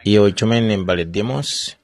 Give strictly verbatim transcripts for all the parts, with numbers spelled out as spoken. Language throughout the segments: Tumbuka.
Iyo chomene m'bale Demos,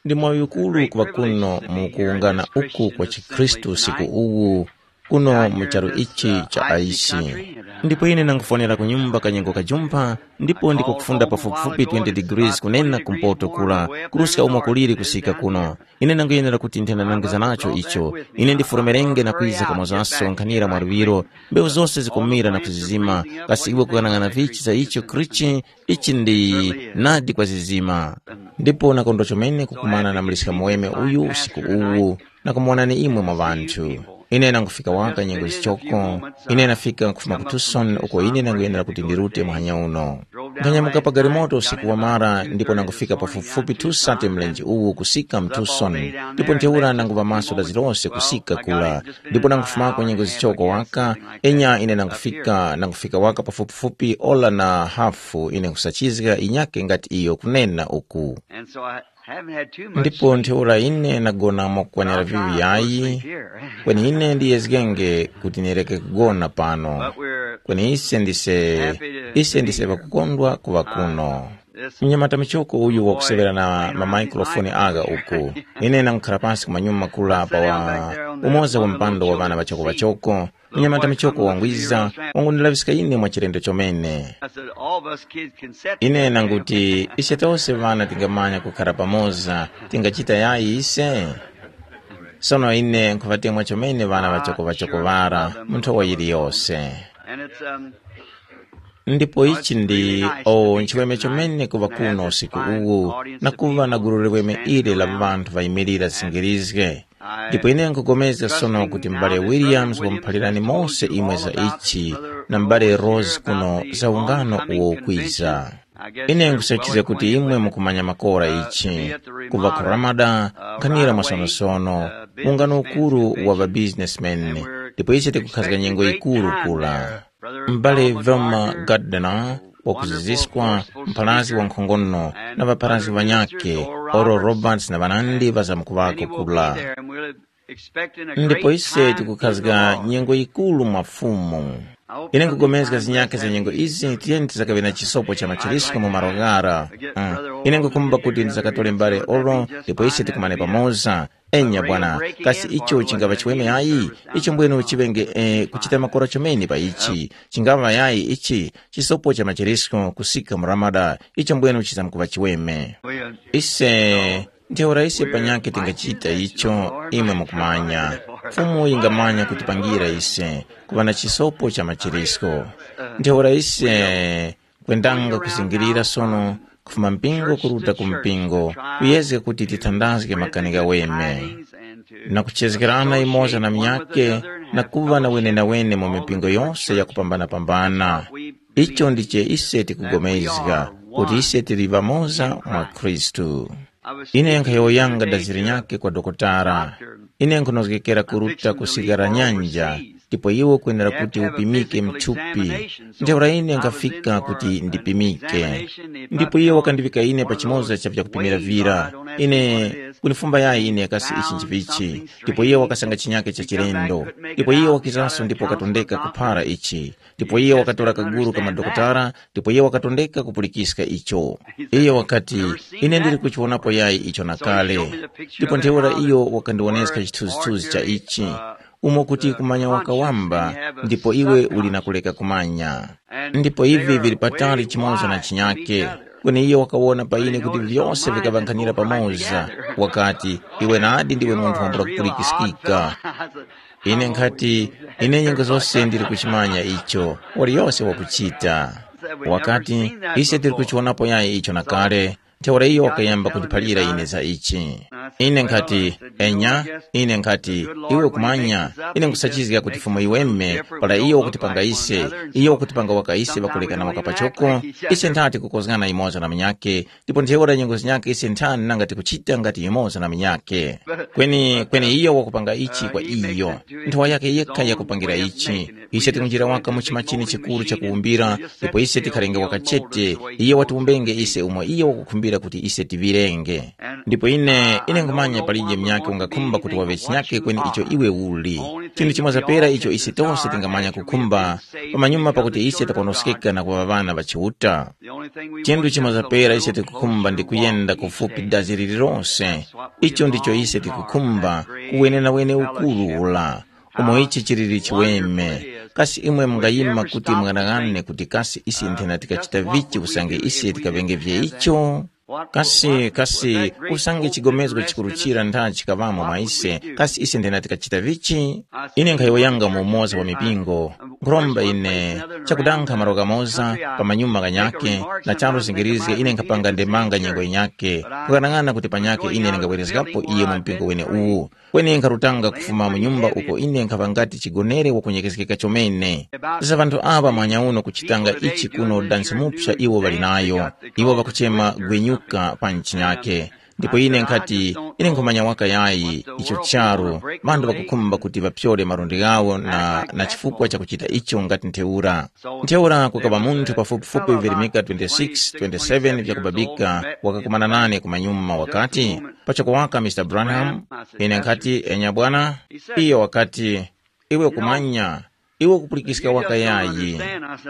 ndi mwaŵi ukuru kuŵa kuno mu kuwungana uku kwa chikhristu usiku uwu, kuno mu charu ichi cha Aisi. Ndipo ine nangufwanira ku nyumba kanyengo kajumpha, ndipo ndiko kufunda pafupifupi twenty degrees kunena kumpoto kula, kuruska umo kuliri kusika kuno. Ine nanguyenera kuti nthena nangiza nacho icho. Ine ndifurumirenge na kwiza kamozaso nkhanira mwa luŵiro. Mbewu zose zikumira na kuzizima, kasi iwe kukang'ana vichi za icho krichi? Ichi ndi nadi kwa zizima. Ndipo nakondwa chomene kukumana na muliska muweme uyu usiku uwu, na kumuwonani imwe mwa ŵanthu. Ine nangufika waka nyengo zichoko. Ine nafika kufuma ku Tucson uko ine nanguyenera kuti ndirute muhanya uno. Nkhanyamuka pa galimoto usiku wamara ndipo nangufika pafupifupi two sate mlenje uwu kusika mu Tucson. Ndipo ntheura nanguva maso da zilose kusika kula. Ndipo nangufumako nyengo zichoko waka. Enya ine nangufika nangufika waka pafupifupi ola na hafu ine nkusachizga inyake ngati iyo kunena uku. And so I haven't had too much ndipo sleep. Ntheura ine nagona mwakukwanira vivi yayi. Kweni ine ndiyezgenge kuti nireke kugona pano. But we're Kweni ise ndise happy to ise be ndise here. Pakukondwa kuŵa kuno. Mnyamata michoko uyu wakusevera na mamaikrofoni aga uku. Ine nangukhala pansi ku manyuma makula pa wa umoza wa mpando wa ŵana ŵachoko-ŵachoko. Mnyamata michoko wangwiza, wangundilaŵiska ine mwa chilendo chomene. Ine nanguti ise tose ŵana tingamanya kukhara pamoza, tingachita yayi ise? Sono ine nkhuŵatemwa chomene ŵana ŵachoko-ŵachoko ŵara mu nthowa yiliyose. Ndipo ichi ndi o nchiweme chomene kuŵa kuno usiku uwu, na kuŵa na gulu liweme ili la ŵanthu ŵayimirira zingirizge. Ndipo ine nkupulikana sono kuti m'bale Williams wamuphalirani mose imwe za ichi, na m'bale Rose kuno za ungano uwo ukwiza. Ine nkusachizga kuti imwe mukumanya makora ichi, kuva ku Ramada, nkhanira mwasonosono, ungano ukuru wa ŵabizinesmeni, ndipo ise tikukhazga nyengo yikuru kula. M'bale Velma Gardner, wakuziziswa, mpharazgi wankhongono, na ŵapharazgi ŵanyakhe, Oral Roberts na ŵanandi ŵazamkuŵako kula. Ndipo ise tikukhazga nyengo yikuru mwa Fumu. Ine nkupulikana zinyakhe za nyengo izi tiyeni tizakaŵe na chisopo cha machirisco mu malo ghara. Mm. Ine nkukhumba kuti ndizakatore mbale oro ndipo ise tikumane pamoza. Enya bwana, kasi icho chingava chiweme ayi? Icho mbwenu chiŵenge eh, kuchita makora chomene pa ichi. Chingava yayi ichi chisopo cha machirisco kusika mu Ramada, icho mbwenu chizamkuva chiweme. Ise ntheura ise panyakhe tingachita icho, imwe mukumanya. Fumu yingamanya kutipangira ise kuŵa na chisopo cha machirisco. Ntheura ise kwendanga kuzingirira sono kufuma mpingo kuruta ku mpingo, kuyezga kuti tithandazge makani ghaweme, na kuchezgerana imoza na munyakhe, na kuŵa na wenenawene mu mipingo yose yakupambanapambana. Icho ndiche ise tikugomezga kuti ise tili ŵamoza mwa Khristu. Ine nkhayowoyanga daziri nyakhe kwa dokotala. Ine nkhunozgekera kuruta ku sigara nyanja, ndipo iwe ukwenera kuti upimike mthupi. Ntheura ine nkhafika kuti ndipimike. Ndipo iye wakandiŵika ine pa chimoza cha vyakupimira vira. Ine kunifumba yayi ine kasi ichi nchivichi. Ndipo iye wakasanga chinyake cha chilendo. Ndipo iye wakizanso ndipo wakatondeka kuphara ichi. Ndipo iye wakatora kaguru ka madokotala, ndipo iye wakatondeka kupulikiska icho. Iye wakati, ine ndili kuchiwonapo yayi icho na kale. Ndipo ntheura iyo wakandiwoneska chithunzithunzi cha ichi, umo kuti kumanya wakawamba, ndipo iwe uli na kuleka kumanya. Ndipo ivi vili patali chimoza na chinyake. Kweni iye wakawona pa ine kuti vyose vikaŵankhanira pamoza. Wakati, iwe nadi ndiwe munthu wambula kupulikiskika. Ine nkhati, ine nyengo zose ndili kuchimanya icho, waliyose wakuchita. Wakati, ise tili kuchiwonapo yayi icho na kale, ntheura iyo wakayamba kundiphalira ine za ichi. Ine nkhati, enya, ine nkhati, iwe ukumanya, ine nkusachizga kuti fumu iweme, para iyo wakutipanga ise, iyo wakutipanga waka ise ŵakulekana waka pachoko, ise nthati kukozgana imoza na munyakhe, ndipo ntheura nyengo zinyakhe ise nthani nanga tikuchita ngati yumoza na munyakhe. Kweni kweni iyo wakupanga ichi kwa iyo, nthowa yake yekha yakupangira ichi. Ise tikunjira waka mu chima chine chikuru chakuwumbira, ndipo ise tikharenge waka chete. Iye watiwumbenge ise umo iye wakukhumbira kuti ise tiŵirenge. Ndipo ine ine Kumanya palije munyakhe ungakhumba kuti waŵe chinyakhe kweni icho iwe uli. Chinthu chimoza pera icho ise tose tingamanya kukhumba pamanyuma pakuti ise takonoskeka na kuŵa ŵana ŵa Chiuta. Chinthu chimoza pera ise tikukhumba ndi kuyenda kufupi dazi lililonse. Icho ndicho ise tikukhumba, kuwenenawene ukuru ula. Umo ichi chiliri chiweme. Kasi imwe mungayima kuti mung'anang'ane kuti kasi ise nthena tikachita vichi usange ise tikaŵenge vye icho? Kasi kasi usange chigomezgo chikuru chira ntha chikaŵamo mwa ise, kasi ise nthena tikachita vichi? Ine nkhayowoyanga mu umoza wa mipingo, nkhuromba ine chakudankha malo kamoza pamanyuma kanyake, na charu zingirizge ine nkhapanga ndemanga nyengo yinyake, kukhanang'ana kuti panyake ine ndingabwerezgapo iye mu mpingo wene uwu. Kweni nkharutanga kufuma mu nyumba uko ine nkhaŵa ngati chigonere wakunyekezgeka chomene. Za ŵanthu aŵa mwanyauno kuchitanga ichi kuno dansi mupsa iwo ŵali nayo. Iwo ŵakuchema gwenyuka pa nchinyake. Ndipo ine nkhati, ine nkhumanya waka yayi icho charu, ŵanthu ŵakukhumba kuti ŵapyore malundi ghawo na, na chifukwa chakuchita icho ngati ntheura. Ntheura kukaŵa munthu pafupifupi virimika twenty-six, twenty-seven vyakubabika wakakumana nane kumanyuma wakati, pachoko waka Mr Branham, ine nkhati enya bwana, iyo wakati, iwe kumanya, iwe kupulikiska waka yayi.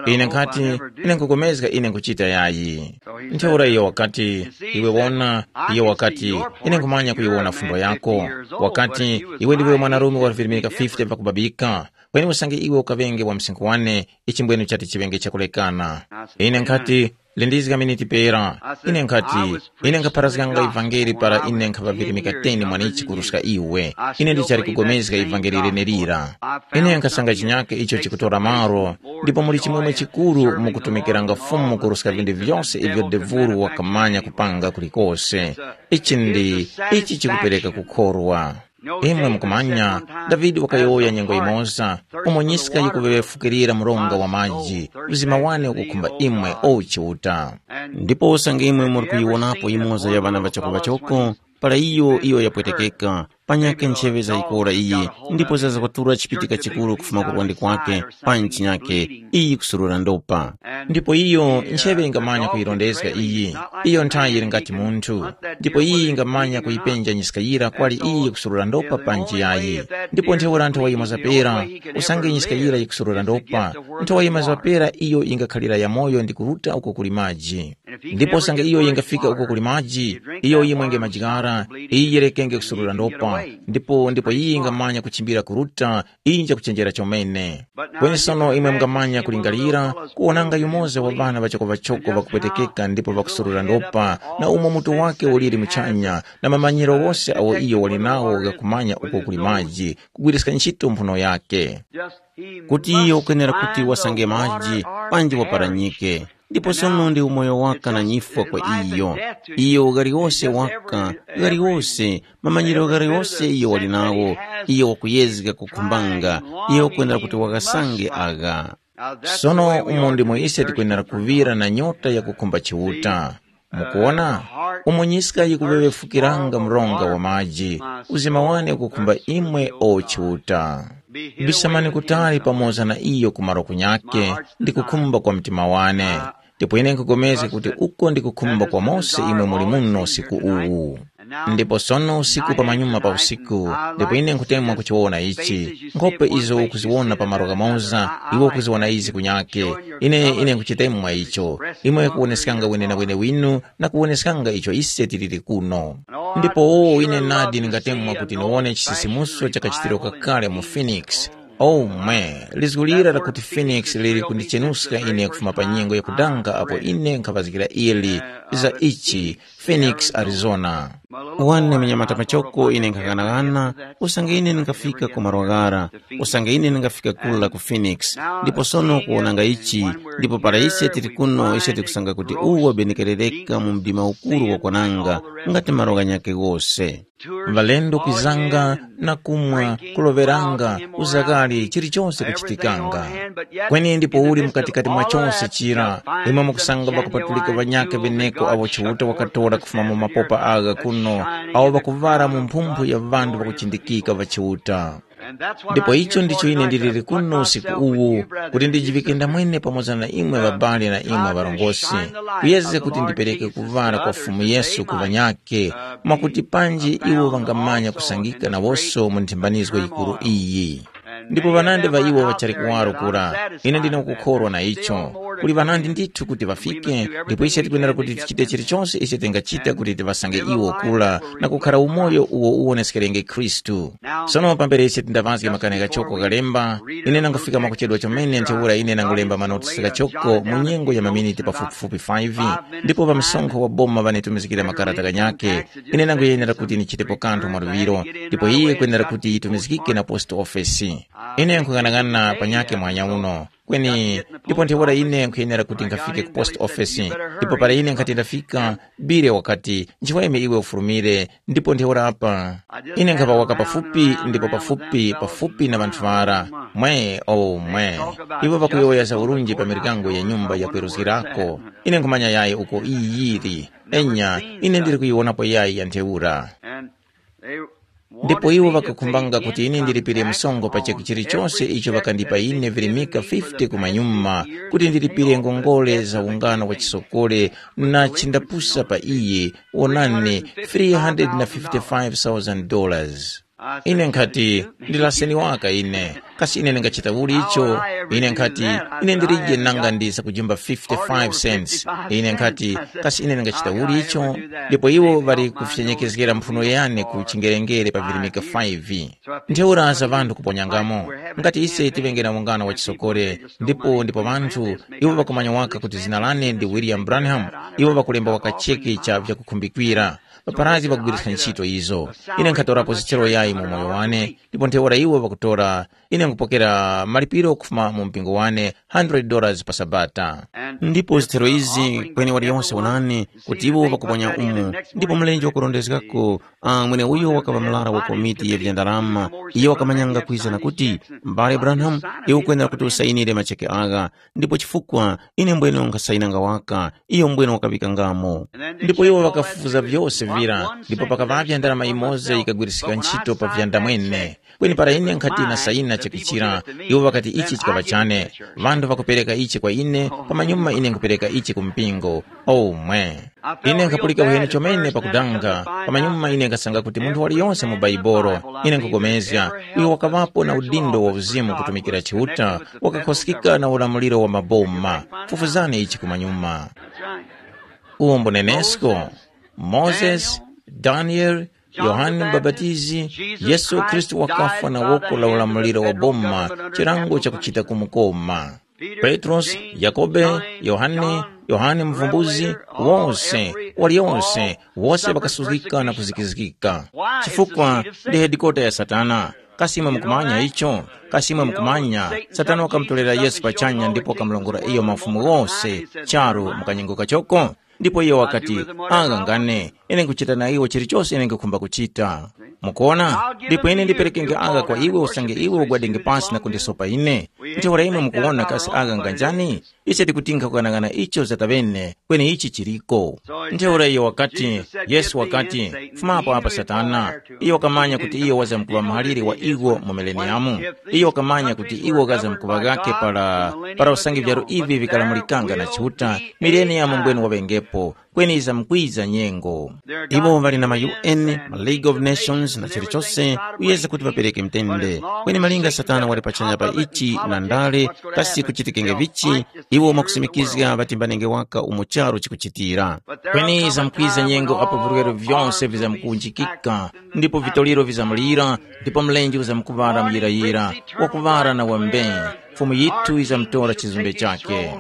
Ine nkhati, ine nkukomezga ine nkuchita yayi. Ntheura iyo wakati, iwe wona, iyo wakati, ine nkhumanya kuyiwona fundo yako. Wakati, iwe ndiwe mwanarume wa virimika fifty pakubabika, kweni usange iwe ukaŵenge wa msinkhu wane, ichimbwenu chati chiŵenge chakulekana. Ine nkhati, lindizga miniti pera. Ine nkhati, ine nkhapharazganga ivangeli para ine nkhaŵa virimika ten mwanichi kuruska iwe. Ine ndichali kugomezga ivangeli lenelira. Ine nkhasanga chinyake icho chikutora malo, ndipo muli chimwemwe chikuru mukutumikiranga Fumu kuruska vinthu vyose ivyo devulu wakamanya kupanga kulikose. Ichi ndi, ichi chikupereka kukhorwa. Imwe mukumanya, Davide wakayowoya nyengo yimoza, umo nyiska yikuŵefukirira mronga wa maji, mzima wane ukukhumba imwe, o Chiuta. Ndipo usange imwe muri kuyiwonapo yimoza ya ŵana ŵachoko-ŵachoko, para iyo iyo yapwetekeka, panyakhe ncheŵe zayikora iyi, ndipo zaza kwatura chipitika chikuru kufuma ku lwandi kwake, pa nchi nyakhe, iyi kusurura ndopa. Ndipo iyo ncheŵe ingamanya kuyirondezga iyi, iyo nthayi yili ngati munthu, ndipo iyi ingamanya kuyipenja nyiska yira kwali iyi kusurura ndopa panji yayi. Ndipo ntheura nthowa yimoza pera, usange nyiska yira yikusurura ndopa, nthowa yimoza pera iyo ingakhalira yamoyo ndi kuruta uko kuli maji. Ndipo usange iyo yingafika uko kuli maji, iyo yimwenge maji ghara, iyi yirekenge kusurura ndopa, ndipo ndipo iyi ingamanya kuchimbira kuruta, iyi njakuchenjera chomene. Kweni sono imwe mungamanya kulingalira, kuwonanga yumoza wa ŵana ŵachoko-ŵachoko ŵakupwetekeka ndipo ŵakusurura ndopa, na umo mutu wake uliri muchanya, na mamanyiro wose awo iyo wali nawo ghakumanya uko kuli maji, kugwiriska ntchito mphuno yake. Kuti iyo ukwenera kuti wasange maji, panji waparanyike. Ndipo sono ndi umoyo waka na nyifwa kwa iyo. Iyo ghaliwose waka, ghaliwose, mamanyiro ghaliwose iyo wali nawo, iyo wakuyezga kukhumbanga, iyo wakwenera kuti wakasange agha. Sono umo ndimo ise tikwenera kuŵira na nyota yakukhumba Chiuta. Mukuona? Umo nyiska yikuŵeŵefukiranga mronga wa maji, uzima wane ukukhumba imwe o Chiuta. Bisamani kutali pamoza na iyo ku malo kunyake ndi kukhumba kwa mtima wane. Ndipo ine nkupulikana kuti uko ndi kukhumba kwa mose imwe muli muno usiku uwu. Ndipo sono usiku pamanyuma pa usiku, ndipo ine nkutemwa kuchiwona ichi, nkhope izo ukuziwona pa malo ghamoza, iwe ukuziwona izi kunyake. Ine ine nkuchitemwa icho. Imwe kuwoneskanga wenenawene winu na kuwoneskanga icho ise tiliri kuno. Ndipo o ine nadi ndingatemwa kuti niwone chisisimuso chakachitiro kakale mu Phoenix. O mwe, lizgu lira lakuti Phoenix lili kundichenuska ine kufuma pa nyengo yakudanga apo ine nkhaŵazgira ili za ichi, Phoenix, Arizona. Wane mnyamata pachoko ine nkhaghanaghana, usange ine ndingafika ku malo ghara, usange ine ndingafika kula ku Phoenix. Ndipo sono kuwonanga ichi, ndipo para ise tili kuno ise tikusanga kuti uwo wabenekerereka mu mdima ukuru wakwananga, ngati malo ghanyakhe ghose. Ŵalendo kwizanga na kumwa, kuloŵeranga, uzakali, chilichose kuchitikanga. Kweni ndipo uli mkatikati mwa chose chira, imwe mukusanga ŵakupatulika ŵanyakhe ŵeneko awo Chiuta wakatora kufuma mu mapopa agha kuno, awo ŵakuŵara mu mphumphu ya ŵanthu ŵakuchindikika ŵa Chiuta. Ndipo icho ndicho ine ndiliri kuno usiku uwu, kuti ndijiŵike ndamwene pamoza na imwe ŵabale na imwe ŵarongozgi, kuyezga kuti ndipereke kuŵala kwa Fumu Yesu ku ŵanyakhe, mwakuti panji iwo ŵangamanya kusangika nawonso mu nthimbanizgo yikuru iyi. Ndipo ŵanandi ŵa iwo ŵachali kuwaro kura, ine ndine kukhorwa na icho. Kuli ŵanandi ndithu kuti ŵafike, ndipo ise tikwenera kuti tichite chilichonse ise tingachita kuti tiŵasange iwo kura na kukhara umoyo uwo uwoneskerenge Khristu. Sono pambere ise tindaŵazge makani ghachoko ghalemba, ine nangufika mwakuchedwa chomene ntheura ine nangulemba manotisi ghachoko mu nyengo ya maminiti pafupifupi five, ndipo pa msonkho wa boma ŵanitumizgikira makarata ghanyakhe, ine nanguyenera kuti nichitepo kanthu mwaluŵiro, ndipo iye kwenera kuti yitumizgike na post office. Ine nkhung'anang'ana panyakhe mwanya uno. Kweni ndipo ntheura ine nkhuyenera kuti nkhafike ku post office, ndipo para ine nkhati ndafika, Bile wakati, nchiweme iwe ufurumire, ndipo ntheura apa. Ine nkhaŵa waka pafupi ndipo pafupi pafupi na ŵanthu ŵara. Mwe, o mwe, iwo ŵakuyowoya za urunji pa miryango ya nyumba yakweruzgirako. Ine nkhumanya yayi uko iyi yili. Enya, ine ndili kuyiwonapo yayi ya ntheura. Ndipo iwo ŵakakhumbanga kuti ine ndilipire msonkho pa chinthu chilichonse icho ŵakandipa ine virimika fifty kumanyuma, kuti ndilipire ngongole za ungano wa chisokole na chindapusa pa iye, wonani, three hundred fifty-five thousand dollars. Ine nkhati, ndilaseni waka ine. Kasi ine ndingachita uli icho? Ine nkhati, ine ndilije nanga ndi zakujimba fifty-five cents. Ine nkhati, kasi ine ndingachita uli icho? Ndipo iwo ŵali kufyenyekezgera mphuno yane ku chingerengere pa virimika five. Ntheura za ŵanthu kuponyangamo. Ngati ise tiŵenge na ungano wa chisokore, ndipo ndipo ŵanthu, iwo ŵakumanya waka kuti zina lane ndi William Branham, iwo ŵakulemba waka cheke cha vyakukhumbikira. Paparazi ŵakugwiriska ntchito izo. Ine nkhatorapo zichero yayi mu moyo wane, ndipo ntheura iwo ŵakutora, ine nkupokera malipiro kufuma mu mpingo wane, hundred dollars pa Sabata. Ndipo zithero izi kweni waliyonse wonani kuti iwo ŵakuponya umu, ndipo mlenje wakurondezgako, ah, mweneuyo wakaŵa mlara wa komiti ya vya ndalama, iyo wakamanyanga kwiza na kuti, m'bale Branham, iwe ukwenera kuti usayinire macheke agha, ndipo chifukwa ine mbwene nkhasainanga waka, iyo mbwene wakaŵikangamo. Ndipo iwo ŵakafufuza vyose vira, ndipo pakaŵavya ndalama imoza yikagwirisika ntchito pa vyanda mwene. Kweni para ine nkhati nasayina chakuchira, iwo ŵakati ichi chikaŵa chane. Ŵanthu ŵakupereka ichi kwa ine, pamanyuma ine nkhupereka ichi ku mpingo. Oh mwe! Ine nkhapulika uheni chomene pakudanga, pamanyuma ine nkhasanga kuti munthu waliyonse mu Baibolo, ine nkhupulikana, uyo wakaŵapo na udindo wa uzimu kutumikira Chiuta, wakakhoskika na ulamuliro wa maboma. Fufuzani ichi kumanyuma. Uwo mbunenesko, Mozesi, Daniele, Yohane Mubapatizi, Yesu Khristu wakafwa na woko la ulamuliro wa boma, chilango chakuchita kumukoma. Petrosi, Yakobe, Yohane, Yohane Muvumbuzi, wose, waliyonse, wose ŵakasuzgika na kuzikizgika. Chifukwa ndi hedikota ya Satana. Kasi imwe mukumanya icho? Kasi imwe mukumanya? Satana wakamutorera Yesu pachanya ndipo wakamulongora iyo mafumu ghose, charu mu kanyengo kachoko. Ndipo iyo wakati, agha ngane, ine nkuchita na iwo chilichose ine nkukhumba kuchita. Mukuona? Ndipo ine ndiperekenge agha kwa iwe usange iwe ugwadenge pasi na kundisopa ine. Ntheura imwe mukuwona kasi agha nga njani? Ise tikutinkha kukanaghana icho zataŵene, kweni ichi chiliko. Ntheura iyo wakati, Yesu wakati, fumapo apa Satana. Iyo wakamanya kuti iyo wazamkuŵa muhaliri wa iwo mu mileniyamu. Iyo wakamanya kuti iwo ghazamkuŵa ghakhe para, para usange vyaro ivi vikalamulikanga na Chiuta, mileniyamu mbwene waŵengepo, kweni yizamkwiza nyengo. Iwo ŵali na ma U N, ma League of Nations na chilichose kuyeza kuti ŵapereke mtende. Kweni malinga Satana wali pachanya pa ichi na ndale, kasi kuchitikenge vichi, iwo mwakusimikizga ŵatimbanenge waka umo charu chikuchitira. Kweni yizamkwiza nyengo apo virwere vyose vizamkuwunjikika, ndipo vitoliro vizamulira, ndipo mlenje uzamkuŵala muyirayira, wakuŵala na wambe. Fumu yithu yizamtora chizumbe chakhe.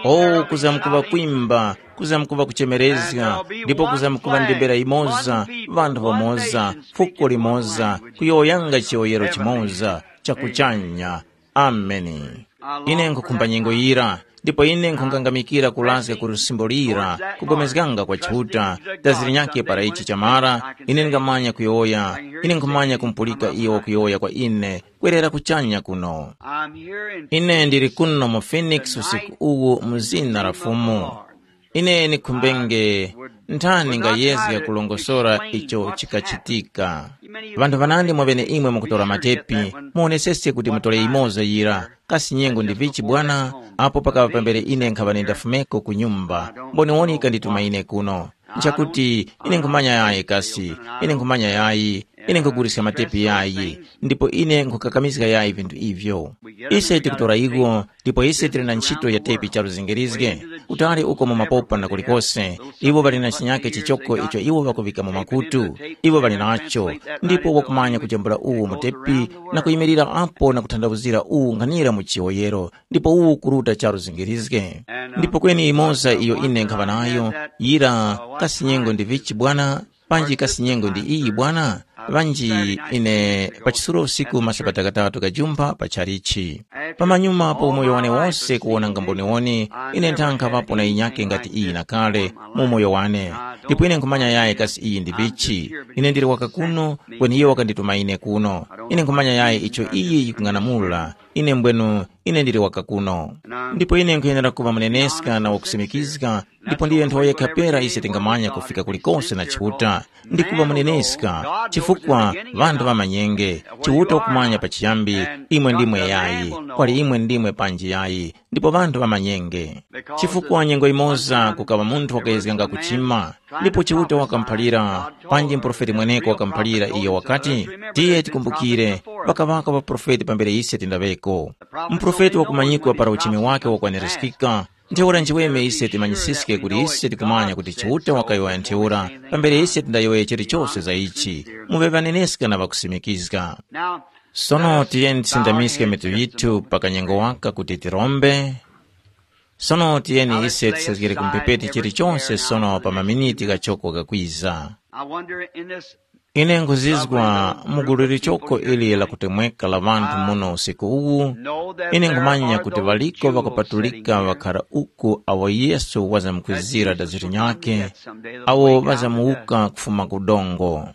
Oh, kuzamkuŵa kwimba, kuzamkuŵa kuchemerezga, ndipo kuzamkuŵa ndembera yimoza, ŵanthu ŵamoza, fuko limoza, kuyowoyanga chiyowoyero chimoza, chakuchanya. Ameni. Ine nkhukhumba nyengo yira, ndipo ine nkhungangamikira kulazga ku lusimbo lira, kugomezganga kwa Chiuta, dazi linyakhe para ichi chamara, ine ndingamanya kuyowoya, ine nkhumanya kumupulika iyo wakuyowoya kwa ine, kwerera kuchanya kuno. Ine ndili kuno mu Phoenix usiku uwu mu zina la Fumu. Ine nikhumbenge nthani ngayezga kulongosora icho chikachitika. Ŵanthu ŵanandi mwa ŵeneimwe mukutora matepi, muwoneseske kuti mutore yimoza yira. Kasi nyengo ndi vichi bwana? Apo pakaŵa pambere ine nkhaŵa nindafumeko ku nyumba, mboniwoni yikandituma ine kuno. Nchakuti ine nkhumanya yayi kasi, ine nkhumanya yayi, ine nkhuguliska matepi yayi, ndipo ine nkhukakamizga yayi vinthu ivyo. Ise tikutora iwo, ndipo ise tili na ntchito ya tepi charu zingirizge, kutali uko mu mapopa na kulikose. Iwo ŵali na chinyake chichoko icho iwo ŵakuŵika mu makutu. Iwo ŵali nacho, ndipo wakumanya kujambula uwu mutepi na kuyimirira apo na kuthandawuzira uwu nkhanira mu chiwoyero, ndipo uwu kuruta charu zingirizge. Ndipo kweni imoza iyo ine nkhaŵa nayo, yira, kasi nyengo ndi vichi bwana? Panji kasi nyengo ndi iyi bwana? Ŵanji ine pachisuro usiku masabata ghatatu gajumpha pa chalichi. Pamanyuma pa umoyo wane wose kuwonanga mboniwoni, ine nthankhaŵapo na yinyake ngati iyi na kale mu umoyo wane. Ndipo ine nkhumanya yayi kasi iyi ndi vichi. Ine ndili waka kuno, kweni iyo wakandituma ine kuno. Ine nkhumanya yayi icho iyi yikung'anamula. Ine mbwenu, ine ndili waka kuno. Ndipo ine nkhuyenera kuŵa muneneska na wakusimikizga, ndipo ndiyo nthawi yekha pera ise tingamanya kufika kulikose na Chiuta, ndi kuŵa muneneska, chifukwa ŵanthu ŵamanyenge. Chiuta ukumanya pachiyambi, imwe ndimwe yayi, kwali imwe ndimwe panji yayi, ndipo ŵanthu ŵamanyenge. Chifukwa nyengo imoza kukaŵa munthu wakayezganga kuchima, ndipo Chiuta wakamuphalira, panji muprofeti mweneko wakamuphalira iyo wakati, tiye tikumbukire, ŵakaŵako ŵaprofeti pambere ise tindaŵeko. Muprofeti wakumanyikwa para uchimi wake wakwanirizgika, ntheura nchiweme ise timanyisiske kuti ise tikumanya kuti Chiuta wakayowoya ntheura, pambere ise tindayowoye chilichose za ichi, muŵe ŵaneneska na ŵakusimikizga. Sono tiyeni tisindamiske mitu yithu pa kanyengo waka kuti tirombe. Sono tiyeni ise tisazgire ku mphepete chilichonse sono pa maminiti ghachoko ghakwiza. I wonder in this Ine nkhuzizwa mu gulu lichoko ili lakutemweka la ŵanthu muno usiku uwu, ine nkhumanya kuti ŵaliko ŵakupatulika ŵakhara uku awo Yesu wazamkwizira daziri nyakhe, awo ŵazamuwuka kufuma ku dongo.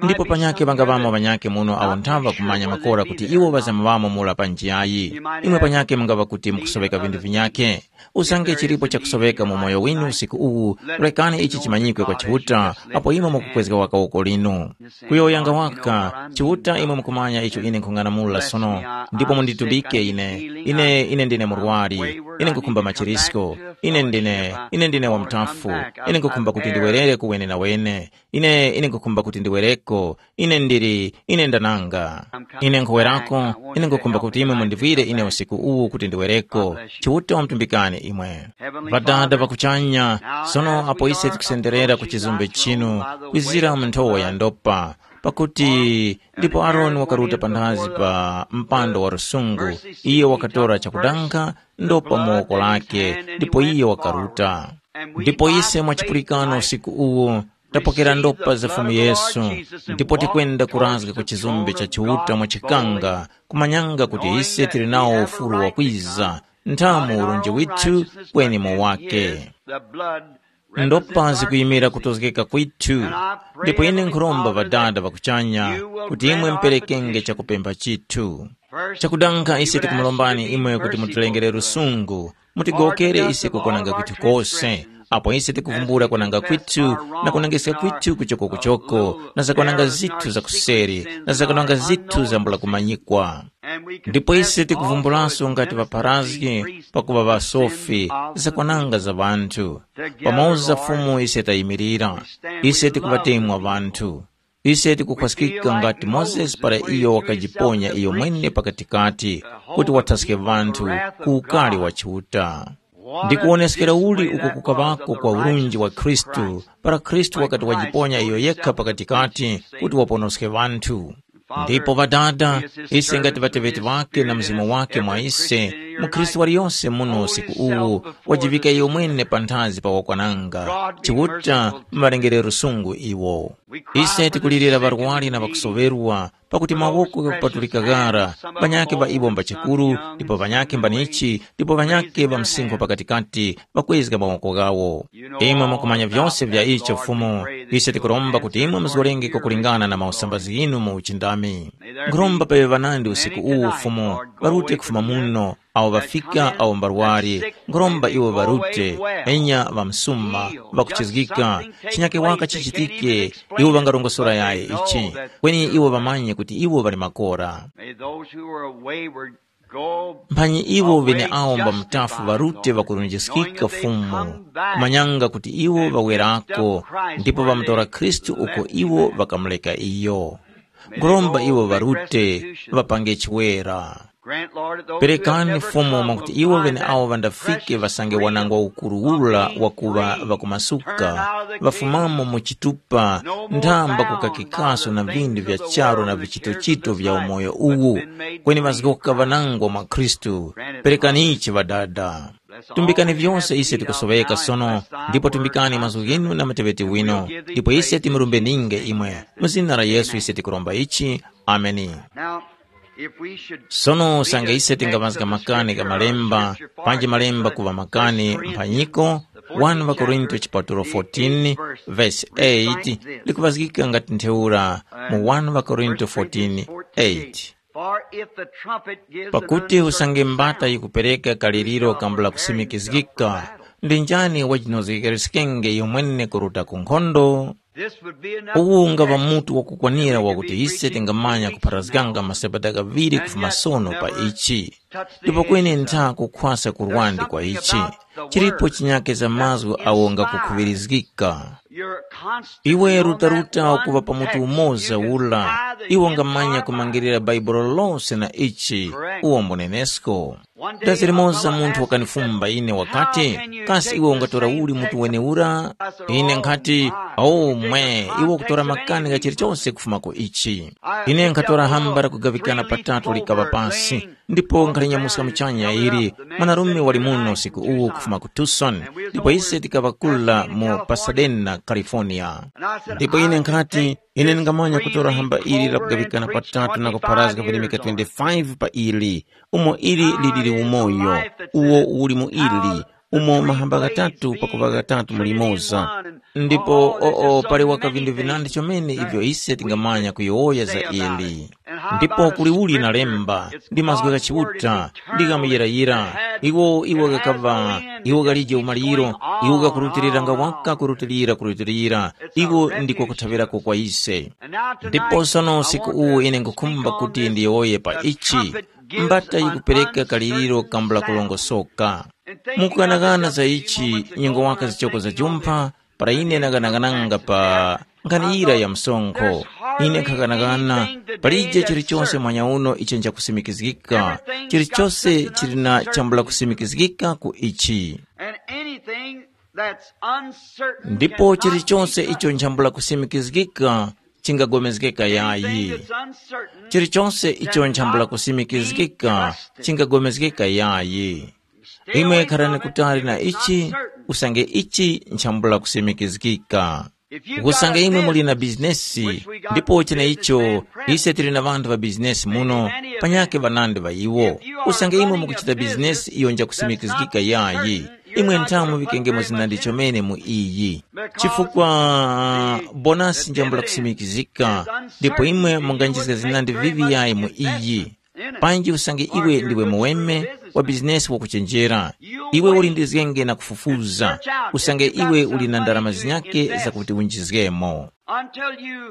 Ndipo panyakhe ŵangaŵamo ŵanyakhe muno awo nthaŵa kumanya makora kuti iwo ŵazamuŵamo mura pa njiyayi. Imwe panyakhe mungaŵa kuti mukusoweka vinthu vinyakhe. Usange chilipo chakusoweka mu moyo winu usiku uwu, rekani ichi chimanyikwe kwa Chiuta, apo imwe mukukwezga waka woko linu. Kuyowoyanga waka, Chiuta imwe mukumanya icho ine nkhung'anamula sono, ndipo munditulike ine. Ine, ine ndine murwari, ine nkhukhumba machirisko, ine ndine, ine ndine wamuthafu, ine nkhukhumba kuti ndiwerere kuwene na wene, ine, ine nkhukhumba kuti ndiwereko, ine ndili, ine ndananga. Ine nkhuwerako, ine nkhukhumba kuti imwe mundivwire ine usiku uwu kuti ndiwereko. Chiuta wamutumbikani imwe. Ŵadada ŵa kuchanya, sono apo ise tikusenderera ku chizumbe chinu, kwizira mu nthowa ya ndopa, pakuti ndipo Aroni wakaruta panthazi pa mpando wa lusungu, iye wakatora chakudanga ndopa mu woko lake, ndipo iye wakaruta. Ndipo ise mwa chipulikano usiku uwu, tapokera ndopa za Fumu Yesu, ndipo tikwenda kurazga ku chizumbe cha Chiuta mwa chikanga, kumanyanga kuti ise tili nawo ufulu wakwiza, nthamu urunji withu kweni mu wake. Ndopa zikuyimira kutozgeka kwithu, ndipo ine nkhuromba Ŵadada ŵa kuchanya kuti imwe muperekenge chakupempha chithu. Chakudanga ise tikumulombani imwe kuti mutilengere lusungu, mutigowokere ise kukwananga kwithu kose, apo ise tikuvumbula kwananga kwithu na kunangiska kwithu kuchokokuchoko na zakwananga zithu za kuseri na zakwananga zithu zambula kumanyikwa. Ndipo ise tikuvumbulanso ngati ŵapharazgi pakuŵa ŵasofi zakwananga za ŵanthu. Pamoza Fumu ise tayimirira, ise tikuŵatemwa ŵanthu. Ise tikukhwaskika ngati Mozesi para iyo wakajiponya iyo mwene pakatikati kuti wathaske ŵanthu ku ukari wa Chiuta. Ndi kuwoneskera uli uko kukaŵako kwa urunji wa Khristu para Khristu wakati wajiponya iyo yekha pakatikati kuti waponoske ŵanthu. Ndipo Ŵadada, ise ngati ŵateŵeti ŵake na Mzimu wake mwa ise, mukhristu waliyose muno usiku uwu wajivika iyo mwene panthazi pa wakwananga. Chiuta muŵalengere lusungu iwo. Ise tikulirira ŵarwari na ŵakusoŵerwa, pakuti mawoko ghakupatulika ghara, ŵanyakhe ŵa iwo mbachikuru, ndipo ŵanyakhe mbanichi, ndipo ŵanyakhe ŵa msinkhu pakatikati ŵakwezga mawoko ghawo. Imwe mukumanya vyose vya icho Fumu, ise tikuromba kuti imwe muzgorenge kwakulingana na mausambazi ghinu mu uchindami. Nkhuromba paŵe ŵanandi usiku uwu Fumu, ŵarute kufuma muno, awo ŵafika awo mbarwari, nkhuromba iwo ŵarute, enya ŵamsuma, ŵakuchizgika, chinyake waka chichitike, iwo ŵangarongosora yayi ichi. Kweni iwo ŵamanye kuti iwo ŵali makora. May those who are wayward go mphanyi iwo away ŵeneawo mba just mutafu as ŵarute ŵakurunjiskika Fumu, kumanyanga kuti iwo ŵawerako, ndipo ŵamutora Khristu uko iwo ŵakamuleka iyo. Nkhuromba iwo ŵarute, ŵapange chiwera. Perekani Fumu mwakuti iwo ŵeneawo ŵandafike ŵasange wanangwa ukuru ura wakuŵa ŵakumasuka, ŵafumamo mu chitupa, nthamba kukakikaso na vindu vya charu na vichitochito vya umoyo uwu, kweni ŵazgoka ŵanangwa mwa Khristu. Perekani ichi Ŵadada. Tumbikani vyose ise tikusoŵeka sono, ndipo tumbikani mazgu ghinu na muteŵeti wino, ndipo ise timurumbe ninge imwe. Mu zina la Yesu ise tikuromba ichi. Ameni. Now, if we should Sono read sanga a ise text tingamazga of makani ka Scripture, malemba, scripture for panji malemba kuva makani verse three, mphanyiko, the fourteenth one Korinto chapter, chipatulo the fourteen eighth verse, verse reads like this. Likuvazgika ngati ntheura mu one Korinto fourteen eight. For if the trumpet gives an pakuti usange mbata yikupereka kaliriro kambula kusimikizgika, ndi njani wajinozgekereskenge yomwene kuruta ku nkhondo? This would be enough uwu ungaŵa mutu wakukwanira wakuti ise tingamanya kupharazganga masabata ghaŵiri kufuma sono pa ichi. Ndipo kweni ntha kukhwasa kurwandi kwa ichi, chilipo chinyake za mazgu awo ngakukhuŵirizgika. Iwe rutaruta kuŵa pa mutu umoza ula, iwe ungamanya kumangirira Bhaibuli lose na ichi, uwo mbunenesko. Dazi limoza munthu wakanifumba ine wakati, kasi iwe ungatora uli mutu wenewura? Ine nkhati, o mwe, iwe ukutora makani gha chilichose kufuma ku ichi. Ine nkhatora hamba la kugaŵikana patatu likaŵa pasi, ndipo nkhalinyamuska muchanya ili, mwanarume wali muno usiku uwu kufuma ku Tucson, ndipo ise tikaŵakula mu Pasadena, California. Ndipo ine nkhati, ine ndingamanya kutora hamba ili la kugaŵikana patatu na kupharazga vilemeka twenty-five pa ili, umo ili liliri umoyo, uwo uli mu ili, umo mahamba ghatatu pakuŵa ghatatu muli limoza. Ndipo oo pali waka vindu vinandi chomene ivyo ise tingamanya kuyowoya za ili. Ndipo kuli uli na lemba, ndi mazgu gha Chiuta, ndi gha muyirayira, iwo iwo ghakaŵa, iwo ghalije umaliro, iwo ghakurutiliranga waka kurutilira kurutilira, iwo ndiko kuthaŵirako kwa ise. Ndipo sono usiku uwu ine nkhukhumba kuti ndiyowoye pa ichi, mbata yikupereka kaliriro kambula kulongosoka. Mukughanaghana za ichi, nyengo waka zichoko za jumpha, para ine ndaghanaghananga pa nkhani yira ya msonkho. Ine nkhaghanagana, palije chilichonse mwanya uno icho nchakusimikizgika, chilichonse chili na chambula kusimikizgika ku ichi. And anything that's uncertain ndipo cannot chilichonse be icho nchambula kusimikizgika chingagomezgeka yayi. Chilichonse icho nchambula kusimikizgika chingagomezgeka yayi. Imwe kharani kutali na ichi, usange ichi nchambula kusimikizgika. Usange imwe muli na bizinesi, ndipo cheneicho ise tili na ŵanthu ŵa bizinesi muno, panyakhe ŵanandi ŵa iwo. Usange imwe mukuchita bizinesi iyo njakusimikizgika yayi, imwe nthamu muŵikengemo zinandi chomene mu iyi. Chifukwa bonasi njambula kusimikizika, ndipo imwe munganjizga zinandi vivi yayi mu iyi. Panji usange iwe ndiwe muweme wa bizinesi wakuchenjera, iwe ulindizgenge na kufufuza. Usange iwe uli na ndarama zinyake zakuti winjizgemo,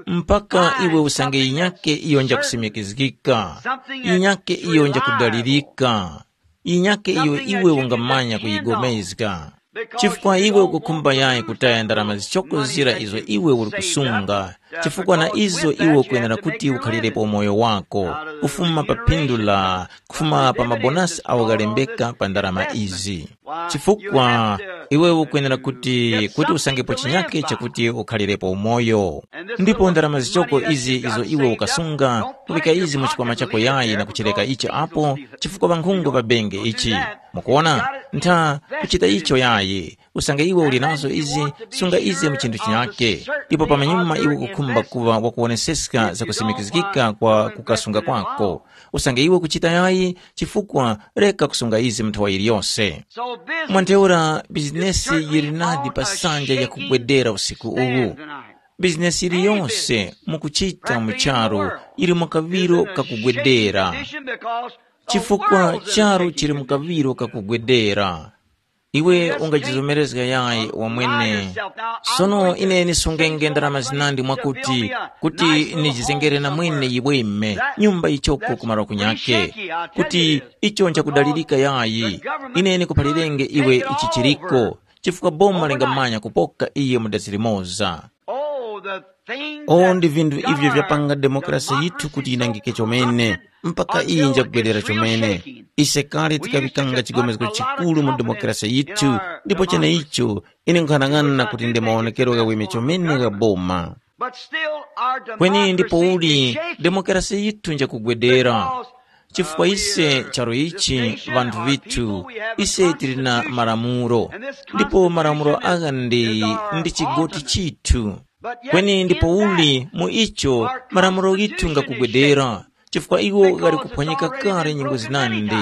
mpaka iwe usange yinyake iyo njakusimikizgika, yinyake iyo njakudalirika, yinyake iyo iwe ungamanya kuyigomezga. Chifukwa iwe ukukhumba yayi kutaya ndarama zichoko zira izo iwe uli kusunga, chifukwa na izo iwe ukwenera kuti ukhalirepo umoyo wako, kufuma pa phindu la, kufuma pa mabonasi awo ghalembeka pa ndarama izi. Chifukwa iwe ukwenera kuti, kuti usangepo chinyake chakuti ukhalirepo umoyo. Ndipo ndarama zichoko izi izo iwe ukasunga, kuŵika izi mu chikwama chako yayi na kuchireka ichi apo, chifukwa ŵankhungu ŵabenge ichi. Mukuona? Ntha kuchita icho yayi. Usange iwe uli nazo izi, sunga izi mu chinthu chinyake. Ndipo pamanyuma iwe ukukhumba kuŵa wakuwoneseska zakusimikizgika kwa kukasunga kwako. Usange iwe ukuchita yayi, chifukwa reka kusunga izi mu nthawa yiliyose. Mwantheura bizinesi yili nadi pa sanja yakugwedera usiku uwu. Bizinesi yiliyose mukuchita mu charu yili mu kaŵiro kakugwedera. chifukwa charu chili mu kaŵiro kakugwedera. Iwe ungachizomerezga yayi wamwene. Sono ine nisungenge ndarama zinandi mwakuti, kuti nijizengere na mwene yiweme nyumba yichoko kumaro kunyake, kuti icho nchakudalirika yayi. Ine nikuphalirenge iwe ichi chiriko, chifukwa boma lingamanya kupoka iye mu dazi limoza. Oh, the things O that ndi vinthu ivyo vyapanga demokrasi yithu kuti yinangike chomene, mpaka iyi njagwerera chomene. Ise kale tikaŵikanga chigomezgo chikulu mu demokrasi yithu, ndipo cheneicho ine nkhanang'ana kuti ndi maonekero ghaweme chomene gha boma. Kweni ndipo uli, demokrasi yithu njakugwedera. Chifukwa ise charo ichi, vanthu vithu, ise tili na malamulo, ndipo malamulo agha ndi ndi chigoti chithu. Kweni ndipo uli mu icho malamulo ghithu ngakugwedera, chifukwa iwo ghali kuphwanyika kale nyengo zinandi.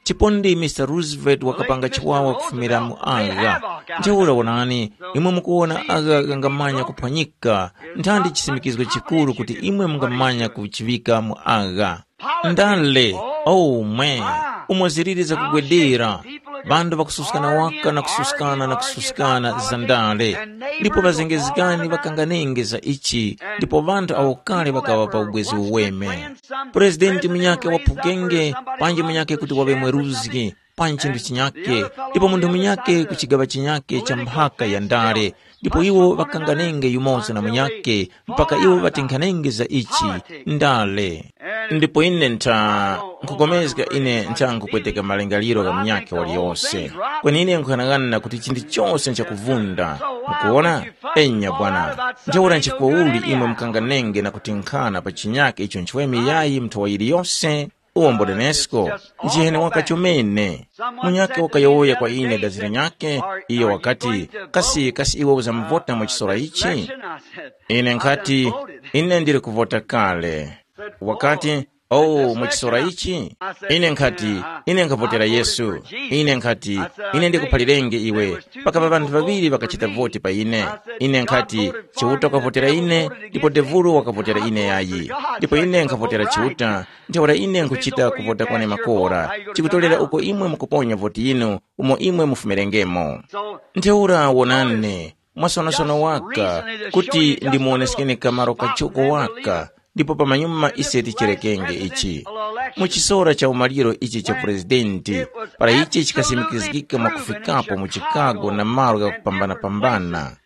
Chipondi Mr Roosevelt wakapanga chiwawa kufumira mu agha. Ntheura wonani, imwe mukuwona agha ghangamanya kuphwanyika, nthandi chisimikizgo chikuru kuti imwe mungamanya kuchiŵika mu agha. Ndale, oh mwe, umo ziliri zakugwedera. Ŵanthu ŵakususkana waka na kususkana na kususkana za ndale. Ndipo ŵazengezgani ŵakanganenge za ichi, ndipo ŵanthu awo kale ŵakaŵa pa ubwezi uweme. Purezidenti munyakhe waphukenge, panji munyakhe kuti waŵe mweruzgi, panji chinthu chinyakhe, ndipo munthu munyakhe kuchigaŵa chinyakhe cha mphaka ya ndale, ndipo iwo ŵakanganenge yumoza na munyakhe, mpaka iwo ŵatinkhanenge za ichi, ndale. Ndipo ine ntha nkhukomezga ine ntha nkhupweteka malingaliro gha munyakhe waliyose. Kweni ine nkhughanaghana kuti chinthu chose nchakuvunda. Mukuwona? Enya bwana. Ntheura nchifukwa uli imwe mukanganenge na kutinkhana pa chinyakhe icho nchiweme yayi mnthowa yiliyose? Uwo mbonenesko, njiheni waka chomene. Munyakhe wakayowoya kwa ine dazira nyakhe, iyo wakati, kasi kasi iwe uzamuvota mu chisora ichi? Ine nkhati, ine ndili kuvota kale. Wakati, oh, mu chisora ichi? Ine nkhati, ine nkhavotera Yesu. Ine nkhati, ine ndikuphalirenge iwe, pakapa ŵanthu ŵaŵiri ŵakachita voti pa ine. Ine nkhati, Chiuta wakavotera ine, ndipo Devulu wakavotera ine yayi. Ndipo ine nkhavotera Chiuta, ntheura ine nkhuchita kuvota kwane makora, chikutorera uko imwe mukuponya voti yinu, umo imwe mufumirengemo. Ntheura wonani, mwasonosono waka, kuti ndimuwoneskeni kamaro kachoko waka, ndipo pamanyuma ise ticherekenge ichi. Mu chisora cha umaliro ichi cha purezidenti, para ichi chikasimikizgika mwakufikapo mu Chicago na malo ghakupambana-pambana,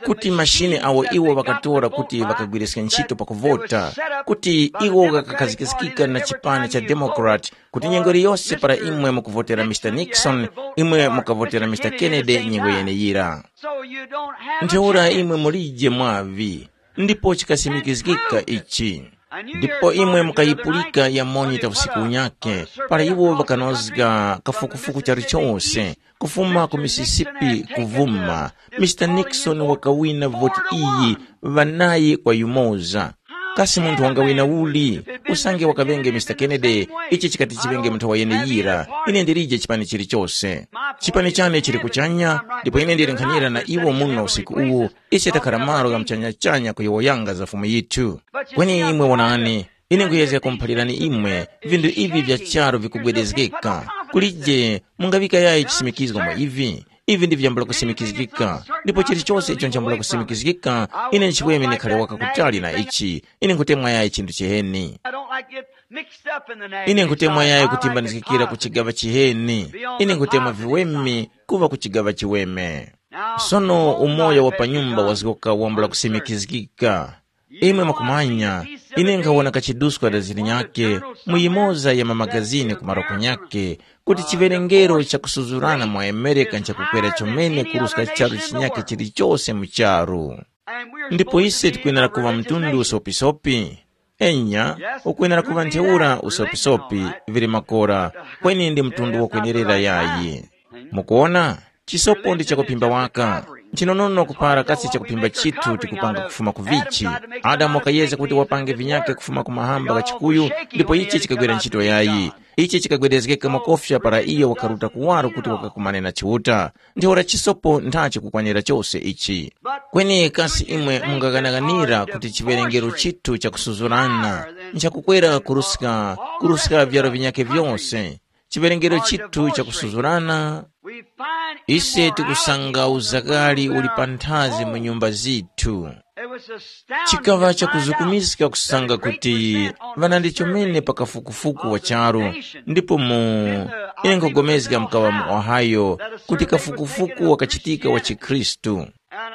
kuti mashine awo iwo ŵakatora kuti ŵakagwiriske ntchito pakuvota, kuti iwo ghakakhazikikika na chipani cha Democrat, kuti nyengo iliyose para imwe mukuvotera Mister Nixon, imwe mukavotera Mister Kennedy nyengo yeneyira. Ntheura imwe mulije mwavi, ndipo chikasimikizgika ichi. Ndipo imwe mukayipulika ya monita usiku unyakhe, para iwo ŵakanozga kafukufuku chalichose, kufuma ku Mississippi kuvuma, Mister Nixon wakawina voti iyi, ŵanayi kwa yumoza. Kasi munthu wangawina uli? Usange wakaŵenge Mister Kennedy, ichi chikati chiŵenge munthu wa yeneyira, ine ndilije chipani chilichose. Chipani chane chili kuchanya, ndipo ine ndili nkhanira na iwo muno usiku uwu, ise takhala malo gha mchanyachanya kuyowoyanga za Fumu yithu. Kweni imwe wonani, ine nkuyezga kumuphalirani imwe, vinthu ivi vya charu vikugwedezgeka. Kulije mungaŵika yayi chisimikizgo mwa ivi? Ivi ndi vyambula kusimikizgika, ndipo chilichose icho nchambula kusimikizgika, ine nchiweme ndikhale waka kutali na ichi. Ine nkhutemwa yayi chinthu chiheni. I don't like it mixed up in the name. Ine nkutemwa yayi kutimbanizgikira ku chigaŵa chiheni. Ine nkutemwa viweme kuŵa ku chigaŵa chiweme. Sono umoyo wa pa nyumba wazgoka wambula kusimikizgika. Imwe mukumanya, ine nkhawona kachiduska da zilinyakhe mu yimoza ya mamagazini ku maroko nyakhe, kuti chiwerengero chakusuzurana mu Amerika nchakukwera chomene kuruska charu chinyakhe chilichose mu charu. Ndipo ise tikwenera kuŵa mtundu usopisopi. Enya, ukwenera kuŵa ntheura usopisopi, vili makora, kweni ndi mtundu wakwenerera yayi. Mukuona, chisopo ndi chakuphimba waka. Nchinonono kupara kasi chakuphimba chithu tikupanga kufuma ku vichi. Adamu wakayezga kuti wapange vinyakhe kufuma ku mahamba gha chikuyu, ndipo ichi chikagwera ntchito yayi. Ichi chikagwedezgeka makofya para iyo wakaruta kuwaro kuti wakakumane na Chiuta. Ntheura chisopo nthachi kukwanira chose ichi. Kweni kasi imwe mungaghanaghanira kuti chiwerengero chithu chakusuzurana nchakukwera kuruska kuruska vyaro vinyakhe vyose? Chiwerengero chithu chakusuzurana, ise tikusanga uzakali uli panthazi mu nyumba zithu. Chikaŵa chakuzukumiska kusanga kuti ŵanandi chomene pa kafukufuku wa charu, ndipo mu ine nkhugomezga mukaŵa mu Ohio kuti kafukufuku wakachitika wa chikhristu.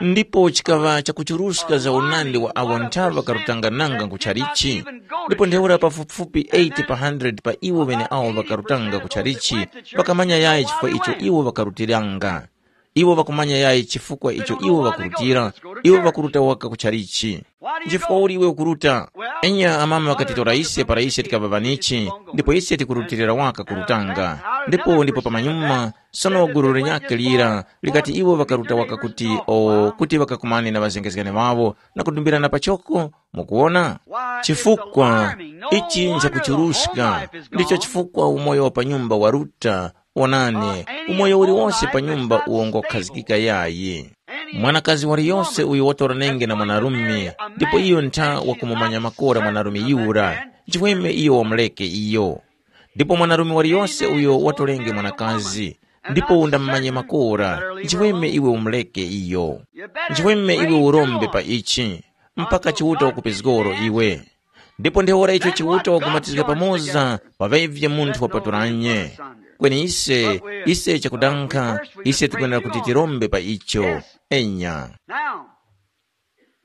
Ndipo chikaŵa chakuchuruska za unandi wa awo nthaŵa ŵakarutangananga ku chalichi, ndipo ntheura pafupifupi eighty pa hundred pa iwo ŵeneawo ŵakarutanga ku chalichi ŵakamanya yayi chifukwa icho iwo ŵakarutiranga. Iwo ŵakumanya yayi chifukwa icho iwo ŵakurutira, iwo ŵakuruta waka ku chalichi. Nchifukwa uli iwe ukuruta? Enya amama ŵakatitora ise para ise tikaŵa ŵanichi, ndipo ise tikurutilira waka kurutanga. Ndipo ndipo pamanyuma, sono gulu linyakhe lira likati iwo ŵakaruta waka kuti o kuti ŵakakumane na ŵazengezgani ŵawo na kudumbirana pachoko. Mukuwona? Chifukwa ichi nchakuchuruska, ndicho chifukwa umoyo wa pa nyumba waruta. Wonani, umoyo uliwonse pa nyumba uwo ngokhazikika yayi. Mwanakazi waliyonse uyo watoranenge na mwanarume, ndipo iyo ntha wakumumanya makora mwanarume yura, nchifukwa iyo wamuleke iyo. Ndipo mwanarume waliyonse uyo watolenge mwanakazi, ndipo undamumanye makora, nchifukwa iwe umuleke iyo. Nchifukwa iwe urombe pa ichi, mpaka Chiuta wakupezgoro iwe. Ndipo ntheura icho Chiuta wakumatizga pamoza, paŵavye munthu wapatulanye. Kweni ise, ise chakudankha, ise tikwenera kuti tirombe pa icho. Enya. Now,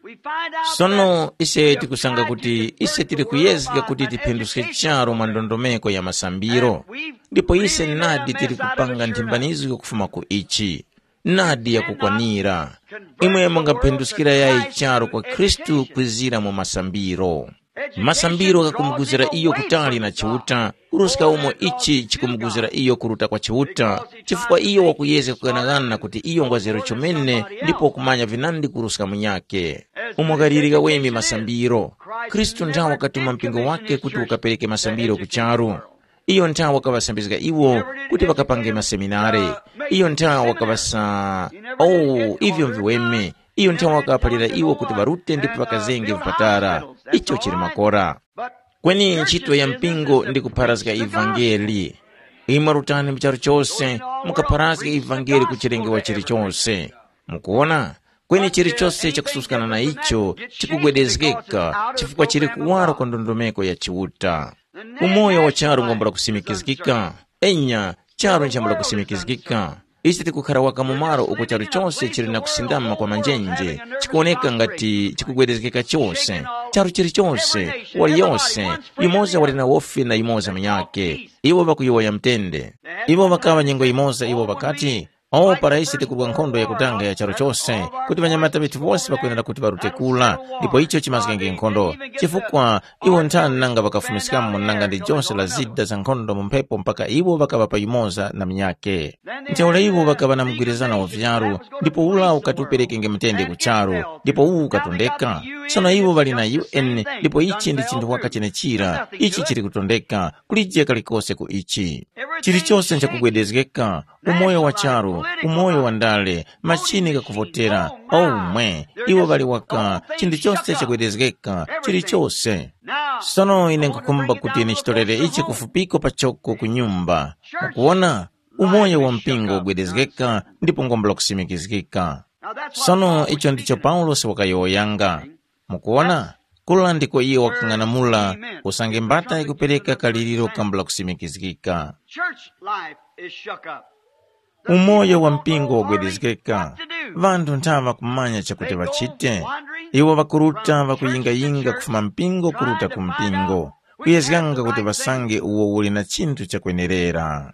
we find out sono that ise tikusanga kuti ise tili kuyezga kuti tiphinduske charu mwa ndondomeko ya masambiro. Ndipo ise nadi tili kupanga nthimbanizgo kufuma ku ichi. Nadi yakukwanira. Imwe mungaphinduskira yayi charu kwa Khristu kwizira mu masambiro. Masambiro ghakumuguzira iyo kutali na Chiuta, kuruska umo ichi chikumuguzira iyo kuruta kwa Chiuta, chifukwa iyo wakuyezga kughanaghana kuti iyo ngwazero chomene ndipo wakumanya vinandi kuruska munyakhe. Umo ghaliri ghaweme masambiro. Khristu nthawe wakatuma mpingo wake kuti ukapereke masambiro ku charu. Iyo nthawe wakaŵasambizga iwo kuti ŵakapange maseminare. Iyo nthawe wakaŵasa, oh, ivyo mviweme. Iyo nthawe wakaphalira iwo kuti ŵarute ndipo ŵakazenge vipatara. Icho chili makora. Kweni ntchito ya mpingo ndi kupharazga ivangeli. Imwe rutani mu charu chose, mukapharazge ivangeli ku chilengewa chilichose. Mukuwona? Kweni chilichose chakususkana na icho chikugwedezgeka chifukwa chili kuwaro kwa ndondomeko ya Chiuta. Umoyo wa charu ngombola kusimikizgika. Enya, charu nchambula kusimikizgika. Ise tikukhara waka mu malo uko charu chose chili na kusindama kwa manjenje, chikuwoneka ngati chikugwedezgeka chose. Charu chilichose, waliyose, yumoza wali na wofi na yumoza munyakhe. Iwo ŵakuyowoya mtende. Iwo ŵakaŵa nyengo yimoza iwo ŵakati, o para ise tikurwa nkhondo yakutanga ya charu chose, kuti ŵanyamata ŵethu wose ŵakwenera kuti ŵarute kula, ndipo icho chimazgenge nkhondo. Chifukwa iwo nthani nanga ŵakafumiskamo nanga ndi jose la zida za nkhondo mu mphepo mpaka iwo ŵakaŵa pa yumoza na munyakhe. Ntheura iwo ŵakaŵa na mgwirizano wa vyaru, ndipo ula ukati uperekenge mutende ku charu, ndipo uwu ukatondeka. Sono iwo ŵali na U N, ndipo ichi ndi chinthu waka chenechira, ichi chili kutondeka, kulije kalikose ku ichi. Chilichose nchakugwedezgeka, umoyo wa charu, umoyo wa ndale, machini ghakuvotera, omwe, iwo ŵali waka, chinthu chose chagwedezgeka, chilichose. Sono ine nkhukhumba kuti ine chitorere ichi kufupiko pachoko ku nyumba. Mukuwona, umoyo wa mpingo ugwedezgeka ndipo ngombola kusimikizgika. Sono icho ndicho Paulosi wakayowoyanga. Mukuwona, kula ndiko iyo wakang'anamula usange mbata ikupereka kaliriro kambula kusimikizgika. Church life is shook up. Umoyo wa mpingo wagwedezgeka. Ŵanthu nthawa ŵakumanya chakuti ŵachite. Iwo ŵakuruta ŵakuyingayinga kufuma mpingo kuruta ku mpingo, kuyezganga kuti ŵasange uwo uli na chinthu chakwenerera.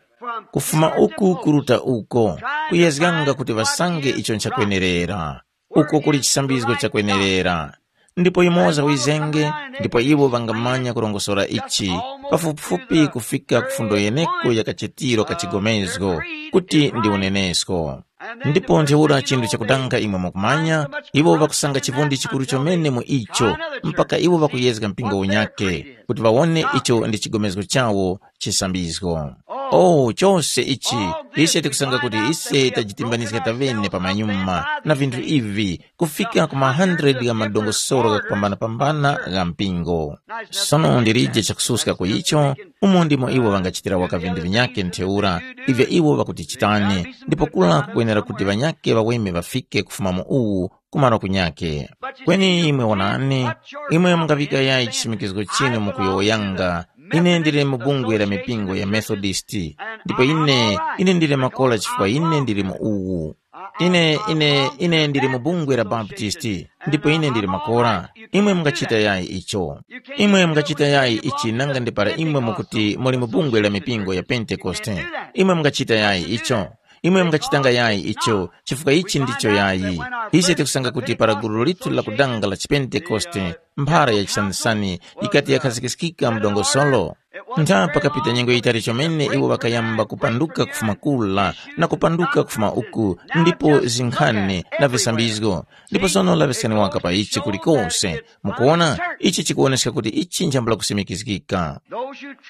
Kufuma uku kuruta uko, kuyezganga kuti ŵasange icho nchakwenerera. Uko kuli chisambizgo chakwenerera. Ndipo yumoza wizenge, ndipo iwo ŵangamanya kurongosora ichi, pafupifupi kufika ku fundo yeneko ya kachitiro ka chigomezgo, kuti ndi unenesko. Ndipo ntheura chinthu chakudanga imwe mukumanya, iwo ŵakusanga chivundi chikuru chomene mu icho, mpaka iwo ŵakuyezga mpingo unyakhe, kuti ŵawone icho ndi chigomezgo chawo chisambizgo. Oh, chose ichi, ise tikusanga kuti ise tajitimbanizga tavene pamanyuma na vinthu ivi, kufika ku ma hundred gha madongosolo ghakupambana-pambana gha mpingo. Sono ndilije chakususka ku icho, umo ndimo iwo ŵangachitira waka vinthu vinyakhe ntheura, ivyo iwo ŵakutichitani, ndipo kula kukwenera kuti ŵanyakhe ŵaweme ŵafike kufuma mu uwu kumaro kunyakhe. Kweni imwe wonani, imwe mungaŵika yayi chisimikizgo chinu mukuyowoyanga, ine ndili mu bungwe la mipingo ya Methodist, ndipo ine, ine ndili makora chifukwa ine ndili mu uwu. Ine, ine, ine ndili mu bungwe la Baptist, ndipo ine ndili makora. Imwe mungachita yayi icho? Imwe mungachita yayi ichi nanga ndi para imwe mukuti muli mu bungwe la mipingo ya Pentekoste? Imwe mungachita yayi icho? Imwe mungachitanga yayi icho, chifukwa ichi ndicho yayi. Ise tikusanga kuti para gulu lithu la kudanga la chipentekoste, mphara ya chisanisani ikati yakhazikiskika mu dongosolo. Ntha pakapita nyengo yitali chomene iwo ŵakayamba kupanduka kufuma kula na kupanduka kufuma uku, ndipo zinkhani na visambizgo. Ndipo sono laŵiskani waka pa ichi kulikose. Mukuona, ichi chikuwoneska kuti ichi njambula kusimikizgika.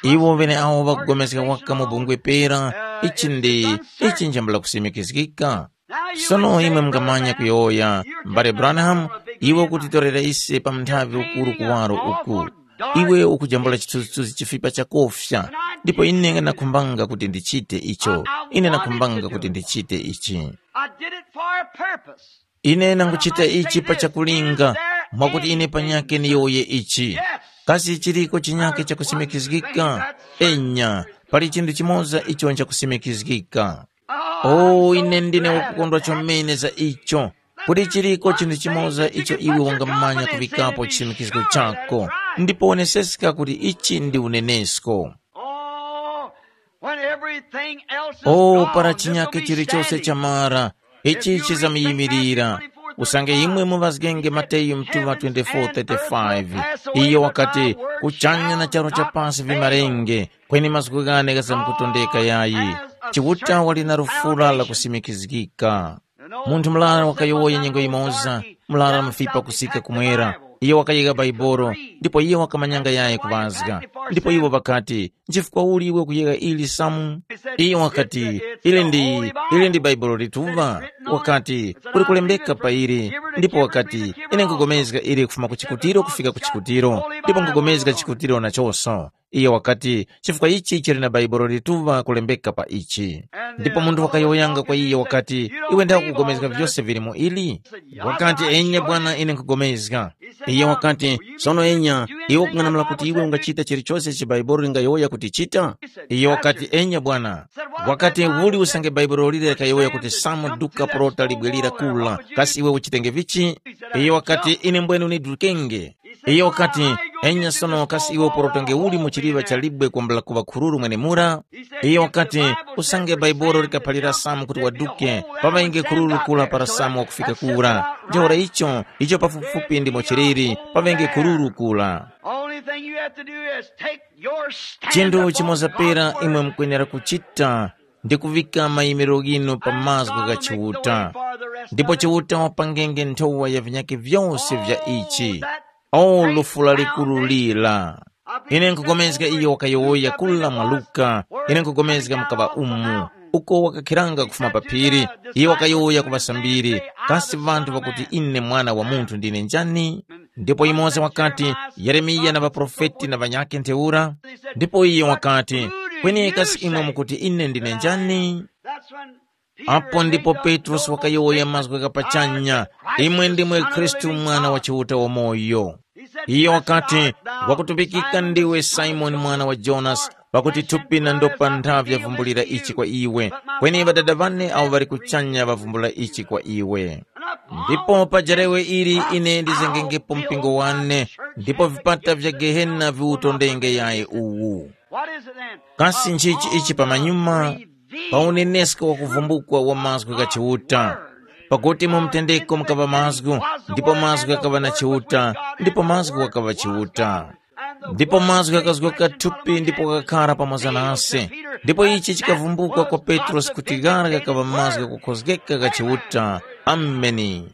Iwo ŵeneawo ŵakupulikana waka mu bungwe pera, ichi ndi, ichi njambula kusimikizgika. Sono imwe mungamanya kuyowoya, mbale Branham, iwe ukutitorera ise pa mnthavi ukuru kuwaro uku. Iwe ukujambula chithunzithunzi chifipa chakofya, ndipo ine nakhumbanga kuti ndichite icho. Ine nakhumbanga kuti ndichite ichi. I did it for a purpose. Ine nanguchita ichi pa chakulinga, mwakuti ine panyakhe niyowoye ichi. Kasi chiriko chinyakhe chakusimikizgika? Enya, pali chinthu chimoza icho nchakusimikizgika. Oh, ine ndine wakukondwa chomene za icho. Kuti chiriko chinthu chimoza icho iwe wangamanya kuvikapo chisimikizgo chako, ndipo woneseska kuti ichi ndi unenesko. Oh, when everything else is Oh, gone, para this will chinyakhe be chilichonse standing. Chamara, ichi chizamuyimirira. Usange imwe muvazgenge Mateyu mtuva twenty-four thirty-five, iyo wakati, kuchanya na charo cha pasi vimarenge, kweni mazgu ghane ghazamkutondeka yayi. Chiuta wali na lufula la kusimikizgika. Munthu murara wakayowoya nyengo yimoza, murara mufipa kusika kumwera. Iyo wakayika Baibolo, ndipo iyo wakamanyanga yayi kuŵazga. Ndipo iwo ŵakati, nchifukwa uli iwe kuyegha ili Samu? Iyo wakati, ili ndi, ili ndi Baibolo lituŵa. Wakati, kuli kulembeka pa ili. Ndipo wakati, ine nkugomezga ili kufuma ku chikutiro kufika ku chikutiro, ndipo nkugomezga chikutiro nachonso. Iyo wakati, chifukwa ichi chili na Baibolo lituŵa kulembeka pa ichi. Ndipo munthu wakayowoyanga kwa iyo wakati, iwe ndakugomezga vyose vili mu ili? Wakati, enya bwana, ine nkugomezga. Iye wakati, sono enya, iwe ukung'anamula kuti iwe ungachita chilichose ichi Baibuli lingayowoya kuti chita? Iye wakati, enya bwana. Wakati, uli usange Baibuli lile likayowoya kuti Samu duka porota libwelira kula, kasi iwe uchitenge vichi? Iye wakati, ine mbwene unidukenge. Iye wakati, enya sono kasi iwe uporotenge uli mu chiliŵa cha libwe kwambula kuŵa khururu mwenemura? Iye wakati, usange Baibuli likaphalira Samu kuti waduke, paŵenge khururu kula para Samu wakufika kura. Ntheura icho, icho pafupifupi ndimo chiliri, paŵenge khururu kula. Only thing you have to do is take your stand Chinthu upon chimoza pera God's imwe word. Mukwenera kuchita ndi kuvika mayimiriro ghinu pa mazgu gha Chiuta. Ndipo Chiuta wapangenge nthowa ya vinyakhe vyose vya ichi. O lufu lalikuru lira! Ine nkugomezga iyo wakayowoya kula mwa Luka, ine nkugomezga mukaŵa umu, uko wakakhiranga kufuma pa phiri, iyo wakayowoya ku ŵasambiri, kasi ŵanthu ŵakuti ine Mwana wa Munthu ndine njani? Ndipo yumoza wakati, Yeremiya na ŵaprofeti na ŵanyakhe ntheura. Ndipo iyo wakati, kweni kasi imwe mukuti ine ndine njani? Apo ndipo Petrosi wakayowoya mazgu gha pachanya, imwe ndimwe Khristu Mwana wa Chiuta wamoyo. Iyo wakati, wakutumbikika ndiwe Simoni mwana wa Jonasi, pakuti thupi na ndopa ntha vyavumbulira ichi kwa iwe, kweni Ŵadada ŵane awo ŵali kuchanya ŵavumbula ichi kwa iwe. Ndipo pa jarewe ili ine ndizengengepo mpingo wane, ndipo vipata vya Gehena viwutondenge yayi uwu. Kasi nchichi ichi pamanyuma? Pa unenesko wa kuvumbukwa wa mazgu gha Chiuta, Pakuti mu mtendeko mukaŵa mazgu, ndipo mazgu ghakaŵa na Chiuta, ndipo mazgu ghakaŵa Chiuta. Ndipo mazgu ghakazgoka thupi ndipo ghakakhara pamoza nase. Ndipo ichi chikavumbukwa kwa Petrosi kuti ghara ghakaŵa mazgu ghakukhozgeka gha Chiuta. Ameni.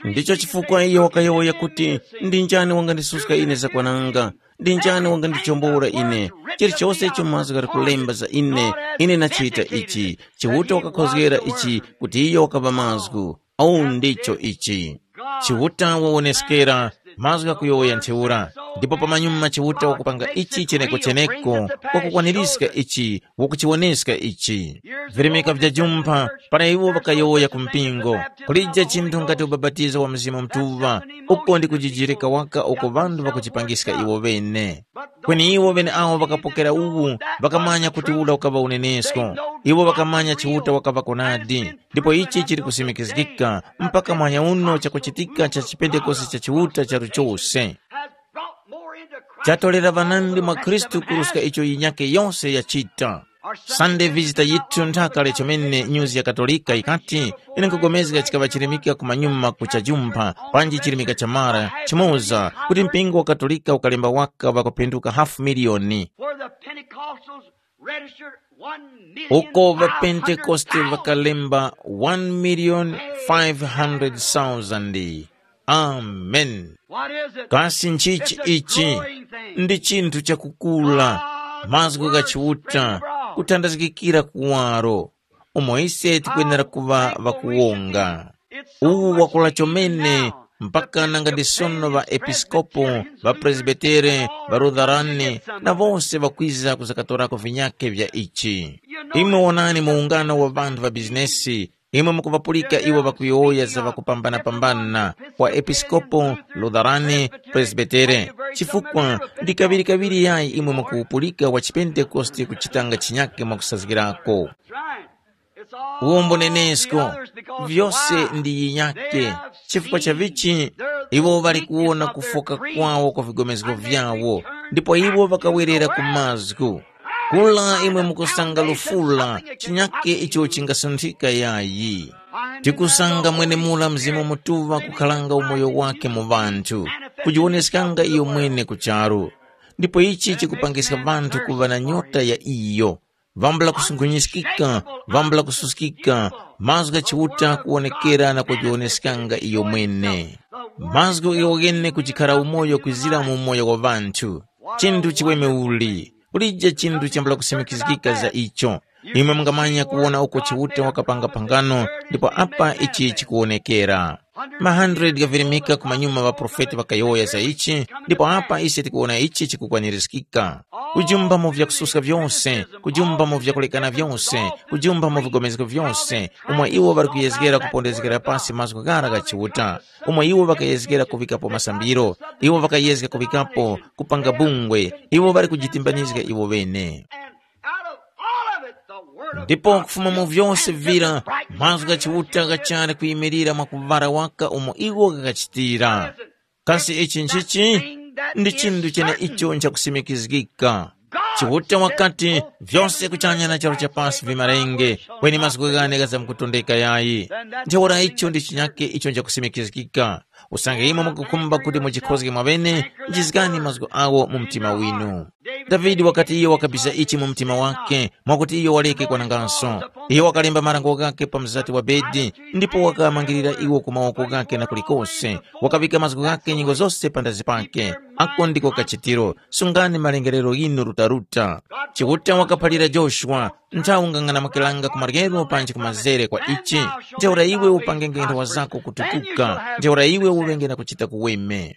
Ndicho chifukwa iyo wakayowoya kuti, ndi njani wangandisuska ine zakwananga? Ndi njani wangandichombora ine? Chilichose icho mazgu ghali kulemba za ine, ine nachita ichi. Chiuta wakakhozgera ichi kuti iyo wakaŵa mazgu. Au ndicho ichi. Chiuta wawoneskera, mazgu ghakuyowoya ntheura. Ndipo pamanyuma Chiuta wakupanga ichi cheneko-cheneko, wakukwanirizga ichi, wakuchiwoneska ichi. Virimika vyajumpha, para iwo ŵakayowoya ku mpingo, kulija chinthu ngati ubapatizo wa Mzimu Mutuŵa, uko ndi kujijirika waka uko ŵanthu ŵakuchipangiska iwo ŵene. Kweni iwo ŵeneawo ŵakapokera uwu, ŵakamanya kuti ura ukaŵa unenesko. Iwo ŵakamanya Chiuta wakaŵa konadi, ndipo ichi chili kusimikizgika mpaka mwanya uno chakuchitika cha chipentekoste cha Chiuta charu chose. Has brought more into Christ chatolera ŵanandi mwa Khristu kuruska icho yinyake yose yachita. Sunday visitor yithu nthaka lechomene nyuzi ya Katolika yikati, ine nkugomezga chikaŵa chirimika kumanyuma kuchajumpha, panji chirimika cha mara chimoza, kuti mpingo wa Katolika ukalemba waka ŵakuphinduka hafu miliyoni. Where the Pentecostals registered one million uko ŵapentekoste ŵakalemba one million five hundred thousand. Amen. What is it? Kasi nchichi ichi? Ndi chinthu chakukula. Mazgu gha Chiuta kuthandazgikira kuwaro, umo ise tikwenera kuŵa ŵakuwonga. Uwu wakula chomene mpaka nanga ndi sono ŵaepiskopo, ŵapresbitere, ŵarutharani, na wose ŵakwiza kuzakatorako vinyake vya ichi. Imwe wonani muungano wa ŵanthu ŵa bizinesi, imwe mukuŵapulika iwo ŵakuyowoya za ŵakupambana-pambana, wa episkopo, lutharani, presbitere, chifukwa ndi kaŵiri-kaŵiri yayi imwe mukuwupulika wa chipentekoste kuchitanga chinyake mwakusazgirako. Uwombo nenesko, vyose ndi yinyake. Chifukwa cha vichi? Iwo ŵali kuwona kufoka kwawo kwa vigomezgo vyawo, ndipo iwo ŵakawerera ku mazgu. Kula imwe mukusanga lufula, chinyake icho chingasunthika yayi. Tikusanga mwenemura Mzimu Mutuŵa kukharanga umoyo wake mu ŵanthu, kujiwoneskanga iyo mwene ku charu. Ndipo ichi chikupangiska ŵanthu kuŵa na nyota ya iyo. Vambula kusunkhunyizgika, vambula kususkika, mazgu gha Chiuta kuwonekera na kujiwoneskanga iyo mwene. Mazgu ghiwogene kujikhara umoyo kwizira mu umoyo wa ŵanthu. Chinthu chiweme uli, kulije chinthu chambula kusimikizgika za icho. Imwe mungamanya kuwona uko Chiuta wakapanga phangano, ndipo apa ichi chikuwonekera. Ma hundred ghavirimika ku manyuma ŵaprofeti ŵakayowoya za ichi, ndipo apa ise tikuwona ichi chikukwanirizgika. Kujumba mu vyakususka vyose, kujumba mu vyakulekana vyose, kujumba mu vigomezgo vyose, umo iwo ŵali kuyezgera kupondezgera pasi mazgu ghara gha Chiuta, umo iwo ŵakayezgera kuŵikapo masambiro, iwo ŵakayezga kuŵikapo kupanga bungwe, iwo ŵali kujitimbanizga iwo ŵene. And out of all of it, the word of ndipo God kufuma mu vyose vira, mazgu gha Chiuta ghachali kuyimirira mwakuŵala waka umo iwo ghakachitira. Kasi ichi nchichi? Ndi chinthu cheneicho nchakusimikizgika. Chiuta wakati, vyose kuchanya na charu cha pasi vimarenge, kweni mazgu ghane ghazamkutondeka yayi. Ntheura icho ndi chinyake icho nchakusimikizgika. Usange imwe mukukhumba kuti mujikhozge mwaŵene, jizgani mazgu awo mu mtima winu. Davide wakati iyo wakabisa ichi mu mtima wake, mwakuti iyo waleke kwananganso. Iyo wakalemba marango ghakhe pa mzati wa bedi, ndipo wakamangirira iwo ku mawoko ghakhe na kulikose. Wakaŵika mazgu ghakhe nyengo zose pandazi pake. Ako ndiko kachitiro. Sungani malengerero ghinu rutaruta. Chiuta wakaphalira Joshua, nthawi ungang'anamukiranga ku maryero panji ku mazere kwa ichi, ntheura iwe upangenge nthawa zako kutukuka, ntheura iwe uŵenge na kuchita kuweme.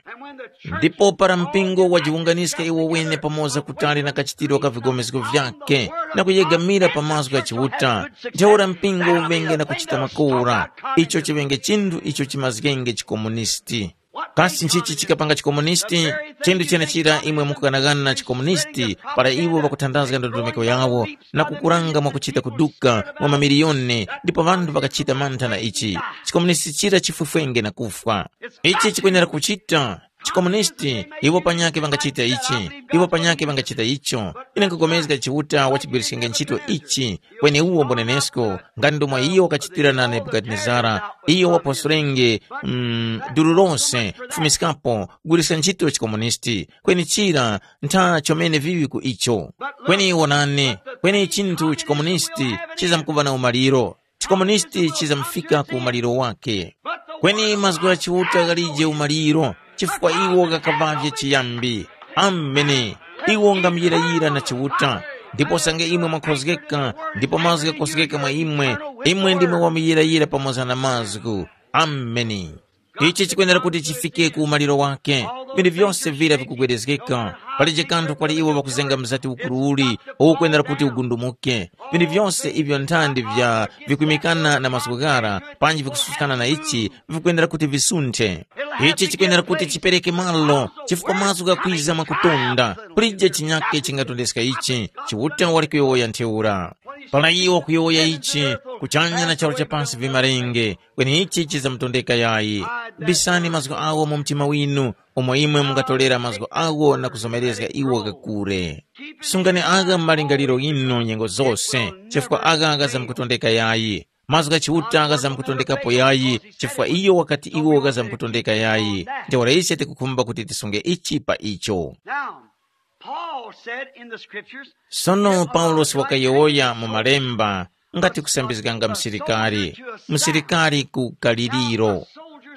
Ndipo para mpingo wajiwunganiska iwo wene pamoza kutali na kachitiro ka vigomezgo vyake, na kuyegamira pa mazgu gha Chiuta, ntheura mpingo uŵenge na kuchita makora, icho chiŵenge chinthu icho chimazgenge chikomunisti. Kasi nchichi chikapanga chikomunisti? Chinthu chenechira imwe mukughanaghana na chikomunisti, para iwo ŵakuthandazga ndondomeko yawo na kukuranga mwakuchita kuduka mwa mamiliyoni, ndipo ŵanthu ŵakachita mantha na ichi. Chikomunisti chira chifwefwenge na kufwa. Ichi chikwenera kuchita, Chikomunisti, iwo panyakhe ŵangachita ichi, iwo panyakhe ŵangachita icho. Ine nkugomezga Chiuta wachigwiriskenge ntchito ichi, kweni uwo mbonenesko, ngati ndomwe iyo wakachitira na Nebukadinezara, iyo waposorenge mm, duru lose kufumiskapo kugwiriska ntchito chikomunisti, kweni chira ntha chomene viŵi ku icho. Kweni wonani, kweni chinthu chikomunisti chizamkuŵa na umaliro. Chikomunisti chizamfika ku umaliro wake. Kweni mazgu gha Chiuta ghalije umaliro, chifukwa iwo ghakaŵavye chiyambi. Ameni. Iwo ngamuyirayira na Chiuta. Ndipo usange imwe mwakhozgeka, ndipo mazgu ghakhozgeka mwa imwe, imwe ndimwe wamuyirayira pamoza na mazgu. Ameni. Ichi chikwenera kuti chifike ku umaliro wake. Vinthu vyose vira vikugwedezgeka. Palije kanthu kwali iwo ŵakuzenga mzati ukuru uli, uwu ukwenera kuti ugundumuke. Vinthu vyose ivyo nthandi vya vikwimikana na mazgu ghara, panji vikususkana na ichi, vikwenera kuti visunthe. Ichi chikwenera kuti chipereke malo, chifukwa mazgu ghakwiza mwakutunda. Kulije chinyake chingatondeska ichi. Chiuta wali kuyowoya ntheura. Para iwo kuyowoya ichi, kuchanya na charu cha pasi vimarenge, kweni ichi chizamutondeka yayi. Bisani mazgu awo mu mtima winu, umo imwe mungatolera mazgu awo na kuzomerezga iwo kakure. Sungani agha mu malingaliro ghinu nyengo zose, chifukwa agha ghazamkutondeka yayi. Mazgu gha Chiuta ghazamkutondekapo yayi, chifukwa iyo wakati iwo ghazamkutondeka yayi. Ntheura ise tikukhumba kuti tisunge ichi pa icho. Now, Paul said in the scriptures, Sono Paulosi wakayowoya mu malemba ngati kusambizganga msilikari, msilikari ku kaliriro.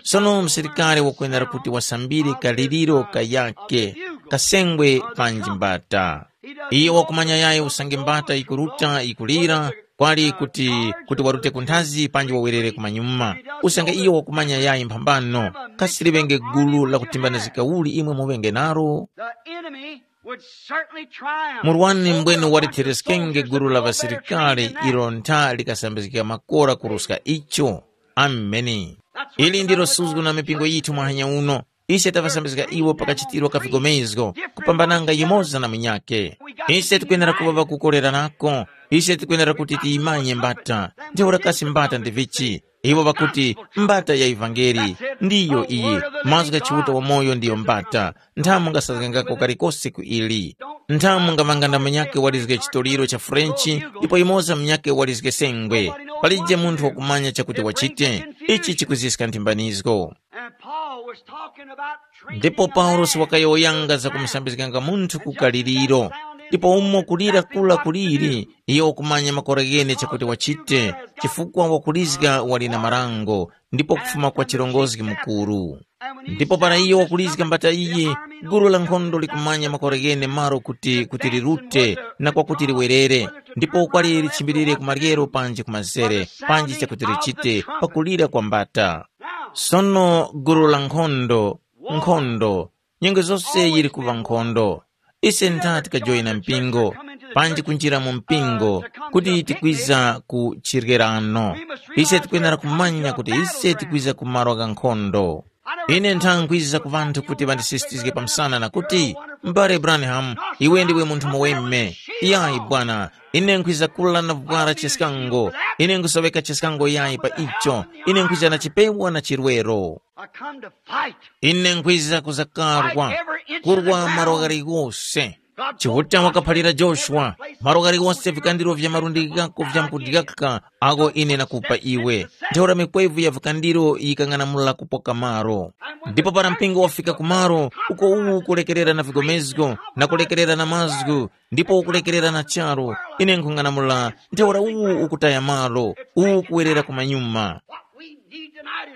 Sono msilikari wakwenera kuti wasambire kaliriro kayake, kasengwe panji mbata. Iye wakumanya yayi usange mbata ikuruta ikulira, kwali kuti kuti warute kunthazi panji wawerere kumanyuma. Usange iyo wakumanya yayi mphambano, kasiliŵenge gulu lakutimbanizgika uli imwe muŵenge nalo. The enemy would certainly triumph. Murwani mbwene over the warithireskenge soldiers gulu la that go there ŵasilikali shooting their ilo ntha likasambizgika makora kuruska icho. Ameni. Ili ndilo suzgo na mipingo yithu mwahanya uno. Ise taŵasambizga iwo pakachitiro ka vigomezgo, kupambananga yumoza na munyakhe. Ise tikwenera kuŵa ŵakukolererako. Ise tikwenera kuti tiyimanye mbata. Ntheura kasi mbata ndi vichi? Iwo ŵakuti, mbata ya ivangeli ndiyo iyi. Mazgu gha Chiuta wamoyo ndiyo mbata. Nthamu ngasazgangako kalikose ku ili. Nthamu ngaŵanga na munyakhe walizge chitoliro cha Frenchi, ndipo yumoza munyakhe walizge sengwe. Palije munthu wakumanya chakuti wachite. Ichi chikuziska nthimbanizgo. And Paul was talking about treating ndipo a paulosi man wakayowoyanga za kumusambizganga munthu ku kaliriro. Ndipo umo kulira kula kuliri, iyo wakumanya makora ghene chakuti wachite, chifukwa wakulizga wali na marango, ndipo kufuma kwa chirongozgi mukuru. Ndipo para iyo wakulizga mbata iyi, gulu la nkhondo likumanya makora ghene malo kuti kuti lirute, na kwakuti liwerere, ndipo kwali lichimbilire ku maryero panji ku mazere, panji chakuti lichite pakulira kwa mbata. Sono gulu la nkhondo, nkhondo, nyengo zose yili kuŵa nkhondo. Ise ntha tikajoyina mpingo, panji kunjira mu mpingo, kuti tikwiza ku chirgerano. Ise tikwenera kumanya kuti ise tikwiza ku malo gha nkhondo. Ine ntha nkwiza ku ŵanthu kuti ŵandisisitizge pamsana na kuti, mbale Branham, iwe ndiwe munthu muweme. Yayi bwana, ine nkhwiza kula na vwara cheskango. Ine nkhusoweka cheskango yayi pa icho. Ine nkhwiza na chipewa na chirwero. I come to fight. Ine nkhwiza kuzakarwa, kurwa malo ghaligose. Chiuta wakaphalira Joshua, malo ghaligose vikandiro vya malundi ghako vyamkudyaka, ako ine nakupa iwe. Ntheura mikwevu ya vikandiro yikang'anamula kupoka malo. Ndipo para mpingo wafika ku malo, uko uwu ukulekerera na vigomezgo, na kulekerera na mazgu, ndipo ukulekerera na charu, ine nkhung'anamula, ntheura uwu ukutaya malo, uwu ukuwerera kumanyuma.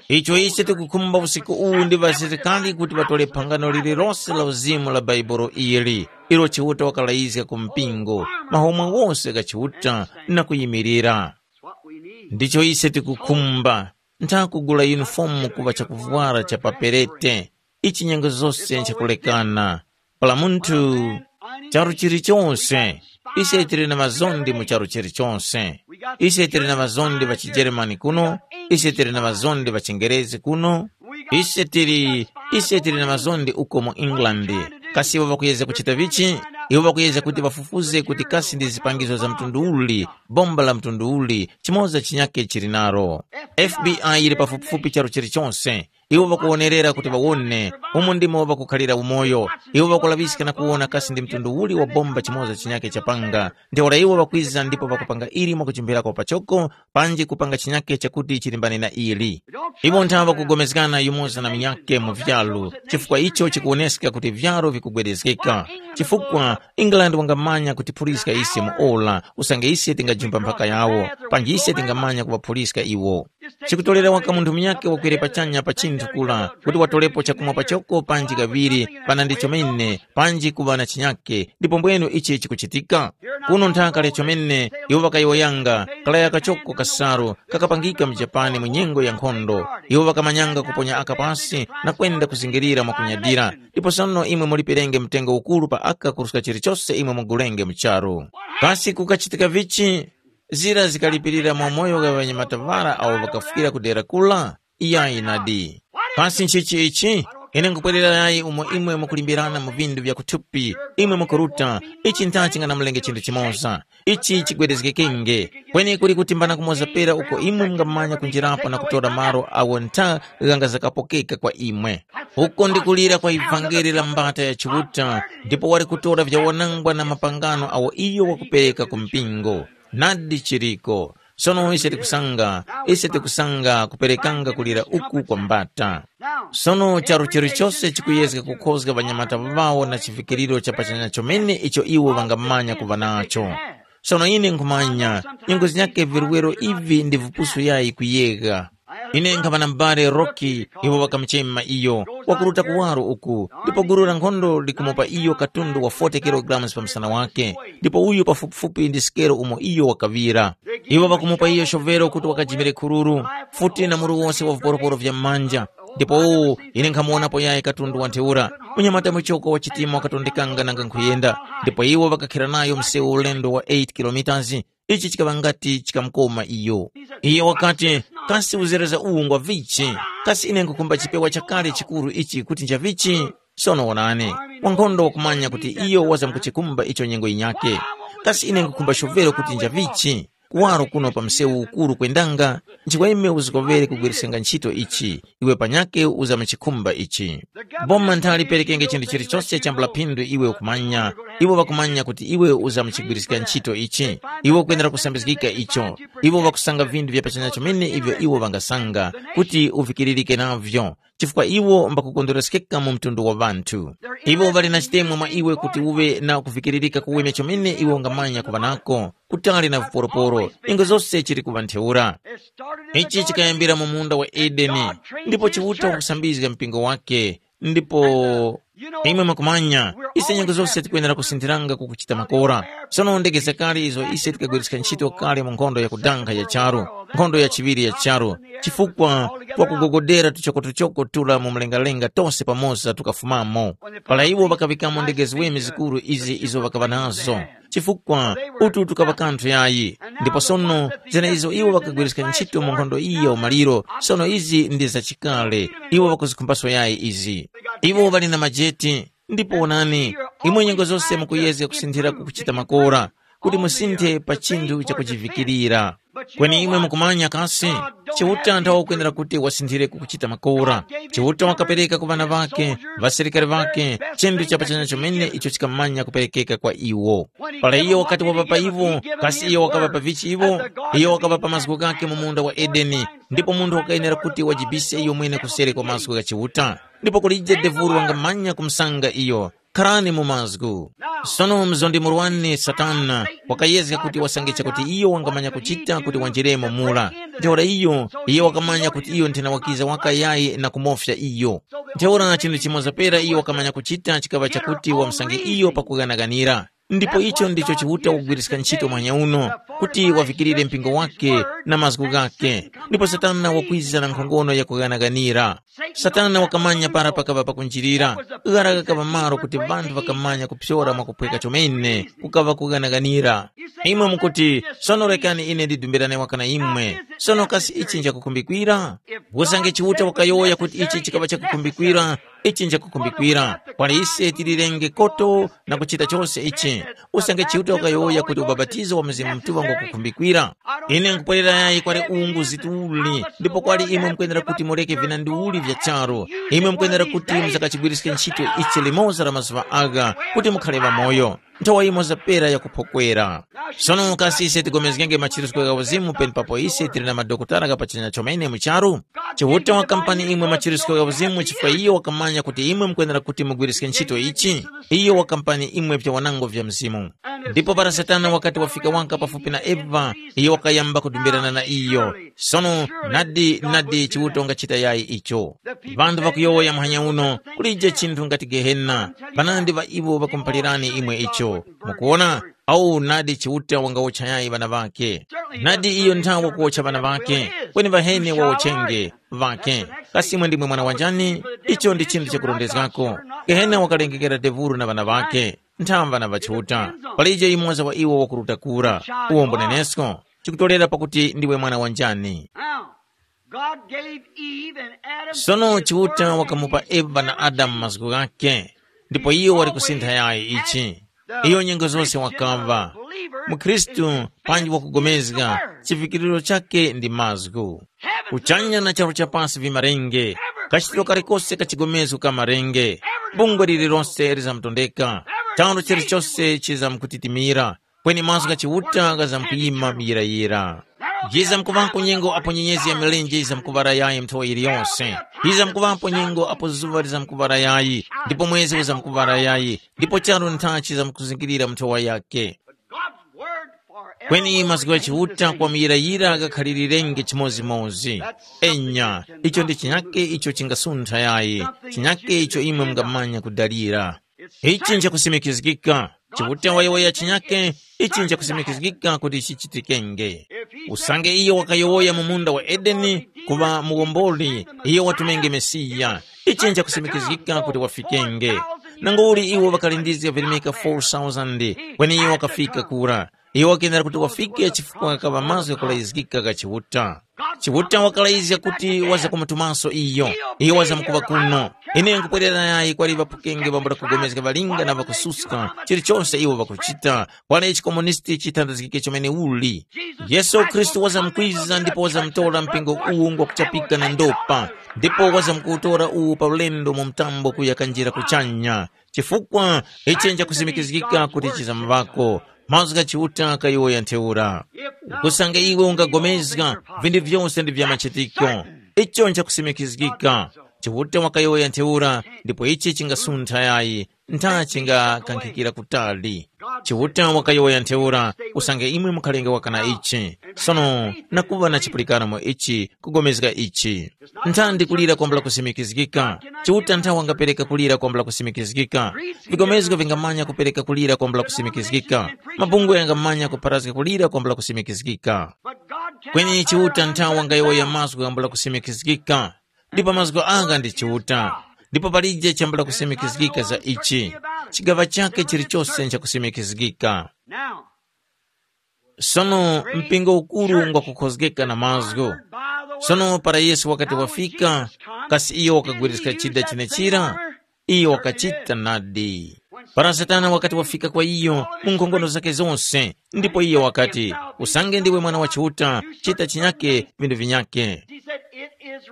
Icho ise tikukhumba usiku uwu ndi ŵasilikali kuti ŵatole phangano lililose la uzimu la Bhaibuli ili, ilo Chiuta wakalayizga ku mpingo, mahomwe wose gha Chiuta na kuyimirira. Ndicho ise tikukhumba, ntha kugula yunifomu kuŵa chakuvwara cha paperete, ichi nyengo zose nchakulekana. Para munthu, charu chilichonse, ise tili na ŵazondi mu charu chilichonse. Ise tili na ŵazondi ŵa chijeremani kuno, ise tili na ŵazondi ŵa chingerezi kuno, ise tili, ise tili na ŵazondi uko mu England. Kasi iwo ŵakuyezga kuchita vichi? Iwo ŵakuyezga kuti ŵafufuze kuti kasi ndi zipangizo za mtundu uli, bomba la mtundu uli, chimoza chinyake chili nalo. F B I yili pafupifupi charu chilichonse. Iwo ŵakuwonerera kuti ŵawone umo ndimo ŵakukhalira umoyo. Iwo ŵakulaŵiska na kuwona kasi ndi mtundu uli wa bomba chimoza chinyakhe chapanga. Ntheura iwo ŵakwiza ndipo ŵakupanga ili mwakuchimphirako pachoko, panji kupanga chinyakhe chakuti chilimbane na ili. Iwo nthawe ŵakugomezgana yumoza na munyakhe mu vyalu, chifukwa icho chikuwoneska kuti vyalu vikugwedezgeka. Chifukwa England wangamanya kutiphuliska ise mu ora, usange ise tingajumba mphaka yawo, panji ise tingamanya kuŵaphuliska iwo. Chikutorera waka munthu munyakhe wakwere pachanya pa chinthu kura, kuti watorepo chakumwa pachoko panji kaŵiri, panandi chomene, panji kuŵa na chinyakhe, ndipo mbwenu ichi chikuchitika. Kuno nthaka lya chomene, iwo ŵakayowoyanga, kalaya kachoko kasaru, kakapangika mu Japani mu nyengo ya nkhondo. Iwo ŵakamanyanga kuponya aka pasi na kwenda kuzingirira mwakunyadira. Ndipo sono imwe muliperenge mtengo ukuru pa aka kuruska chilichose imwe mugulenge mu charu. Kasi kukachitika vichi? Zira zikalipirira mwa moyo gha ŵanyamata ŵara awo ŵakafwira ku dera kula? Iyayi nadi. Kasi nchichi ichi? Ine nkupwererayi umo imwe mukulimbirana mu vindu vya kuthupi, imwe mukuruta, ichi ntha chinganamulenge chinthu chimoza. Ichi chigwedezgekenge. Kweni kuli kuti mbana kumoza pera uko imwe mungamanya kunjirapo na kutora malo awo ntha ghangazakapokeka kwa imwe. Uko ndi kulira kwa ivangeli la mbata ya Chiuta, ndipo wali kutora vyawanangwa na mapangano awo iyo wakupereka ku mpingo. Nadi chiriko. Sono ise tikusanga, ise tikusanga kuperekanga kulira uku kwa mbata. Sono charu chilichose chikuyezga kukhozga ŵanyamata ŵawo na chivikiriro cha pachanya chomene icho iwo ŵangamanya kuŵa nacho. Sono ine nkhumanya, nyengo zinyakhe virwero ivi ndi vipusu yayi kuyegha. Ine nkhaŵa na m'bale Roki, iwo ŵakamuchema iyo, wakuruta kuwaro uku, ndipo gulu la nkhondo likumupa iyo katundu wa forty kilogalamu pa msana wake, ndipo uyu pafupifupi ndi sikelo umo iyo wakaŵira. Iwo ŵakumupa iyo shovelo kuti wakajimire khururu, futi na muru wose wa viporoporo vya m'manja. Ndipo uwu, ine nkhamuwonapo yayi katundu wa ntheura, munyamata muchoko wa chitima wakatondekanga nanga nkhuyenda, ndipo iwo ŵakakhira nayo msewu ulendo wa eight kilometers. Ichi chikaŵa ngati chikamukoma iyo. Iye wakati, kasi uzereza uwu ngwa vichi? Kasi ine nkhukhumba chipewa chakale chikuru ichi kuti ncha vichi? Sono wonani, wankhondo wakumanya kuti iyo wazamkuchikumba icho nyengo yinyakhe. Kasi ine nkhukhumba shovelo kuti nja vichi? Kuwaro kuno pa msewu ukuru kwendanga, nchikwa ime uzikoŵere kugwiriskanga ntchito ichi, iwe panyakhe uzamuchikhumba ichi. Boma ntha liperekenge chinthu chilichose chambula phindu iwe ukumanya, iwo ŵakumanya kuti iwe uzamuchigwiriska ntchito ichi, iwe ukwenera kusambizgika icho. Iwo ŵakusanga vinthu vya pachanya chomene ivyo iwo ŵangasanga, kuti uvikiririke navyo, chifukwa iwo mbakukondwereskeka mu mtundu wa ŵanthu. Iwo ŵali na chitemwa mwa iwe kuti uŵe na kuvikiririka kuweme chomene iwe ungamanya kuŵa nako, kutali na viporoporo, ingo zose chili kuŵa ntheura. Ichi chikayambira mu munda wa Edeni, ndipo Chiuta wakusambizga mpingo wake, ndipo imwe mwakumanya, ise nyengo zose tikwenera kusinthiranga ku kuchita makora. Sono ndege zakale izo ise tikagwiriska ntchito kale mu nkhondo ya kudankha ya charu, nkhondo ya chiŵiri ya charu, chifukwa twakugogodera tuchokotuchoko tura mu mlengalenga tose pamoza tukafumamo. Para iwo ŵakaŵikamo ndege ziweme zikuru izi izo ŵakaŵa nazo, chifukwa utu tukaŵa kanthu yayi. Ndipo sono, zenezo iwo ŵakagwiriska ntchito mu nkhondo iyi ya umaliro, sono izi ndi zachikale, iwo ŵakuzikhumbaso yayi izi. Iwo ŵali na majeti, ndipo wonani, imwe nyengo zose mukuyezga kusinthira kukuchita makora, kuti musinthe pa chinthu chakuchivikirira. Kweni imwe mukumanya kasi, Chiuta nthawa ukwenera kuti wasinthire kukuchita makora. Chiuta wakapereka ku ŵana ŵake, ŵasilikari ŵake, chinthu chapachanya chomene icho chikamanya kuperekeka kwa iwo. Para iyo wakati waŵapa iwo, kasi iyo wakaŵapa vichi iwo? Iyo wakaŵapa mazgu ghake mu munda wa Edeni, ndipo munthu wakayenera kuti wajibise iyo mwene kuseri kwa mazgu gha Chiuta. Ndipo kulije devulu wangamanya kumsanga iyo. Kharani mu mazgu. Sono mzondi murwani Satana wakayezga kuti wasange chakuti iyo wangamanya kuchita kuti wanjiremo mura. Ntheura iyo, iyo wakamanya kuti iyo nthena wakiza waka yayi na kumofya iyo. Ntheura chinthu chimoza pera iyo wakamanya kuchita chikaŵa chakuti wamsange iyo pakughanaghanira. Ndipo icho ndicho Chiuta wakugwiriska ntchito mwanya uno, kuti wavikirire mpingo wake na mazgu ghake. Ndipo Satana wakwiza na nkhongono ya kughanaghanira. Satana wakamanya para pakaŵa pakunjirira, ghara ghakaŵa malo kuti ŵanthu ŵakamanya kuphyora mwakuphweka chomene, kukaŵa kughanaghanira. Imwe mukuti, sono rekani ine ndidumbirane waka na imwe. Sono kasi ichi nchakukhumbikira? Usange Chiuta wakayowoya kuti ichi chikaŵa chakukhumbikira, Ichi nchakukhumbikira. Kwali ise tilirenge koto na kuchita chose ichi. Usange Chiuta wakayowoya kuti ubapatizo wa Mzimu Mutuŵa ngwakukhumbikira. Ine nkupwerera yayi kwali ungu zituli, ndipo kwali imwe mukwenera kuti mureke vinandi uli vya charu. Imwe mukwenera kuti musakachigwiriske ntchito ichi limoza la mazuŵa agha kuti mukhale ŵamoyo. Nthawa yimoza pera yakuphokwera. Sono kasi ise tigomezgenge machirusko gha uzimu penepapo ise tili na madokotala ghapachanya chomene mu charu? Chiuta wakampani imwe machirusko gha uzimu chifukwa iyo wakamanya kuti imwe mukwenera kuti mugwiriske ntchito ichi. Iyo wakampani imwe vyawanango vya mzimu. Ndipo para Satana wakati wafika waka pafupi na Eva, iyo wakayamba kudumbirana na iyo. Sono nadi nadi Chiuta ungachita yayi icho. Vanthu vakuyowoya muhanya uno, kulije chinthu ngati Gehena. Panandi ŵa iwo ŵakumuphalirani imwe icho. Mukuwona? Awu nadi Chiuta wangawotcha yayi ŵana ŵakhe. Nadi iyo nthawi wakuwotcha ŵana ŵakhe, kweni ŵaheni wawochenge ŵakhe. Kasi imwe ndimwe mwana wa njani? Icho ndi chinthu chakurondezgako. Gehena wakalengekera Devuro na ŵana ŵakhe, nthamva na ŵachiuta. Palije yumoza wa iwo wakuruta kura. Uwo mbunenesko, chikutolera pakuti ndiwe mwana wa njani. Now, God gave Eve and Adam Sono Chiuta wakamupa Eva na Adamu mazgu ghakhe, ndipo iyo wali kusintha yayi ichi. Iyo nyengo zose wakamva. MuKhristu panji wakugomezga, chivikiriro chakhe ndi mazgu. Kuchanya na charu cha pasi vimarenge, kachitiro kalikose ka chigomezgo ka marenge, bungwe lililose lizamtondeka, charu chilichose chizamkutitimira, kweni mazgu gha Chiuta ghazamkuyima muyirayira. Yizamkuŵapo nyengo apo nyenyezi ya milenje yizamkuŵala yayi nthowa yiliyose. Yizamkuŵapo nyengo apo zuŵa lizamkuŵala yayi, ndipo mwezi uzamkuŵala yayi, ndipo charu nthachi zamkuzingirira mu nthowa yakhe. God's word forever Kweni will mazgu gha remain the Chiuta same. Kwa muyirayira ghakhalilirenge chimodzimodzi. Enya, icho ndi chinyake icho chingasuntha yayi, chinyake icho imwe mungamanya kudalira. Ichi nchakusimikizgika. Chiuta wayowoya chinyake, ichi nchakusimikizgika kuti chichitikenge. Usange iyo wakayowoya mu munda wa Edeni kuŵa muwomboli, iyo watumenge Mesiya. Ichi nchakusimikizgika kuti wafikenge. Nanguli iwo ŵakalindizga virimika four thousand, kweni iyo wakafika kura. Iyo wakenera kuti wafike chifukwa ghakaŵa mazgu ghakulayizgika gha Chiuta. Chiuta wakalayizga kuti wazakumutumaso iyo. Iyo wazamkuŵa kuno. Ine nkupwerera yayi kwali ŵaphukenge ŵambula kugomezga ŵalinga na ŵakususka, chilichonse iwo ŵakuchita, kwali chikomunisti chithandazgike chomene uli. Yesu Khristu wazamkwiza ndipo wazamtora mpingo uwu ngwakuchapika na ndopa, ndipo wazamkuwutora uwu pa ulendo mu mtambo kuya kanjira kuchanya. Chifukwa ichi nchakusimikizgika kuti chizamuŵako, mazgu gha Chiuta kayowoya ntheura. Usange iwe ungagomezga, vinthu vyose ndi vya machitiko. Icho nchakusimikizgika. Chiuta wakayowoya ntheura, ndipo ichi chingasuntha yayi, ntha chingakankhikira kutali. Chiuta wakayowoya ntheura, usange imwe mukhalenge waka na ichi. Sono nakuŵa na chipulikano mu ichi, kugomezga ichi. Nthandi kulira kwambula kusimikizgika. Chiuta nthawe wangapereka kulira kwambula kusimikizgika. Vikomezgo vingamanya kupereka kulira kwambula kusimikizgika. Mabungwe yangamanya kupharazga kulira kwambula kusimikizgika. Kweni Chiuta nthawe wangayowoya mazgu ghambula kusimikizgika. Ndipo mazgu anga ndi Chiuta. Ndipo palije chambula kusimikizgika za ichi. Chigaŵa chakhe chilichose nchakusimikizgika. Sono mpingo ukuru ngwakukhozgeka na mazgu. Sono para Yesu wakati wafika, kasi iyo wakagwiriska chida chenechira? Iyo wakachita nadi. Para Satana wakati wafika kwa iyo, mu nkhongono zakhe zose, ndipo iyo wakati, usange ndiwe mwana wa Chiuta, chita chinyake vinthu vinyake.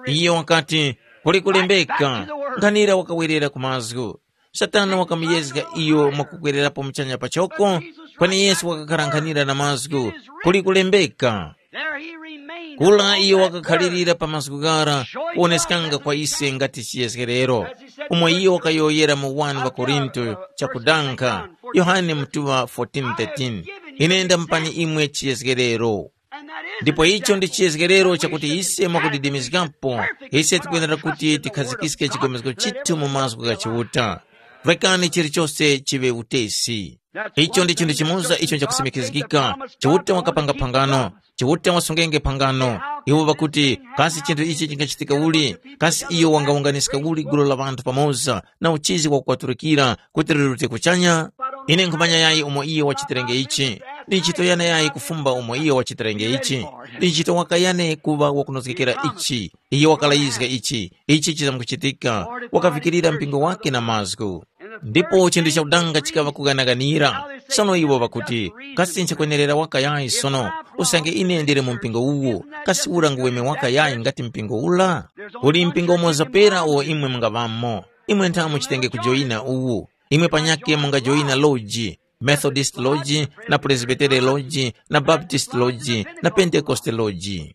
Iyo wakati, kuli kulembeka, nkhanira wakawerera ku mazgu. Satana wakamuyezga iyo mwakukwererapo muchanya pachoko, kweni Yesu wakakhala nkhanira na mazgu, kuli kulembeka. Kula iyo wakakhalirira pa mazgu ghara, kuwoneskanga kwa ise ngati chiyezgerero. Umo iyo wakayowoyera mu wani wa Korinto chakudankha, Yohane mutuŵa fourteen thirteen, ine ndamupani imwe chiyezgerero. Ndipo icho ndi chiyezgerero chakuti ise mwakudidimizgapo, ise tikwenera kuti tikhazikiske chigomezgo chithu mu mazgu gha Chiuta. Rekani chilichose chiŵe utesi. Icho ndi chinthu chimoza icho nchakusimikizgika. Chiuta wakapanga phangano. Chiuta wasungenge phangano. Iwo ŵakuti, kasi chinthu ichi chingachitika uli? Kasi iyo wangawunganiska uli gulu la ŵanthu pamoza na uchizi wakukwatulikira kuti lirute kuchanya? Ine nkhumanya yayi umo iyo wachitirenge ichi. Ndi ntchito yane yayi kufumba umo iyo wachitirenge ichi. Ndi ntchito waka yane kuŵa wakunozgekera ichi. Iyo wakalayizga ichi. Ichi chizamkuchitika. Wakavikirira mpingo wake na mazgu. Ndipo chinthu chakudanga chikaŵa kughanaganira. Sono iwo ŵakuti, kasi nchakwenerera waka yayi sono? Usange ine ndili mu mpingo uwu, kasi ura nguweme waka yayi ngati mpingo ura? Uli mpingo umoza pera uwo imwe mungaŵamo. Imwe ntha muchitenge kujoyina uwu. Imwe panyakhe mungajoyina loji, Methodist Lodge, na Presbytery Lodge, na Baptist Lodge, na Pentecost Lodge.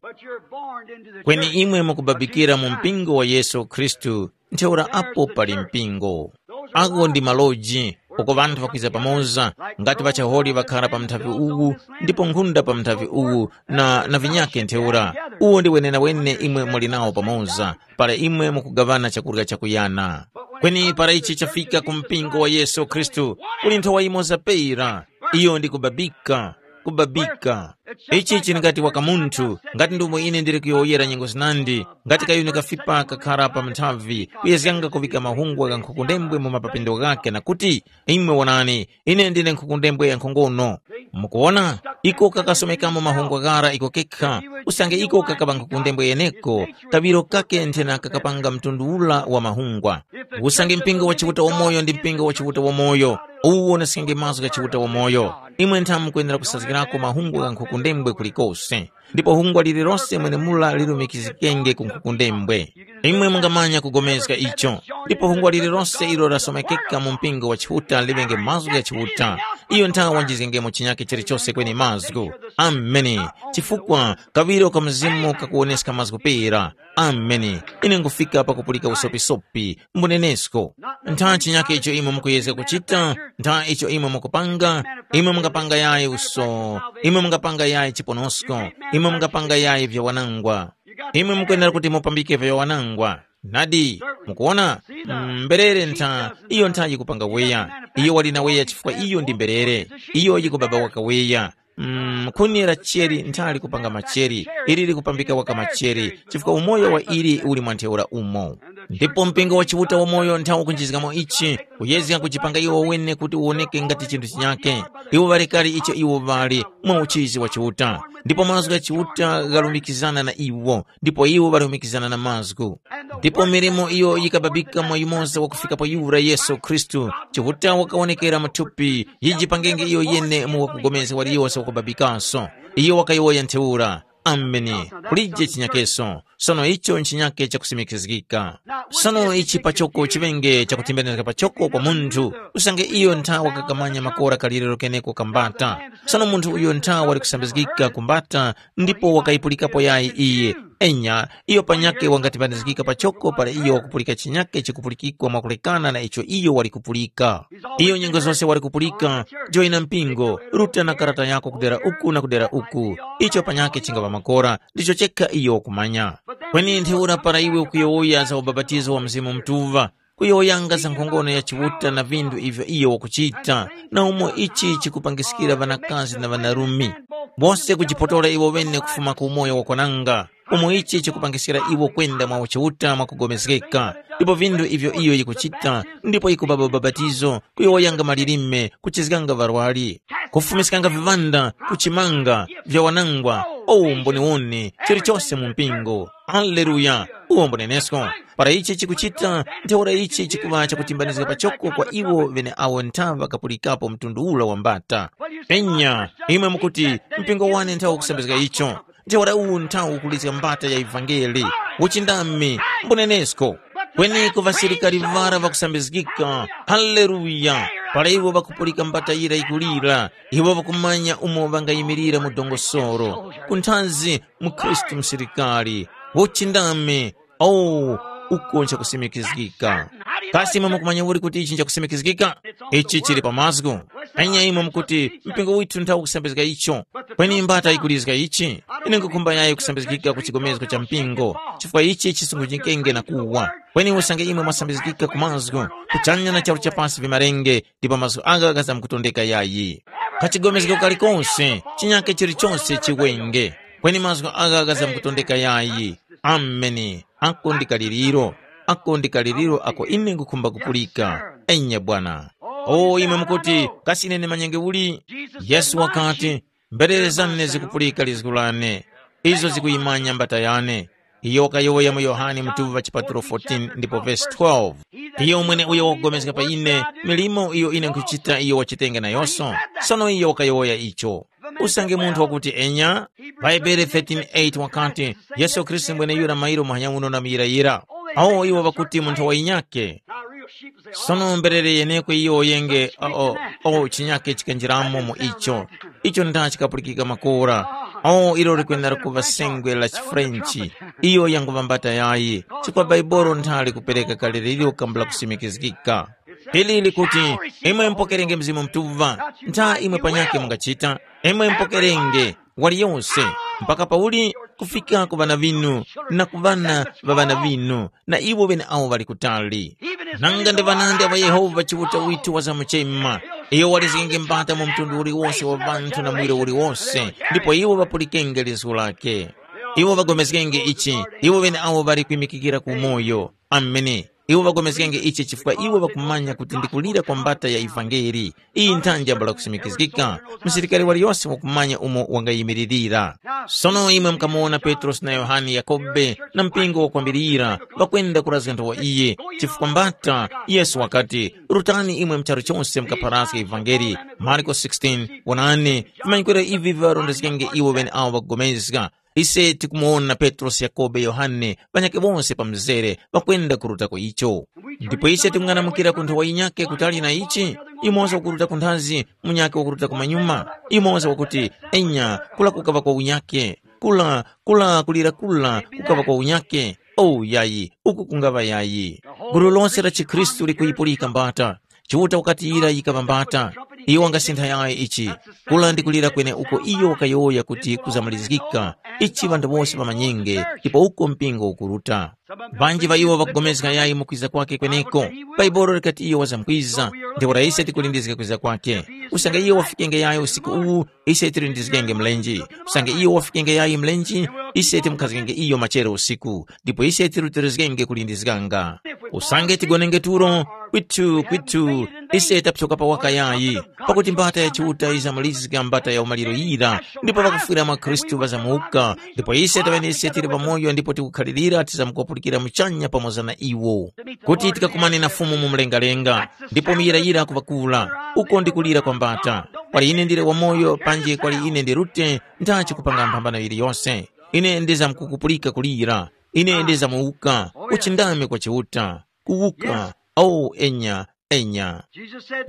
Kweni imwe mukubabikira mu mpingo wa Yesu Khristu, ntheura apo pali mpingo. Agho ndi maloji, uko ŵanthu ŵakwiza pamoza, ngati ŵachaholi ŵakhara pa mnthavi uwu, ndipo nkhunda pa mnthavi uwu, na, na vinyakhe ntheura. Uwo ndi wenenawene imwe muli nawo pamoza, para imwe mukugaŵana chakurya chakuyana. Kweni para ichi chafika ku mpingo wa Yesu Khristu, kuli nthowa yimoza pera, iyo ndi kubabika, kubabika. Ichi chili ngati waka munthu, ngati ndomwe ine ndili kuyowoyera nyengo zinandi, ngati kayuni kafipa kakhara pa mnthavi, kuyezganga kuvika mahungwa gha nkhukundembwe mu mapapindo ghakhe na kuti, imwe wonani, ine ndine nkhukundembwe ya nkhongono. Mukuwona, iko kakasomekamo mahungwa ghara iko kekha, usange iko kakaŵa nkhukundembwe yeneko, kaŵiro kake nthena kakapanga mtundu ula wa mahungwa. Usange mpingo wa Chiuta wamoyo ndi mpingo wa Chiuta wamoyo, uwu unesekenge mazgu gha Chiuta wamoyo. Imwe nthamu mukwenera kusazgirako mahungwa gha nkhukundembwe kulikose. Ndipo hungwa lililose mwenemula lilumikizikenge ku nkhukundembwe. Imwe mungamanya kugomezga icho. Ndipo hungwa lililose ilo lasomekeka mu mpingo wa Chiuta liŵenge mazgu gha Chiuta. Iyo nthawe wanjizgengemo chinyakhe chilichose kweni mazgu. Ameni. Chifukwa kaŵiro ka Mzimu kakuwoneska mazgu pera. Ameni. Ine ngufika pakupulika usopisopi, mbunenesko. Ntha chinyakhe icho imwe mukuyezga kuchita, ntha icho imwe mukupanga, imwe mungapanga yayi uso, imwe mungapanga yayi chiponosko, imwe mungapanga yayi vyawanangwa. Imwe mukwenera kuti mupambike vyawanangwa. Nadi, mukuwona, mm, mberere ntha, iyo ntha yikupanga weya. Iyo wali na weya chifukwa iyo ndi mberere. Iyo yikubaba waka weya. Mm, khuni la cheri nthali kupanga macheri, ili likupambika waka macheri, chifukwa umoyo wa ili uli mwa ntheura umo. Ndipo mpingo wa Chiuta wamoyo nthawo kunjizgamo ichi, kuyezga kuchipanga iwo wene kuti uwoneke ngati chinthu chinyake. Iwo ŵali kale icho iwo ŵali mwa uchizi wa Chiuta, ndipo mazgu gha Chiuta ghalumikizana na iwo, ndipo iwo ŵalumikizana na mazgu. Ndipo milimo iyo yikababika mwa yumoza wakufikapo yura Yesu Khristu, Chiuta wakawonekera mu thupi, yijipangenge iyo yene mu wakugomezga waliyose wakubabikaso. Iyo wakayowoya ntheura, Ameni, kulije chinyakeso. Sono icho nchinyake chakusimikizgika. Sono ichi pachoko chiŵenge chakutimbanizga pachoko kwa munthu, usange iyo nthawa kakamanya makora kaliriro keneko kambata. Sono munthu uyo nthawa wali kusambizgika kumbata, ndipo wakayipulikapo yayi iye. Enya, iyo panyakhe wangatimbanizgika pachoko para iyo wakupulika chinyakhe chikupulikikwa mwakulekana na icho iyo wali kupulika. Iyo nyengo zose wali kupulika, joyina mpingo, ruta na karata yako kudera uku na kudera uku. Icho panyakhe chingaŵa makora, ndicho chekha iyo wakumanya. Kweni ntheura para iwe ukuyowoya za ubapatizo wa Mzimu Mutuŵa, kuyowoyanga za nkhongono ya Chiuta na vinthu ivyo iyo wakuchita, na umo ichi chikupangiskira ŵanakazi na ŵanarume, wose kujipotora iwo ŵene kufuma ku umoyo wakwananga, umo ichi chikupangiskira iwo kwenda mwa uchiuta mwakupulikana, ndipo vinthu ivyo iyo yikuchita, ndipo yikubaba ubapatizo, kuyowoyanga malilime, kuchizganga ŵarwari, kufumiskanga viŵanda, kuchimanga, vyawanangwa, o umboniwoni, chilichose mu mpingo. Haleluya! Uwo mbunenesko. Para ichi chikuchita, ntheura ichi chikuŵa chakutimbanizga pachoko kwa iwo ŵeneawo nthaŵa kapulikapo mtundu ula wa mbata. Enya, imwe mukuti, mpingo wane nthawo kusambizga icho. Ntheura uwu nthawo ukulizga mbata ya ivangeli, uchindami, mbunenesko. Kweni ku ŵasilikari ŵara ŵakusambizgika, haleluya! Para iwo ŵakupulika mbata yira yikulira, iwo ŵakumanya umo ŵangayimirira mu dongosolo. Kunthanzi, mukhristu musilikari, uchindami, oh, uko nchakusimikizgika. Kasi imwe mukumanya uli kuti ichi nchakusimikizgika? Ichi chili pa mazgu. Anya imwe mukuti, mpingo withu nthawu kusambizga icho. Kweni mbata yikulizga ichi? Ine nkukhumba yayi kusambizgika ku chigomezgo cha mpingo, chifukwa ichi chisungunjikenge na kuwa. Kweni usange imwe mwasambizgika ku mazgu, kuchanya na charu cha pasi vimarenge, ndipo mazgu agha ghazamkutondeka yayi. Kachigomezgo kalikonse, chinyake chilichonse chiwenge, kweni mazgu agha ghazamkutondeka yayi. Ameni. Ako ndi kaliriro, ako ndi kaliriro ako ine nkukhumba kupulika. Enya Bwana. O imwe mukuti, kasi ine ndimanyenge uli? Yesu wakati, mberere zane zikupulika lizgu lane, izo zikuyimanya mbata yane. Iyo wakayowoya mu Yohane mutuŵa chipatulo fourteen ndipo vesi twelve. Iyo mwene uyo wakupulikana pa ine, milimo iyo ine nkhuchita iyo wachitenge nayonso. Sono iyo wakayowoya icho. Usange munthu wakuti enya, Bhaibuli thirteen eight wakati, Yesu Khristu mweneyura mairo muhanya uno na muyirayira. Awo iwo ŵakuti munthu wa inyake. Sono mberere yenekwe iyo yenge o, o, o chinyake chikanjiramo mu icho. Icho nda chikapulikika makora. O ilo likwenda kuva sengwe la chiFrenchi. Iyo yanguŵa mbata yayi, chifukwa Baibolo nthali kupereka kale liliro kambula kusimikizgika. Ili likuti, imwe mpokerenge Mzimu Mutuŵa, ntha imwe panyakhe mungachita, imwe mpokerenge, waliyose, mpaka pauli kufika ku ŵana ŵinu, na ku ŵana ŵa ŵana ŵinu, na iwo ŵeneawo ŵali kutali. Nanga ndi ŵanandi aŵa Yehova Chiuta withu wazamuchema, iyo walizgenge mbata mu mtundu uliwose wa ŵanthu na muwiro uliwose, ndipo iwo ŵapulikenge lizgu lake. Iwo ŵagomezgenge ichi, iwo ŵeneawo ŵali kwimikikira ku umoyo. Amene. Iwo ŵagomezgenge ichi chifukwa iwo ŵakumanya kuti ndi kulira kwa mbata ya ivangeli. Iyi nthanji yambula kusimikizgika. Msilikari waliyose wakumanya umo wangayimiririra. Sono imwe mukamuwona Petrosi na Yohane, Yakobe na mpingo wakwambirira ŵakwenda kurazga nthowa iye, chifukwa mbata Yesu wakati, rutani imwe mcharu chose mukapharazge ivangeli. Marko sixteen, wonani, vimanyikwiro ivi viŵarondezgenge iwo ŵeneawo ŵakugomezga. Ise tikumuwona Petrosi, Yakobe, Yohane, ŵanyakhe wose pa mzere ŵakwenda kurutako icho. Ndipo ise tikung'anamukira ku nthowa yinyakhe kutali na ichi, yumoza wakuruta kunthazi, munyakhe wakuruta kumanyuma, yumoza wakuti, enya, kula kukaŵa kwa unyakhe, kula, kula kulira kula kukaŵa kwa unyakhe. O yayi, uku kungaŵa yayi. Gulu lose la chikhristu likuyipulika mbata. Chiuta wakatiyira yikaŵa mbata. Iyo wangasintha yayi ichi. Kula ndi kulira kweneuko iyo wakayowoya kuti kuzamalizgika. Ichi ŵanthu wose ŵamanyenge, ndipo uko mpingo ukuruta. Ŵanji ŵa iwo ŵakugomezga yayi mu kwiza kwake kweneko. Bhaibuli likati iyo wazamkwiza, ndipo ise tikulindizga kwiza kwake. Usange iyo wafikenge yayi usiku uwu, ise tilindizgenge mlenje. Usange iyo wafikenge yayi mlenje, ise timukhazgenge iyo machero usiku, ndipo ise tirutilizgenge kulindizganga. Usange tigonenge tulo, kwithu kwithu, ise tapsoka pa waka yayi. Pakuti mbata ya Chiuta yizamalizga mbata ya umaliro yira, ndipo pakufwira mwa Khristu ŵazamuka, ndipo ise taŵenese tili pamoyo ndipo tikukhalirira tizamukwapulukira muchanya pamoza na iwo, kuti tikakumane na Fumu mu mlengalenga. Ndipo muyirayira kuŵakula, uko ndi kulira kwa mbata. Kwali ine ndili wamoyo panji kwali ine ndi rute, ndachi kupanga mphambano yiliyose. Ine ndizamkukupulika kulira. Ine ndizamuwuka, uchindami kwa Chiuta. Kuwuka. O enya, enya.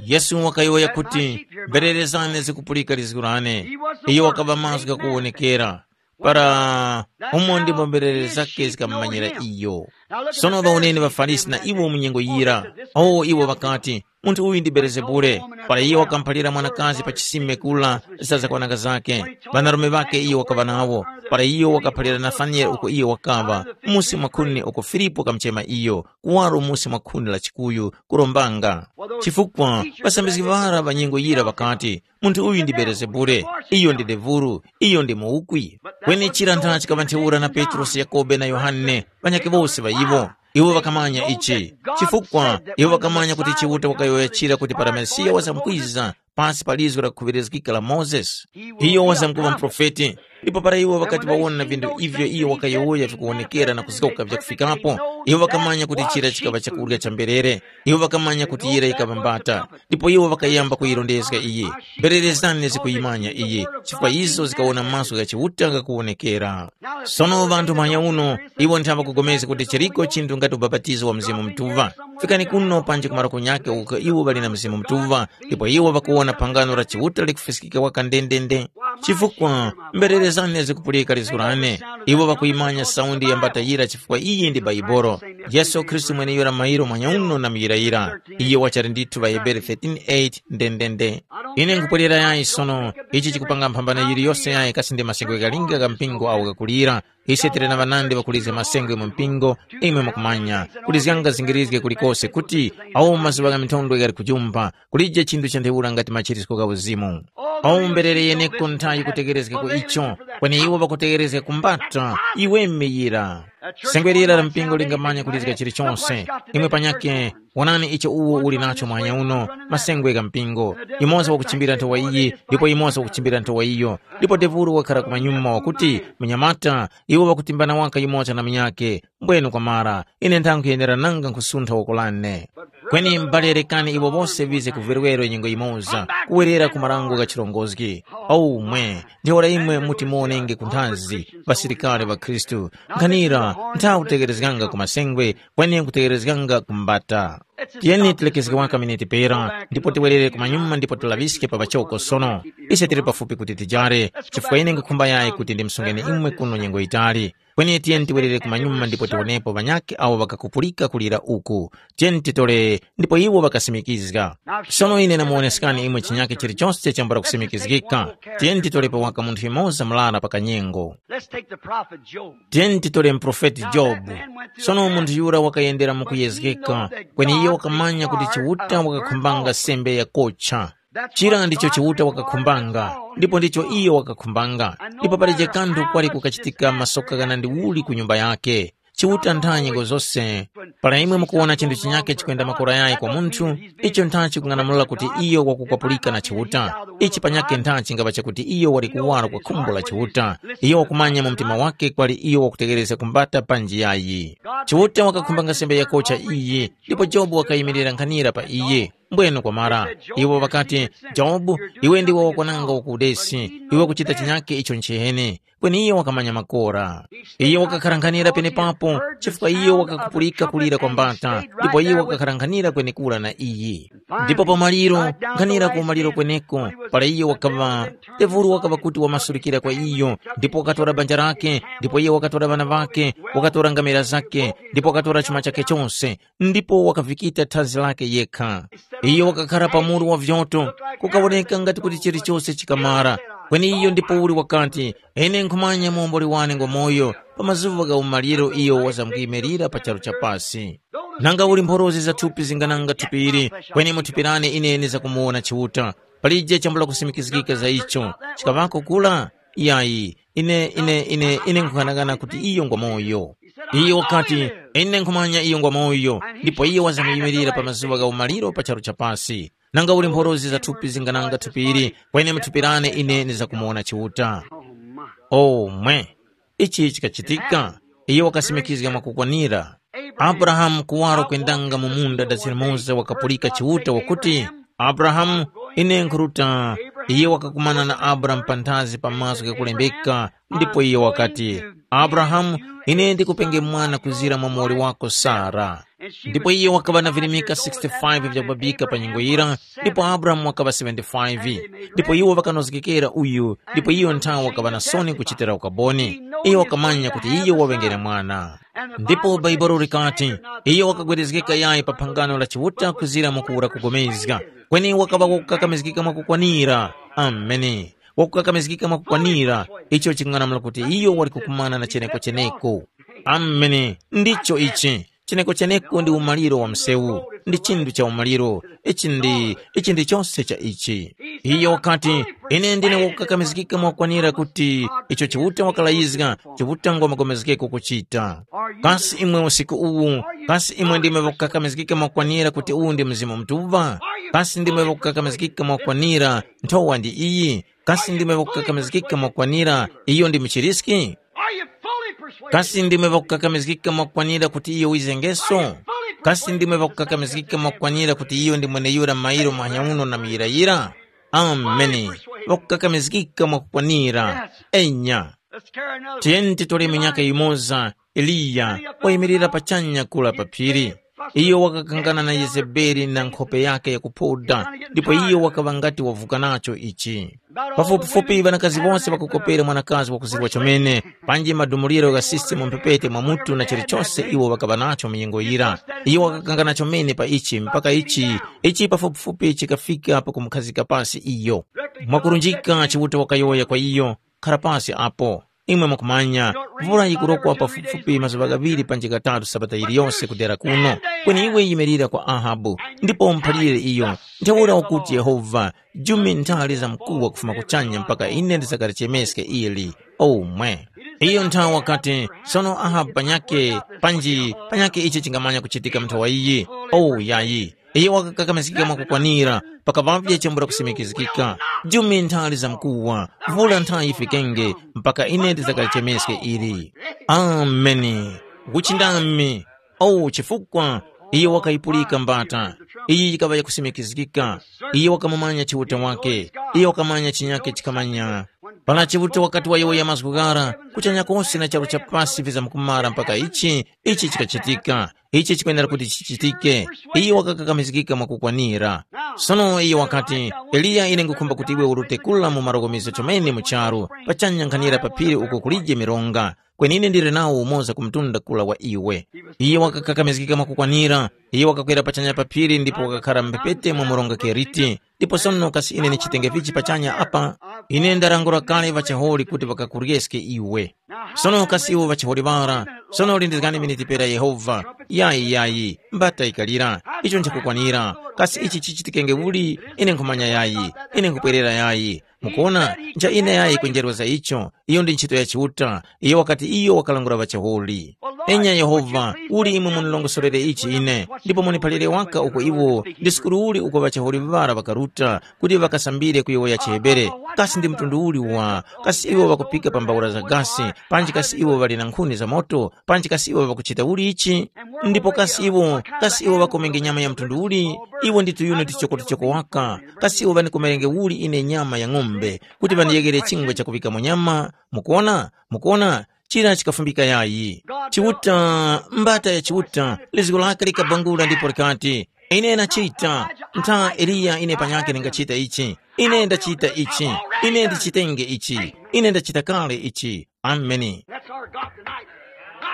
Yesu wakayowoya kuti, mberere zane zikupulika lizgu lane. Iyo wakaŵa mazgu ghakuwonekera. Para umo ndimo mberere zake zikamumanyira iyo. Sono ŵawoneni ŵaFarisi na iwo mu nyengo yira. O iwo ŵakati, munthu uyu ndi Belezebule. Para iyo wakamuphalira mwanakazi pa chisime kula za zakwananga zake. Ŵanarume ŵake iyo wakaŵa nawo. Para iyo wakaphalira Nataniyele uko iyo wakaŵa, musi mwa khuni uko Filipu wakamuchema iyo, kuwaro musi mwa khuni la chikuyu, kurombanga. Chifukwa ŵasambizgi ŵara ŵa nyengo yira ŵakati, munthu uyu ndi Belezebule, iyo ndi devulu, iyo ndi muwukwi. Kweni chira ntha chikaŵa ntheura na Petrosi, Yakobe na Yohane, ŵanyakhe wose ŵa iwo. Iwo ŵakamanya ichi, chifukwa iwo ŵakamanya kuti Chiuta wakayowoya chira kuti para Mesiya wazamkwiza pasi pa lizgu lakukhuŵirizgika la Mozesi. Iyo wazamkuŵa muprofeti, ndipo para iwo ŵakati ŵawona vinthu ivyo iyo wakayowoya vikuwonekera na kuzgoka vyakufikapo, iwo ŵakamanya kuti chira chikaŵa chakurya cha mberere. Iwo ŵakamanya kuti yira yikaŵa mbata, ndipo iwo ŵakayamba kuyirondezga iyi. Mberere zane zikuyimanya iyi, chifukwa izo zikawona maso gha Chiuta ghakuwonekera. Sono ŵanthu muhanya uno, iwo ntha ŵakugomezga kuti chiliko chinthu ngati ubapatizo wa Mzimu Mutuŵa. Fikani kuno panji ku maroko nyakhe uko iwo ŵali na Mzimu Mutuŵa, ndipo iwo ŵakuwona phangano la Chiuta likufiskika waka ndendende. Chifukwa mberere zane zikupulika lizgu lane, iwo ŵakuyimanya saundi ya mbata yira chifukwa iyi ndi Baibolo. Yesu Khristu mweneyura mairo muhanya uno na muyirayira. Iyo wachali ndithu ŵaHebere thirteen eight ndendende. Ine nkupwerera yayi sono, ichi chikupanga mphambano yiliyose yayi kasi ndi masengwe ghalinga gha mpingo awo ghakulira. Ise tili na ŵanandi ŵakulizga masengwe mu mpingo, imwe mukumanya, kulizganga zingirizge kulikose kuti awo mazuŵa gha minthondwe ghali kujumpha, kulije chinthu cha ntheura ngati machirisko gha uzimu. Awo mberere yeneko Chiuta yikutegerezga ku icho, kweni iwo ŵakutegerezga ku mbata, iwe miyira. Sengwerera la mpingo lingamanya kulizga chilichonse. Imwe panyakhe, wonani icho uwo uli nacho muhanya uno, masengwe gha mpingo. Yumoza wakuchimbira nthowa iyi, ndipo yumoza wakuchimbira nthowa iyo. Ndipo devulu wakhala kumanyuma wakuti, munyamata, iwo ŵakutimbana waka yumoza na munyakhe. Mbwenu kwamara, ine nthanga nkhuyenera nanga nkhusuntha woko lane. Kweni m'bale rekani iwo wose ŵize ku vwerewero nyengo yimoza, kuwerera ku marango gha chirongozgi. Aumwe, ntheura imwe muti muwonenge ku nthazi, ŵasilikari ŵa Khristu. Nkhanira, ntha kutekerezganga ku masengwe, kweni nkutekerezganga ku mbata. Tiyeni tilekezge waka miniti pera, ndipo tiwerere kumanyuma ndipo tilaŵiske pa pachoko sono. Ise tili pafupi kuti tijare, chifukwa ine nkhukhumba yayi kuti ndimsungeni imwe kuno nyengo yitali. Kweni tiyeni tiwerere kumanyuma ndipo tiwonepo ŵanyakhe awo ŵakakupulika kulira uku. Tiyeni titole, ndipo iwo ŵakasimikizga. Sono ine namuwoneskani imwe chinyakhe chilichose chambula kusimikizgika. Tiyeni titolepo waka munthu yumoza murara pa kanyengo. Let's take the prophet Job. Tiyeni titole muprofeti Jobu. Sono munthu yura wakayendera mu kuyezgeka, kweni iye wakamanya kuti Chiuta wakakhumbanga sembe yakocha. Chira ndicho Chiuta wakakhumbanga, ndipo ndicho iyo wakakhumbanga. Ndipo palije kanthu kwali kukachitika masoka ghanandi uli ku nyumba yake. Chiuta ntha nyengo zose. Para imwe mukuwona chinthu chinyakhe chikwenda makora yayi kwa munthu, icho ntha chikung'anamula kuti iyo wakukwapulika na Chiuta. Ichi panyakhe ntha chingapa chakuti iyo wali kuwaro kwa khumbo la Chiuta. Iyo wakumanya mu mtima wake kwali iyo wakutegerezga kumbata panji yayi. Chiuta wakakhumbanga sembe yakocha iyi, ndipo Jobu wakayimirira nkhanira pa iye. Mbwenu kwamara, iwo ŵakati, Jobu, iwe ndiwe wakwananga ukudesi, iwe kuchita chinyakhe icho nchiheni. Kweni iyo wakamanya makora. Iyo wakakharanghanira penepapo, chifukwa iyo wakakupulika kulira kwa mbata, ndipo iyo wakakharanghanira kwenekura na iyi. Ndipo pamaliro, nkhanira ku maliro kweneko, para iyo wakaŵa, tevuru wakaŵa kuti wamasurikira kwa iyo, ndipo wakatora banja lake, ndipo iyo wakatora ŵana ŵake, wakatora ngamera zake, ndipo wakatora chuma chake chose, ndipo wakavikita thazi lake yekha. Iyo wakakhara pa muru wa vyoto, kukawoneka ngati kuti chilichose chikamara. Kweni iyo ndipouli wakati, ine nkhumanya muomboli wane ngwamoyo, pa mazuŵa gha umaliro iyo wazamkuyimirira pa charu cha pasi. Nanga uli mphorozi za thupi zingananga thupi ili, kweni mu thupi lane ine ndizakumuwona Chiuta. Palije chambula kusimikizgika za icho, chikaŵako kula? Yayi, ine ine ine ine nkhughanaghana kuti iyo ngwamoyo. Iyo wakati, ine nkhumanya iyo ngwamoyo, ndipo iyo wazamkuyimirira pa mazuŵa gha umaliro pa charu cha pasi. Nanga uli mphorozi za thupi zingananga thupi ili, kweni mu thupi lane ine ndizakumuwona Chiuta. Oh my. Oh mwe. Ichi chikachitika, iyo wakasimikizga mwakukwanira. Abrahamu kuwaro kwendanga mu munda dachilimoza wakapulika Chiuta wakuti, Abrahamu, ine nkhuruta. Iye wakakumana na Abrahamu panthazi pa mazgu ghakulembeka, ndipo iye wakati, Abrahamu, ine ndikupenge mwana kuzira mwa muwoli wako Sara. Ndipo iye wakaŵa na virimika sixty-five vyakubabika pa nyengo yira, ndipo Abrahamu wakaŵa seventy-five. Ndipo iwo ŵakanozgekera uyu, ndipo iyo nthawe wakaŵa na soni kuchitira ukaboni. Iyo wakamanya kuti iyo waŵengere mwana. Ndipo Bhaibuli likati, iyo wakagwerezgeka yayi pa phangano la Chiuta kuzira mu kuwura kugomezga, kweni wakaŵa wakukakamizgika mwakukwanira. Ameni. Wakukakamizgika mwakukwanira, icho ching'anamula kuti iyo wali kukumana na cheneko cheneko. Ameni. Ndicho ichi. Cheneko cheneko ndi umaliro wa msewu, ndi chinthu cha umaliro. Ichi ndi, ichi ndi chose cha ichi. Iye wakati, ine ndine wakukakamizgika mwakukwanira kuti icho Chiuta wakalayizga, Chiuta ngwa magomezgeko kuchita. Kasi imwe usiku uwu, kasi imwe ndimwe wakukakamizgika mwakukwanira kuti uwu ndi Mzimu Mutuŵa? Kasi ndimwe wakukakamizgika mwakukwanira nthowa ndi iyi? Kasi ndimwe wakukakamizgika mwakukwanira iyo ndi muchiriski? Are you fully persuaded? Kasi ndimwe ŵakukakamizgika mwakukwanira kuti iyo wizengeso? Kasi ndimwe ŵakukakamizgika mwakukwanira kuti iyo ndi mweneyura mairo muhanya uno na muyirayira? Ameni. Ŵakukakamizgika mwakukwanira. Enya. Let's carry another. Tiyeni titole minyaka yimoza, Eliya wayimirira pachanya kula pa phiri. Iyo wakakangana na Yezebeli na nkhope yake yakuphoda, ndipo iyo wakaŵa ngati wavuka nacho ichi. Pafupifupi ŵanakazi wose ŵakukopera mwanakazi wakuzirwa chomene, panji madumuliro gha sisitemu mphepete mwa mutu na chilichose iwo ŵakaŵa nacho mu nyengo yira. Iyo wakakangana chomene pa ichi mpaka ichi, ichi pafupifupi chikafika pakumukhazika pasi iyo. Mwakurunjika Chiuta wakayowoya kwa iyo, khara pasi apo. Imwe mukumanya, mvula yikurokwa pafupifupi mazuŵa ghaŵiri panji ghatatu sabata yiliyose kudera kuno. Kweni iwe yimirira kwa Ahabu, ndipo umuphalire iyo, ntheura ukuti Yehova, jumi nthali za mkuwa kufuma kuchanya mpaka ine ndizakalichemeske ili. Omwe. Iyo nthawi wakati, sono Ahabu panyake, panji panyake ichi chingamanya kuchitika mu nthawi iyi? Oh, yayi. Iye wakakakamizgika mwakukwanira, pakaŵavye chambula kusimikizgika. Jumi nthali za mkuwa, vula nthayi yifikenge, mpaka ine ndizakalichemeske ili. Ameni. Kuchindami. Oh, chifukwa iye wakayipulika mbata. Iyi yikaŵa yakusimikizgika. Iye wakamumanya Chiuta wake. Iye wakamanya chinyake chikamanya. Para Chiuta wakati wayowoya mazgu ghara, kuchanya kose na charu cha pasi vizamkumara mpaka ichi, ichi chikachitika. Ichi chikwenera kuti chichitike. Iye wakakakamizgika mwakukwanira. Sono iye wakati, Eliya, ine ngukhumba kuti iwe urute kula mu marokomezo chomene mu charu, pachanya nkhanira pa phiri uko kulije mironga. Kweni ine ndili nawo umoza ku mtunda kula wa iwe. Iye wakakakamizgika mwakukwanira, iye wakakwera pachanya pa phiri ndipo wakakhara mphepete mwa mronga Keriti, ndipo sono kasi ine ndichitenge vichi pachanya apa? Ine ndarangura kale ŵachaholi kuti ŵakakuryeske iwe. Sono kasi iwo ŵachaholi ŵara, sono lindizgani miniti pera Yehova. Yayi, yayi, mbata ikalira, icho nchakukwanira. Kasi ichi chichitikenge uli? Ine nkhumanya yayi, ine nkhupwerera yayi. Mukuona, ncha ine yayi kwenjerwa za icho. Iyo ndi ntchito ya Chiuta. Iyo wakati iyo wakalangula ŵachaholi. Enya Yehova, uli imwe munilongosorere ichi ine, ndipo muniphalire waka uko iwo ndi sukuru uli uko ŵachaholi ŵara ŵakaruta, kuti ŵakasambire kuyowoya chiHebere. Kasi ndi mtundu uli wa, kasi iwo ŵakupika pa mbawura za gasi, panji kasi iwo ŵali na nkhuni za moto, panji kasi iwo ŵakuchita uli ichi? Ndipo kasi iwo, kasi iwo ŵakomenge nyama ya mtundu uli? Iwo ndi tuyuni tuchokotuchoko waka. Kasi iwo ŵanikomerenge uli ine nyama ya ng'ombe, kuti ŵandiyeghere chingwe chakuŵikamo nyama? Mukuona? Mukuona? Chira chikafumbika yayi. Chiuta, mbata ya Chiuta, lizgo lake likabangula ndipo likati, ine nachita. Ntha Eliya ine panyakhe ndingachita ichi. Ine ndachita ichi. Ine ndichitenge ichi. Ine ndachita kale ichi. Ameni. That's our God tonight.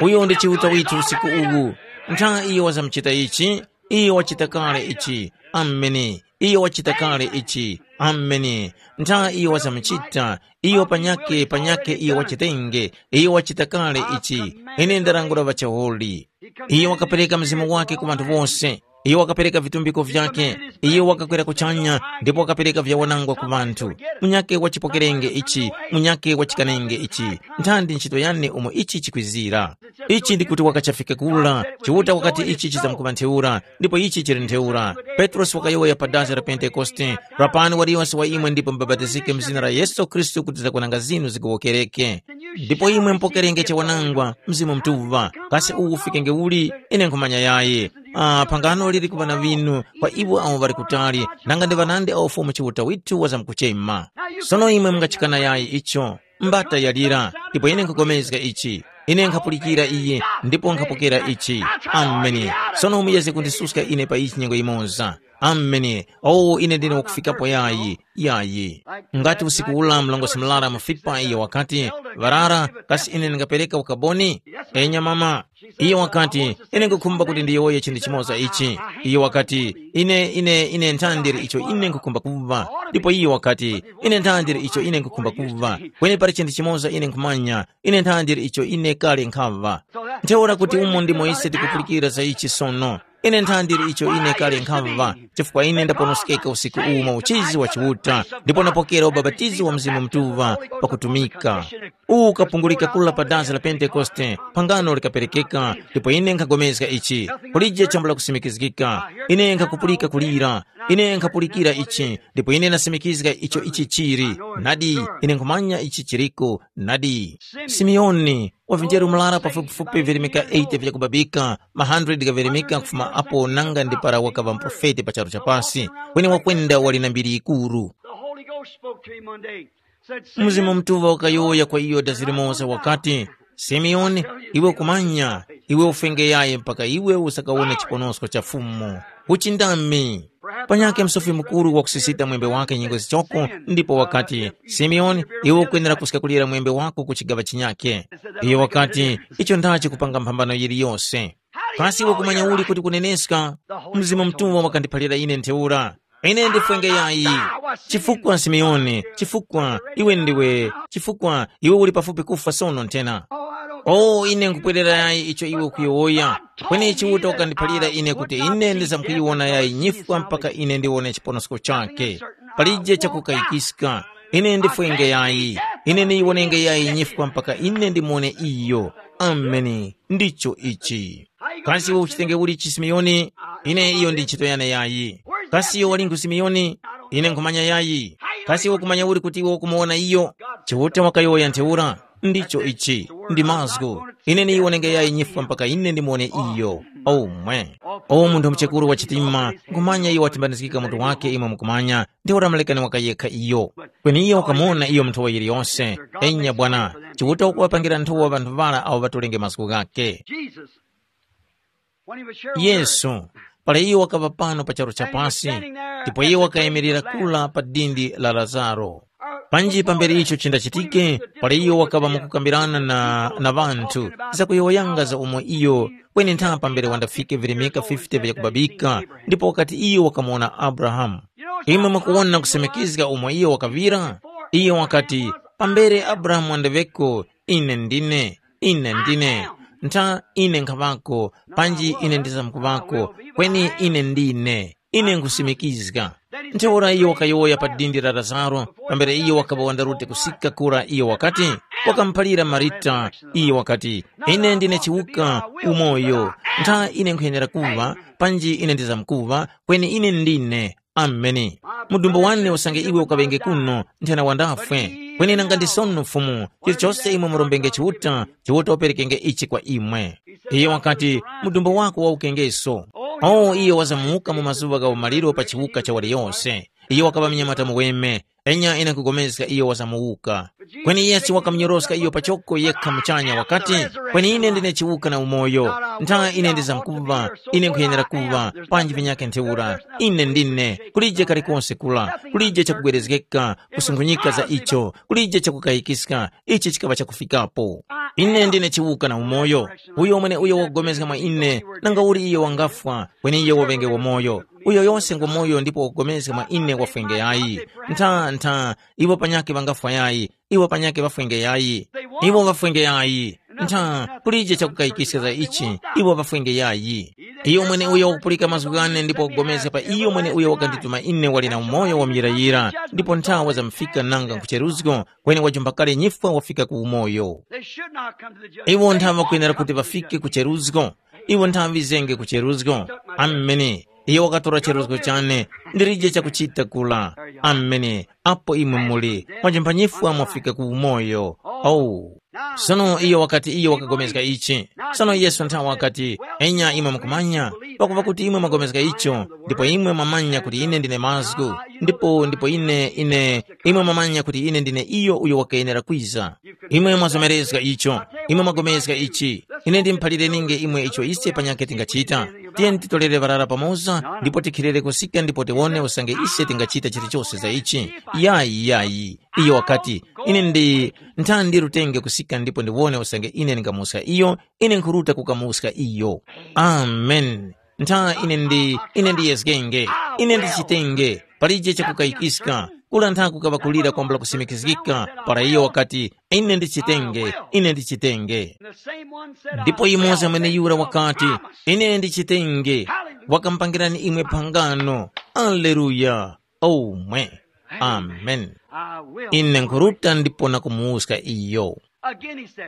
Uyo ndi Chiuta withu usiku uwu. Ntha iyo wazamuchita ichi, iyo wachita kale ichi. Ameni. Iyo wachita kale ichi. Ameni. Ntha iyo wazamuchita, iyo panyake panyake iyo wachitenge, iyo wachita kale ichi. Ine ndarangula ŵachaholi. Iyo wakapereka mzimu wake ku ŵanthu wose. Iyo wakapereka vitumbiko vyake. Iyo wakakwera kuchanya, ndipo wakapereka vyawanangwa ku ŵanthu. Munyake wachipokerenge ichi, munyake wachikanenge ichi. Nthandi ntchito yane umo ichi chikwizira. Ichi ndi kuti wakachafika kula, Chiuta wakati ichi chizamkuŵa ntheura, ndipo ichi chili ntheura. Petrosi wakayowoya pa dazi la Pentekoste, rapani waliyonse wa imwe ndipo mubapatizike mu zina la Yesu Khristu kuti zakwananga zinu zigowokereke. Ndipo imwe mupokerenge chawanangwa, Mzimu Mutuŵa. Kasi uwu ufikenge uli? Ine nkhumanya yayi. Ah, phangano liri kuŵa na ŵinu kwa iwo awo ŵali kutali, nanga ndi ŵanandi awo Fumu Chiuta withu wazamkuchema. Sono imwe mungachikana yayi icho. Mbata yalira, ndipo ine nkhapulikana ichi. Ine nkhapulikira iye, ndipo nkhapokera ichi. Ameni. Sono muyeze kundisuska ine pa ichi nyengo yimoza. Ameni. Oh, ine ndine wakufikapo yayi, yayi. Ngati usiku ula mlongosi murara mu Filipi iyo wakati, varara, kasi ine ndingapereka ukaboni? Enya mama. Iyo wakati, ine nkukhumba kuti ndiyowoye chinthu chimoza ichi. Iyo wakati, ine, ine, ine nthandiri icho ine nkukhumba kuva. Ndipo iyo wakati, ine nthandiri icho ine nkukhumba kuva. Kweni pali chinthu chimoza ine nkhumanya, ine nthandiri icho ine kale nkhava. Ntheura kuti umo ndimo ise tikupulikira za ichi sono. Ine nthandiri icho ine kale nkhava, chifukwa ine ndaponoskeka usiku uwu mwa uchizi wa Chiuta, ndipo ndapokera ubapatizo wa Mzimu Mutuŵa pakutumika. Uwu ukapungulika kula pa dazi la Pentekoste, phangano likaperekeka, ndipo ine nkhapulikana ichi. Kulije chambula kusimikizgika. Ine nkhakupulika kulira. Ine nkhapulikira ichi, ndipo ine ndasimikizga icho ichi chili. Nadi, ine nkhumanya ichi chiliko. Nadi. Simeoni, wavinjere murara pafupifupi virimika eighty vyakubabika, ma hundred gavirimika kufuma apo nanga ndi para wakaŵa muprofeti pa charu cha pasi, kweni wakwenda wali na mbiri yikuru. The Holy Ghost spoke to him one day. Said, Mzimu Mutuŵa wakayowoya kwa iyo dazi limoza wakati, Simeoni, iwe ukumanya, iwe ufenge yayi mpaka iwe usakawone chiponosko cha Fumu. Uchindami. Panyakhe msofi mukuru wakusisita mwembe wake nyengo zichoko, ndipo wakati, Simeoni, iwe ukwenera kuska kulira mwembe wako ku chigaŵa chinyakhe. Iyo wakati, icho ndachi kupanga mphambano yiliyose. Kasi iwe kumanya uli kuti kuneneska? Mzimu Mutuŵa wakandiphalira ine ntheura. Ine ndifwenge yayi. Chifukwa Simeoni, chifukwa iwe ndiwe, chifukwa iwe uli pafupi kufwa sono nthena. Oh, ine nkupwerera yayi icho iwe ukuyowoya. Kweni Chiuta wakandiphalira ine kuti ine ndizamkuyiwona yayi nyifwa mpaka ine ndiwone chiponosko chake. Palije chakukayikiska. Ine ndifwenge yayi. Ine niyiwonenge yayi nyifwa mpaka ine ndimuwone iyo. Ameni. Ndicho ichi. Kasi iwe uchitenge uli ichi Simeoni? Ine iyo ndi ntchito yane yayi. Kasi iwe walingu Simeoni? Ine nkhumanya yayi. Kasi iwe kumanya uli kuti iwe ukumuwona iyo? Chiuta wakayowoya ntheura. Ndicho ichi. Ndi mazgu. Ine niyiwonenge yayi nyifwa mpaka ine ndimuwone iyo. Omwe. O munthu muchekuru wa chitima, nkhumanya iyo watimbanizgika mutu wake imwe mukumanya, ntheura mulekani wakayekha iyo. Kweni iyo wakamuwona iyo munthu wa yiliyose. Enya bwana, Chiuta wakuŵapangira nthowa ŵanthu ŵara awo ŵatolenge mazgu ghake. Jesus, when he was here on earth, Yesu, para iyo wakaŵa pano pa charu cha pasi, ndipo iyo wakayimirira kula pa dindi la Lazaro. Panji pambere icho chindachitike, para iyo wakaŵa mukukambirana na, na ŵanthu, zakuyowoyanga za umo iyo kweni ntha pambere wandafike virimika fifty vya kubabika, ndipo wakati iyo wakamuwona Abrahamu. Imwe mukuwona kusemekizga umo iyo wakaŵira? Iyo wakati, pambere Abrahamu wandaŵeko, ine ndine, ine ndine. Ntha ine nkhaŵako, panji ine ndizamkuŵako, kweni ine ndine. Ine nkhusimikizga. Ntheura iyo wakayowoya pa dindi la Lazaro, pambere iyo wakaŵa wandarute kusika kura iyo wakati, wakamuphalira Marita, iyo wakati, ine ndine chiwuka, umoyo. Ntha ine nkhuyenera kuŵa, panji ine ndizamkuŵa, kweni ine ndine. Ameni. Mudumbu wane usange iwe ukaŵenge kuno, nthena wandafwe. Kweni nanga ndi sono Fumu, chilichose imwe murombenge Chiuta, Chiuta waperekenge ichi kwa imwe. Iyo wakati, mudumbu wako wawukengeso. O iyo wazamuka mu mazuŵa gha umaliro pa chiwuka cha waliyose. Iyo wakaŵa mnyamata muweme, enya ine nkugomezga iyo wazamuwuka. Kweni Yesu wakamunyoroska iyo pachoko yekha muchanya wakati, kweni ine ndine chiwuka na umoyo. Ntha ine ndizamkuŵa, ine nkhuyenera kuŵa, panji vinyakhe ntheura. Ine ndine, kulije kalikonse kula, kulije chakubwerezgeka, kusunghunyika za icho, kulije chakukayikiska, ichi chikaŵa chakufikapo. Ine ndine chiwuka na umoyo. Uyo mweneuyo wakupulikana mwa ine, nanga uli iyo wangafwa, kweni iyo waŵenge wamoyo. Uyo yose ngwamoyo ndipo wakupulikana mwa ine wafwenge yayi. Ntha, ntha, iwo panyakhe ŵangafwa yayi, iwo panyakhe ŵafwenge yayi. Iwo ŵafwenge yayi. Ntha, kulije chakukayikiska za ichi, iwo ŵafwenge yayi. Iyo mweneuyo wakupulika mazgu ghane ndipo wakupulikana pa iyo mweneuyo wakandituma ine wali na umoyo wa muyirayira, ndipo nthawa zamufika nanga nkucheruzgo, kweni wajumba kale nyifwa wafika ku umoyo. They should not come to the judgment. Iwo nthawe ŵakwenera kuti ŵafike ku cheruzgo. Iwo nthawe ŵizenge ku cheruzgo. Ameni. Iyo wakatora cheruzgo chane, ndilije chakuchita kula. Ameni. Apo imwe muli, mwajumba nyifwa mwafika ku umoyo. Oh. Sono iyo wakati iyo wakagomezga ichi. Sono Yesu nthawe wakati, enya imwe mukumanya, pakuva kuti imwe mwagomezga icho, ndipo imwe mwamanya kuti ine ndine mazgu, ndipo ndipo ine ine imwe mwamanya kuti ine ndine iyo uyo wakayenera kwiza. Imwe mwazomerezga icho, imwe mwagomezga ichi. Ine ndimuphalireni'nge imwe icho ise panyakhe tingachita. Tiyeni titolere ŵarara pamoza ndipo tikhilire kusika ndipo tiwone usange ise tingachita chilichose za ichi. Yayi, yayi. Iyo wakati, ine ndi ntha ndirutenge kusika ndipo ndiwone usange ine ndingamuska iyo, ine nkhuruta kukamuska iyo. Amen. Ntha ine ndi ine ndiyezgenge, ine ndichitenge, palije chakukayikiska. Kula ntha kukaŵa kulira kwambula kusimikizgika, para iyo wakati, ine ndichitenge, ine ndichitenge. Ndipo yimoza mweneyura wakati, ine ndichitenge, wakamupangirani imwe phangano. Aleluya. Omwe. Amen. Ine nkhuruta ndipo nakumuwuska iyo.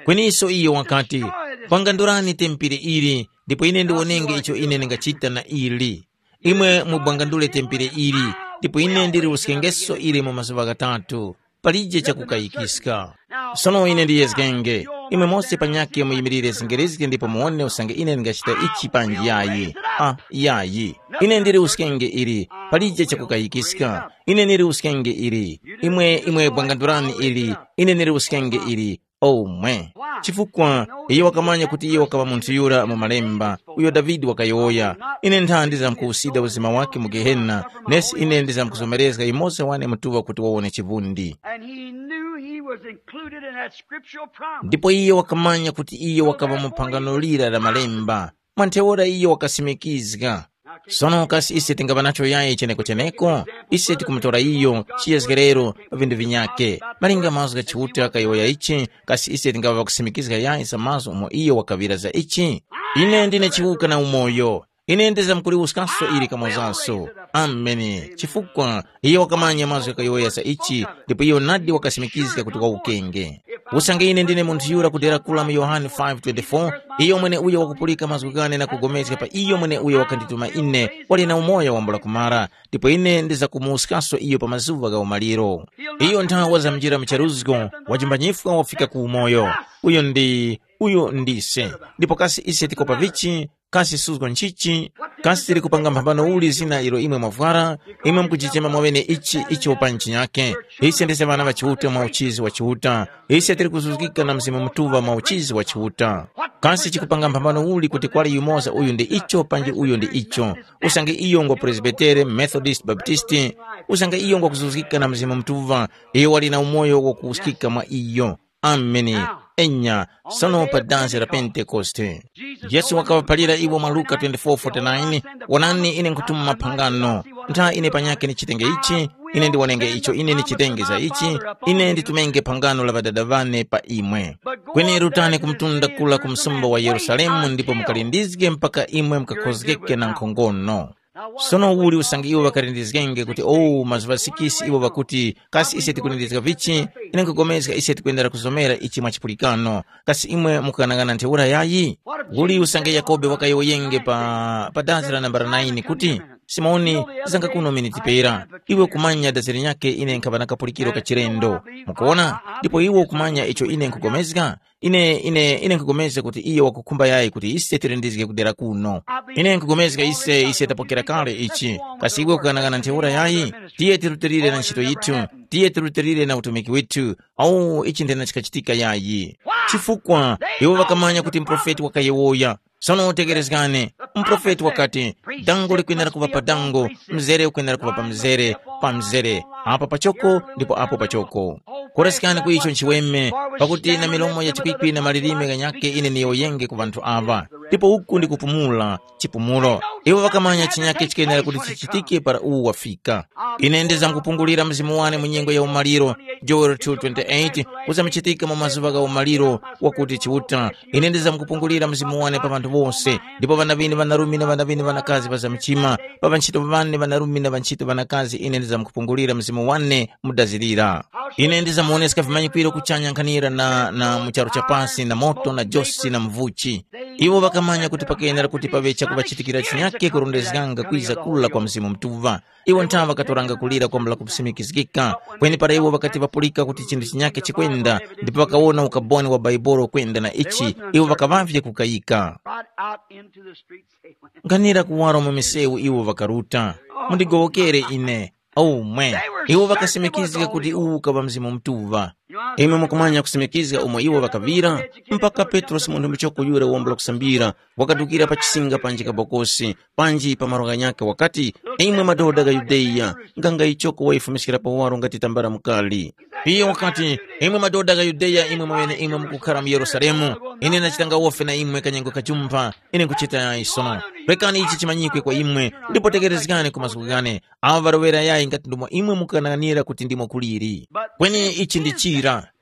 Kweniso iyo wakati, pangandurani tempere ili, ndipo ine ndiwonenge icho ine ndingachita na ili. Imwe mubwangandule tempere ili, ndipo ine ndiliwuskengeso ili mu mazuŵa ghatatu. Palije chakukayikiska. Sono ine ndiyezgenge, imwe mose panyakhe muyimirire zingerezge ndipo muwone usange ine ndingachita ichi panji yayi. Ah, yayi. Ine ndiliwuskenge ili, palije chakukayikiska. Ine ndiliwuskenge ili. Imwe imwe bwangandurani ili, ine ndiliwuskenge ili. Omwe. Chifukwa iyo wakamanya kuti iyo wakaŵa munthu yura mu malemba, uyo Davide wakayowoya, ine ntha ndizamkuwusida uzima wake mu Gehena, nesi ine ndizamkuzomerezga yumoza wane mutuŵa kuti wawone chivundi. And he knew he was included in that scriptural promise. Ndipo iyo wakamanya kuti iyo wakaŵa mu phangano lira la malemba. Mwa ntheura iyo wakasimikizga. Sono kasi ise tingaŵa nacho yayi cheneko-cheneko? Ise tikumutora iyo chiyezgerero pa vindu vinyakhe. Malinga mazgu gha Chiuta kayowoya ichi, kasi ise tingaŵa ŵakusimikizga yayi za mazgu umo iyo wakaŵira za ichi? Ine ndine chiwuka na umoyo. Ine ndizamkuliwuskanso ili kamozanso. Ameni. Chifukwa iyo wakamanya mazgu ghayowoya za ichi, ndipo iyo nadi wakasimikizga kuti wawukenge. Usange ine ndine munthu yura kudera kula mu Yohane five twenty-four, iyo mweneuyo wakupulika mazgu ghane na kugomezga pa iyo mweneuyo wakandituma ine, wali na umoyo wambula kumara, ndipo ine ndizakumuwuskaso iyo pa mazuŵa gha umaliro. Iyo nthawe wazamjira mu charuzgo, wajimbanyifwa wafika ku umoyo. Uyo ndi, uyo ndise. Ndipo kasi ise tikopa vichi? Kasi suzgo nchichi? Kasi tili kupanga mphambano uli zina ilo imwe mwavwara? Imwe mukujichema mwaŵene ichi icho pa nchinyakhe. Ise ndise ŵana ŵa Chiuta mwa uchizi wa Chiuta. Ise tili kuzuzgika na Mzimu Mutuŵa mwa uchizi wa Chiuta. Kasi chikupanga mphambano uli kuti kwali yumoza uyu ndi icho panji uyu ndi icho? Usange iyo ngwa Presbitere, Methodist, Baptisti, usange iyo ngwakuzuzgika na Mzimu Mutuŵa, iyo wali na umoyo wakuwuskika mwa iyo. Ameni. Enya, sono pa dansi la Pentekoste. Yesu wakaŵaphalira iwo mwa Luka twenty-four forty-nine, “Wonani, ine nkhutuma maphangano. Ntha ine panyakhe ndichitenge ichi, ine ndiwonenge icho ine ndichitenge za ichi, ine nditumenge phangano la Ŵadada ŵane pa imwe. Kweni rutani ku mtunda kula ku msumba wa Yerusalemu ndipo mukalindizge mpaka imwe mukakhozgeke na nkhongono.” Sono uli usange iwo ŵakalindizgenge kuti, “Oh, mazuŵa sikisi iwo ŵakuti, kasi ise tikulindizga vichi? Ine nkhupulikana ise tikwendera kuzomera ichi mwa chipulikano. Kasi imwe mukughanagana ntheura yayi?” Uli usange Yakobe wakayowoyenge pa, pa dazi la nambala nine kuti, “Simoni, zanga kuno miniti pera. Iwe kumanya dazi linyakhe ine nkhaŵa na kapulikiro ka chilendo. Mukuwona? Ndipo iwe ukumanya icho ine nkhupulikana? Ine, ine, ine nkhupulikana kuti iyo wakukhumba yayi kuti ise tilindizge kudera kuno. Ine nkhupulikana ise, ise tapokera kale ichi. Kasi iwe ukughanagana ntheura yayi? Tiye tirutilire na ntchito yithu. Tiye tirutilire na utumiki withu. Awu, ichi ndena chikachitika yayi. Chifukwa iwo ŵakamanya kuti muprofeti wakayowoya. Sono tekerezgani, muprofeti wakati, “Dango likwenera kuŵa pa dango, mzere ukwenera kuŵa pa mzere, pa mzere, apa pachoko ndipo apo pachoko.” Koresekani ku icho nchiweme, pakuti na milomo ya chikwikwi na malilime ghanyakhe ine niyowoyenge ku ŵanthu aŵa, ndipo uku ndi kupumula, chipumulo. Iwo ŵakamanya chinyakhe chikwenera kuti chichitike para uwu wafika. Ine ndizamkupungulira Mzimu wane mu nyengo ya umaliro, Joel two twenty-eight, uzamuchitika mu mazuŵa gha umaliro wakuti Chiuta. Ine ndizamkupungulira Mzimu wane pa ŵanthu wose, ndipo ŵana ŵinu ŵanarume na ŵana ŵinu ŵanakazi ŵazamchima, pa ŵantchito ŵane ŵanarume na ŵantchito ŵanakazi ine ndizamkupungulira Mzimu wane mudazirira. Ine ndizamuwoneska vimanyikwiro kuchanya nkhanira na, na mu charu cha pasi na moto na josi na mvuchi. Iwo ŵakamanya kuti pakenera kuti paŵe chakuŵachitikira chinyakhe kurondezganga kwiza kula kwa Mzimu Mutuŵa. Iwo nthawe ŵakatoranga kulira kwambula kusimikizgika, kweni para iwo ŵakati ŵapulika kuti chinthu chinyakhe chikwenda, ndipo ŵakawona ukaboni wa Bhaibuli kwenda na ichi, iwo ŵakaŵavye kukayika. Brought out into the streets, they went. Nkhanira kuwaro mu misewu iwo ŵakaruta. Mundigowokere ine. Omwe. Iwo ŵakasimikizga kuti uwu ukaŵa Mzimu Mutuŵa. Imwe mukumanya kusimikizga umo iwo ŵakaŵira? Mpaka Petrosi munthu muchoko yura wombo la kusambira, wakadukira pa chisinga panji kabokosi, panji pa malo ghanyakhe wakati, “Imwe madoda gha Yudeya, nganga ichoko wayifumiskira pawaro ngati tambala mukali.” Iyo wakati, “Imwe madoda gha Yudeya, imwe mweneimwe mukukhara mu Yerusalemu, ine ndachitanga wofe na imwe kanyengo kajumpha, ine nkuchita yayi sono. Rekani ichi chimanyikwe kwa imwe, ndipo tekerezgani ku mazgu ghane. Awo ŵaloŵera yayi ngati ndomwe imwe mukanang'anira kuti ndimo kuliri. Kweni ichi ndi chira.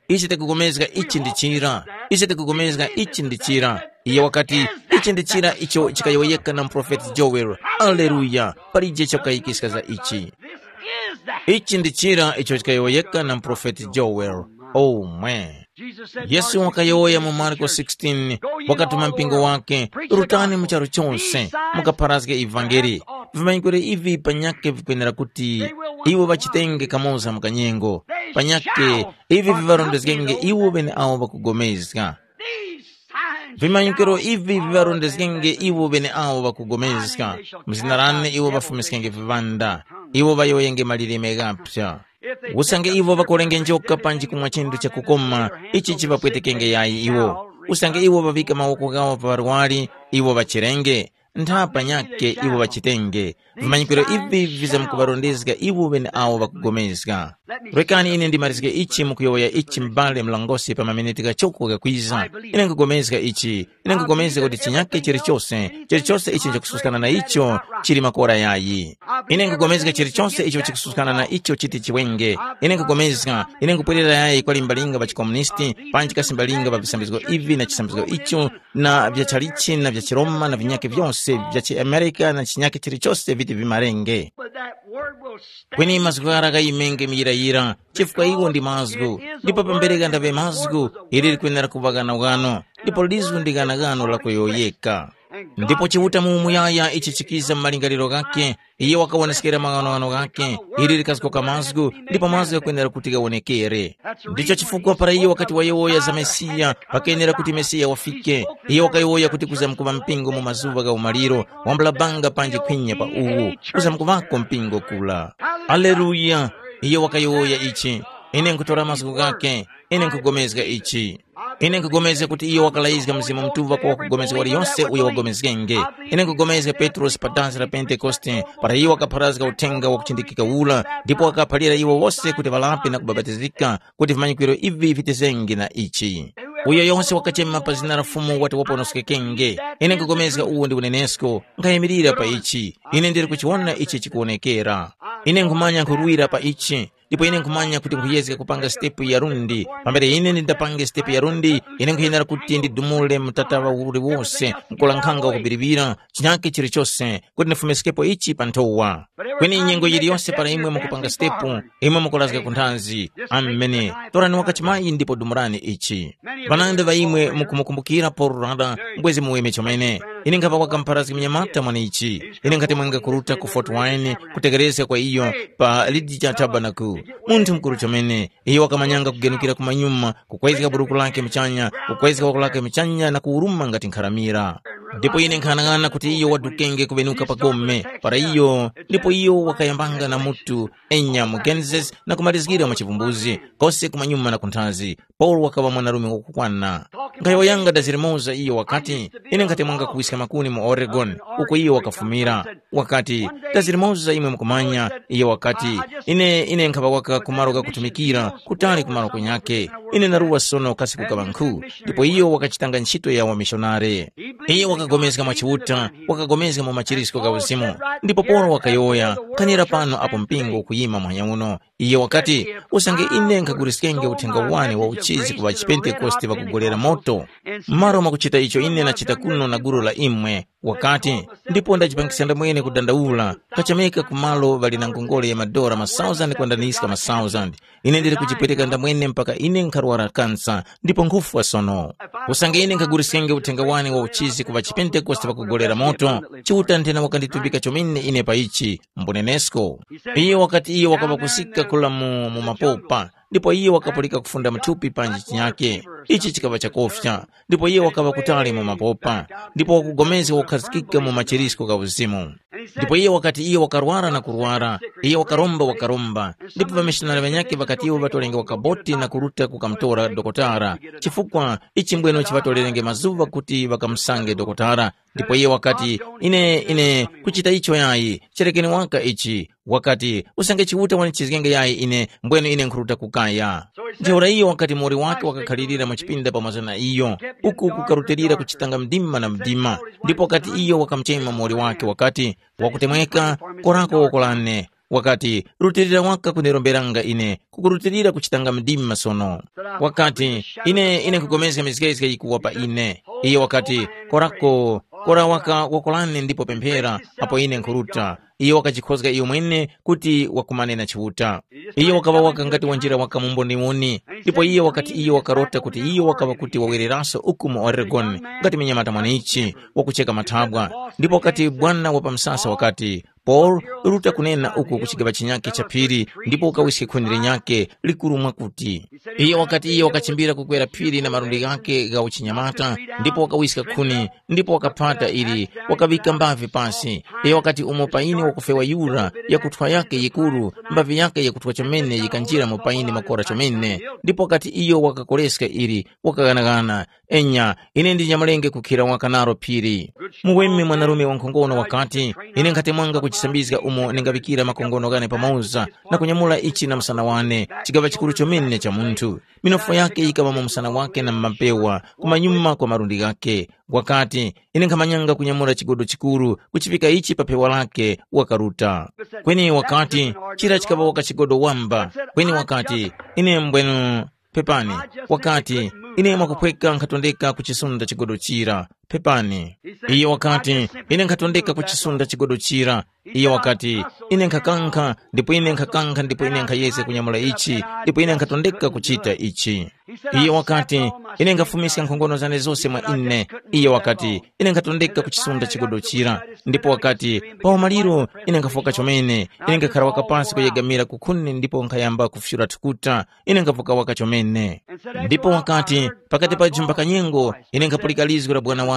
Ise tikupulikana ichi ndi chira. Ise tikupulikana ichi ndi chira. Iye wakati, “Ichi ndi chira icho chikayowoyeka na muprofeti Joel. Aleluya! Palije chakukayikiska za ichi. Ichi ndi chira icho chikayowoyeka na muprofeti Joel.” Omwe. Yesu wakayowoya mu Marko sixteen, wakatuma mpingo wake, “Rutani mu charu chose, mukapharazge ivangeli. Vimanyikwiro ivi panyakhe vikwenera kuti iwo ŵachitenge kamoza mu kanyengo. Panyakhe ivi viŵarondezgenge iwo ŵeneawo ŵakugomezga.” Vimanyikwiro ivi viŵarondezgenge iwo ŵeneawo ŵakugomezga. Mu zina lane iwo ŵafumiskenge viŵanda, iwo ŵayowoyenge malilime ghaphya. Usange iwo ŵakolenge njoka panji kumwa chinthu chakukoma, ichi chiŵapwetekenge yayi iwo. Usange iwo ŵaŵike mawoko ghawo pa ŵarwari, iwo ŵachirenge. nthapa nyakhe iwo ŵachitenge. Vimanyikiro ivi vizamkuŵarondezga iwo ŵeneawo ŵakugomezga. Rekani ine ndimalizge ichi mukuyowoya ichi m'bale mlongosi pa maminiti ghachoko ghakwiza. Ine nkugomezga ichi. Ine nkugomezga kuti chinyakhe chilichose, chilichose icho nchakususkana na icho, chili makora yayi. Ine nkugomezga chilichose icho chikususkana na icho chiti chiwenge. Ine nkugomezga, ine nkupwerera yayi kwa limbalinga pa chikomunisti, panji kasimbalinga pa visambizgo ivi na chisambizgo icho, na vya chalichi na vya chiroma na vinyakhe vyose vya chiamerika na chinyakhe chilichose viti vimarenge. But that word will stand. Kweni mazgu ghara ghayimenge muyirayira, chifukwa iwo ndi mazgu. Ndipo pambere ghandaŵe mazgu, ili likwenera kuŵa ghanoghano, ndipo lizu ndi ghanoghano la kuyowoyeka. Ndipo Chiuta mu umuyaya ichi chikiza mu malingaliro ghakhe, iye wakawoneskera maghanoghano ghakhe, ili likazgoka mazgu, ndipo mazgu ghakwenera kuti ghawonekere. Ndicho chifukwa para iye wakati wayowoya za Mesiya, pakenera kuti Mesiya wafike. Iye wakayowoya kuti kuzamkuŵa mpingo mu mazuŵa gha umaliro, wambula banga panji khwinya pa uwu, kuzamkuŵako mpingo kula. Aleluya! Iye wakayowoya ichi. Ine nkhutora mazgu ghakhe, ine nkhugomezga ichi. Ine nkhugomezga kuti iye wakalayizga Mzimu Mutuŵa kwa wakugomezga waliyonse uyo wagomezgenge. Ine nkhugomezga Petrosi pa dansi la Pentekoste, para iye wakapharazga uthenga wakuchindikika ula, ndipo wakaphalira iwo wose kuti ŵalape na kubapatizika, kuti vimanyikwiro ivi vitezenge na ichi. Uyo yose wakachema pa zina la Fumu wati waponoskekenge. Ine nkhugomezga uwu ndi unenesko, nkhayimirira pa ichi. Ine ndili kuchiwona ichi chikuwonekera. Ine nkhumanya nkhurwira pa ichi, ndipo ine nkhumanya kuti nkhuyezga kupanga sitepu ya lundi. Pambere ine ndindapange sitepu ya lundi, ine nkhuyenera kuti ndidumule mtatawa uliwose, nkulankhanga wakubiribira, chinyake chilichose, kuti ndifumiskepo ichi pa nthowa. Kweni nyengo yiliyonse para imwe mukupanga sitepu, imwe mukulazga ku nthazi. Amene. Torani wakachimayi ndipo dumurani ichi. Ŵanandi ŵa imwe mukumukumbukira Paulo Rada, mbwezi muweme chomene. Ine nkhapa wakampharazgi munyamata mwanechi. Ine nkhati mwenga kuruta ku Fort Wayne kutekerezga kwa iyo pa Lidija Tabernacle. Munthu mukuru chomene. Iyo wakamanyanga kugenukira kumanyuma, kukwezga buruku lake muchanya, kukwezga woko lake muchanya na kuwuruma ngati nkharamira. Ndipo ine nkhanang'ana kuti iyo wadukenge kuŵenuka pa gome, para iyo, ndipo iyo wakayambanga na mutu, enya mu Genesis na kumalizgira mu chivumbuzi, kose kumanyuma na kunthazi. Paulo wakaŵa mwanarume wakukwana. Nkhayowoyanga dazi limoza iyo wakati, ine nkhati mwanga kuwiska makuni mu Oregon, uko iyo wakafumira. Wakati, dazi limoza imwe mukumanya, iyo wakati, ine ine nkhaŵa waka kumalo kakutumikira, kutali kumalo kunyake. Ine naruwa sono kasi kukaŵa nkhu, ndipo iyo wakachitanga ntchito ya wamishonare. Iyo wakapulikana mwa Chiuta, wakapulikana mu machiritiko gha uzimu. Ndipo Paulo wakayowoya, khanira pano apo mpingo ukuyima muhanya uno. Iye wakati, usange ine nkhaguliskenge uthenga wane wa uchizi ku ŵachipentekoste ŵakugolera moto, m'malo mwakuchita icho ine ndachita kuno na gulu la imwe, wakati, ndipo ndachipangisa ndamwene kudandaula, kachameka ku malo ŵali na ngongole ya madora ma thousand kwandaniska ma thousand. Ine ndili kuchipweteka ndamwene mpaka ine nkharwara kansa, ndipo nkhufwa sono. Usange ine nkhaguliskenge uthenga wane wa uchizi ku ŵachipentekoste ŵakugolera moto, Chiuta nthena wakanditumbika chomene ine pa ichi, mbunenesko. Iyo wakati iyo wakaŵa kusika kula mu, mu mapopa, ndipo iyo wakapulika kufunda muthupi panji chinyake. Ichi chikaŵa chakofya, ndipo iyo wakaŵa kutali mu mapopa, ndipo wakugomezga kukhazikika mu machirisko gha uzimu. Ndipo iyo wakati iyo wakarwara na kurwara, iyo wakaromba wakaromba, ndipo ŵamishonari ŵanyakhe ŵakati iwo ŵatolenge wakaboti na kuruta kukamutora dokotara, chifukwa ichi mbweno chiŵatolenge mazuŵa kuti ŵakamusange dokotara. Ndipo iye wakati, ine, ine, kuchita icho yayi, cherekeni waka ichi. Wakati, usange Chiuta wanichizgenge yayi ine, mbwenu ine nkhuruta kukaya. Ntheura iyo wakati muwoli wake wakakhalirira mu chipinda pamoza na iyo, uku kukarutilira kuchitanga mdima na mdima. Ndipo wakati iyo wakamuchema muwoli wake wakati, wakutemweka, korako woko lane. Wakati, rutilira waka kundiromberanga ine, kukurutilira kuchitanga mdima sono. Wakati, ine, ine nkugomezga mizgezge yikuwa pa ine. Iye wakati, korako, kora waka wakolane ndipo pemphera, apo ine nkhuruta. Iye wakajikhozga iyo mwene kuti wakumane na Chiuta. Iye wakaŵa waka ngati wanjira waka mu mboniwoni, ndipo iye wakati iye wakarota kuti iye wakaŵa kuti wawereraso uku mu Oregon, ngati mnyamata mwanechi, wakucheka mathabwa. Ndipo wakati bwana wa pamsasa wakati, Paulo, ruta kunena uko ku chigaŵa chinyakhe cha phiri, ndipo ukawiske khuni linyakhe likuru mwakuti. Iyo wakati iyo wakachimbira kukwera phiri na malundi ghakhe gha uchinyamata, ndipo wakawiska khuni, ndipo wakaphata ili, wakaŵika mbavi pasi. Iyo wakati umo paine wakufewa yura, yakuthwa yake yikuru, mbavi yake yakuthwa chomene yikanjira mu paine makora chomene. Ndipo wakati iyo wakakoreska ili, wakaghanagana, enya, ine ndi nyamulenge kukhira waka nalo phiri. Muweme mwanarume wankhongono wakati, ine nkhatemwanga ku chisambizga umo ndingaŵikira makongono ghane pamoza, na kunyamula ichi na msana wane, chigaŵa chikuru chomene cha munthu. Minofu yake yikaŵa mu msana wake na m'mapewa, kumanyuma kwa malundi ghake. Wakati, ine nkhamanyanga kunyamula chigodo chikuru, kuchifika ichi pa phewa lake, wakaruta. Kweni wakati, chira chikaŵa waka chigodo wamba. Kweni wakati, ine mbwenu, pepani. Wakati, ine mwakuphweka nkhatondeka kuchisunda chigodo chira. Pepani. Iye wakati, ine nkhatondeka kuchisunda chigodo chira. Iye wakati, ine nkhakankha, ndipo ine nkhakankha ndipo ine nkhayezga kunyamula ichi, ndipo ine nkhatondeka kuchita ichi. Iye wakati, ine nkhafumiska nkhongono zane zose mwa ine. Iye wakati, ine nkhatondeka kuchisunda chigodo chira. Ndipo wakati, pa umaliro, ine nkhafoka chomene, ine nkhakhara waka pansi kuyegamira kukhuni ndipo nkhayamba kufyura thukuta, ine nkhavuka waka chomene. Ndipo wakati, pakati pa jumba kanyengo, ine nkhapulika lizgu la bwana wane.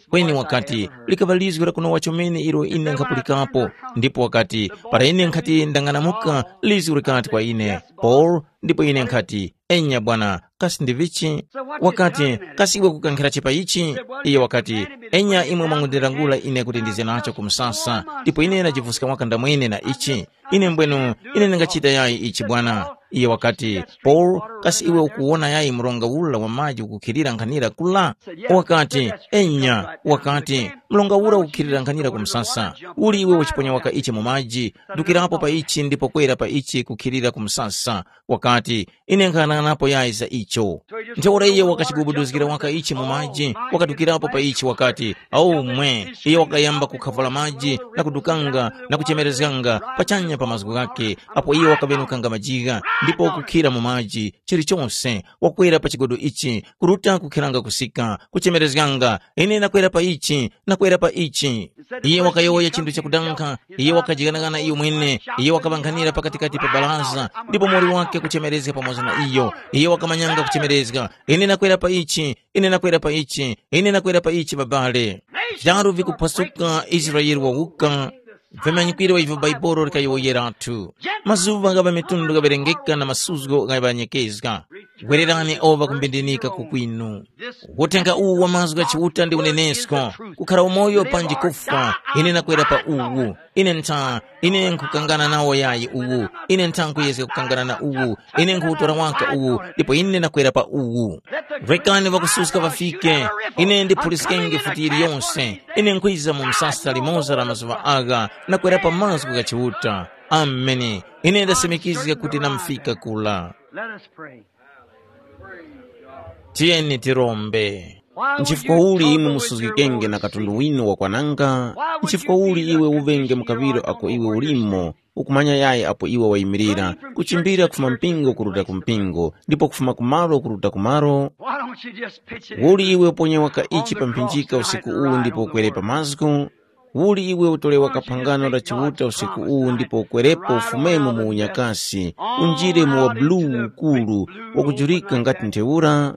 Kweni wakati, likaŵa lizgu la kunowa chomene ilo ine nkhapulikapo. Ndipo wakati, para ine nkhati ndang'anamuka, lizgu likati kwa ine, Paul, ndipo ine nkhati, enya bwana, kasi ndi vichi? Wakati, kasi iwe kukankhirachi pa ichi? Iye wakati, enya imwe mwangundilangula ine kuti ndize nacho ku msasa, ndipo ine ndajivuska waka ndamwene na ichi. Ine mbwenu, ine ndingachita yayi ichi bwana. Iye wakati, Paul, kasi iwe ukuwona yayi mronga ula wa maji ukukhilira nkhanira kula? Wakati, enya. Wakati, mronga ura ukukhilira nkhanira ku msasa. Uli iwe uchiponya waka ichi mu maji, dukirapo pa ichi ndipo kwera pa ichi kukhilira ku msasa. Wakati, ine nkhanang'anapo yayi za icho. Ntheura iye wakachigubuduzgira waka ichi mu maji, wakadukirapo pa ichi wakati, au mwe. Iye wakayamba kukhavula maji na kudukanga na kuchemerezganga pachanya pa mazgu ghake, apo iye wakaŵenukanga majiga, ndipo kukhira mu maji chilichonse, wakwera pa chigodo ichi, kuruta kukhiranga kusika, kuchemerezganga, ine nakwera pa ichi, nakwera pa ichi. Iye wakayowoya chinthu chakudankha, iye wakajighanaghana iyo mwene, iye wakaŵankhanira pakatikati pa baraza, ndipo muwoli wake kuchemerezga pamoza na iyo. Iye wakamanyanga kuchemerezga, ine nakwera pa ichi, ine nakwera pa ichi, ine nakwera pa ichi babale. Vyaru vikuphwasuka, Israele wawuka. Vimanyikwiro ivyo Baibolo likayowoyeratu. Mazuŵa gha ŵamitundu ghaŵerengeka na masuzgo ghaŵanyekezga. Gwererani oŵa kumbindinika kukwinu. Uthenga uwu wa mazgu gha Chiuta ndi unenesko, kukhara umoyo panji kufwa, ine nakwera pa uwu. Ine ntha, ine nkhukangana nawo yayi uwu, ine ntha nkhuyezga kukangana na uwu, ine nkhuwutora waka uwu, ndipo ine nakwera pa uwu. Rekani ŵakususka ŵafike, ine ndiphuliskenge futi yiliyonse, ine nkhwiza mu msasa limoza la mazuŵa agha, nakwera pa mazgu gha Chiuta. Ameni. Ine ndasimikizga kuti namufika kula. Let us pray. Tiyeni tirombe. Nchifukwa uli imwe musuzgikenge na katundu winu wakwananga? Nchifukwa uli iwe uŵenge mukaŵiro ako iwe ulimo, ukumanya yayi apo iwe wayimirira, kuchimbira kufuma mpingo kuruta ku mpingo, ndipo kufuma kumalo kuruta kumalo? Why don't you just pitch it in? Uli iwe uponye waka ichi pa mphinjika usiku uwu ndipo ukwere pa mazgu? Uli iwe utolewa kaphangano la Chiuta usiku uwu ndipo ukwerepo ufumemo mu unyakasi, unjire mu wa buluu ukuru wakujurika ngati ntheura?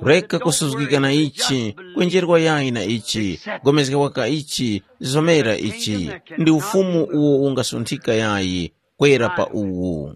Reka kusuzgika na ichi, kwenjerwa yayi na ichi, gomezga waka ichi, zomera ichi, ndi ufumu uwo ungasunthika yayi, kwera pa uwu.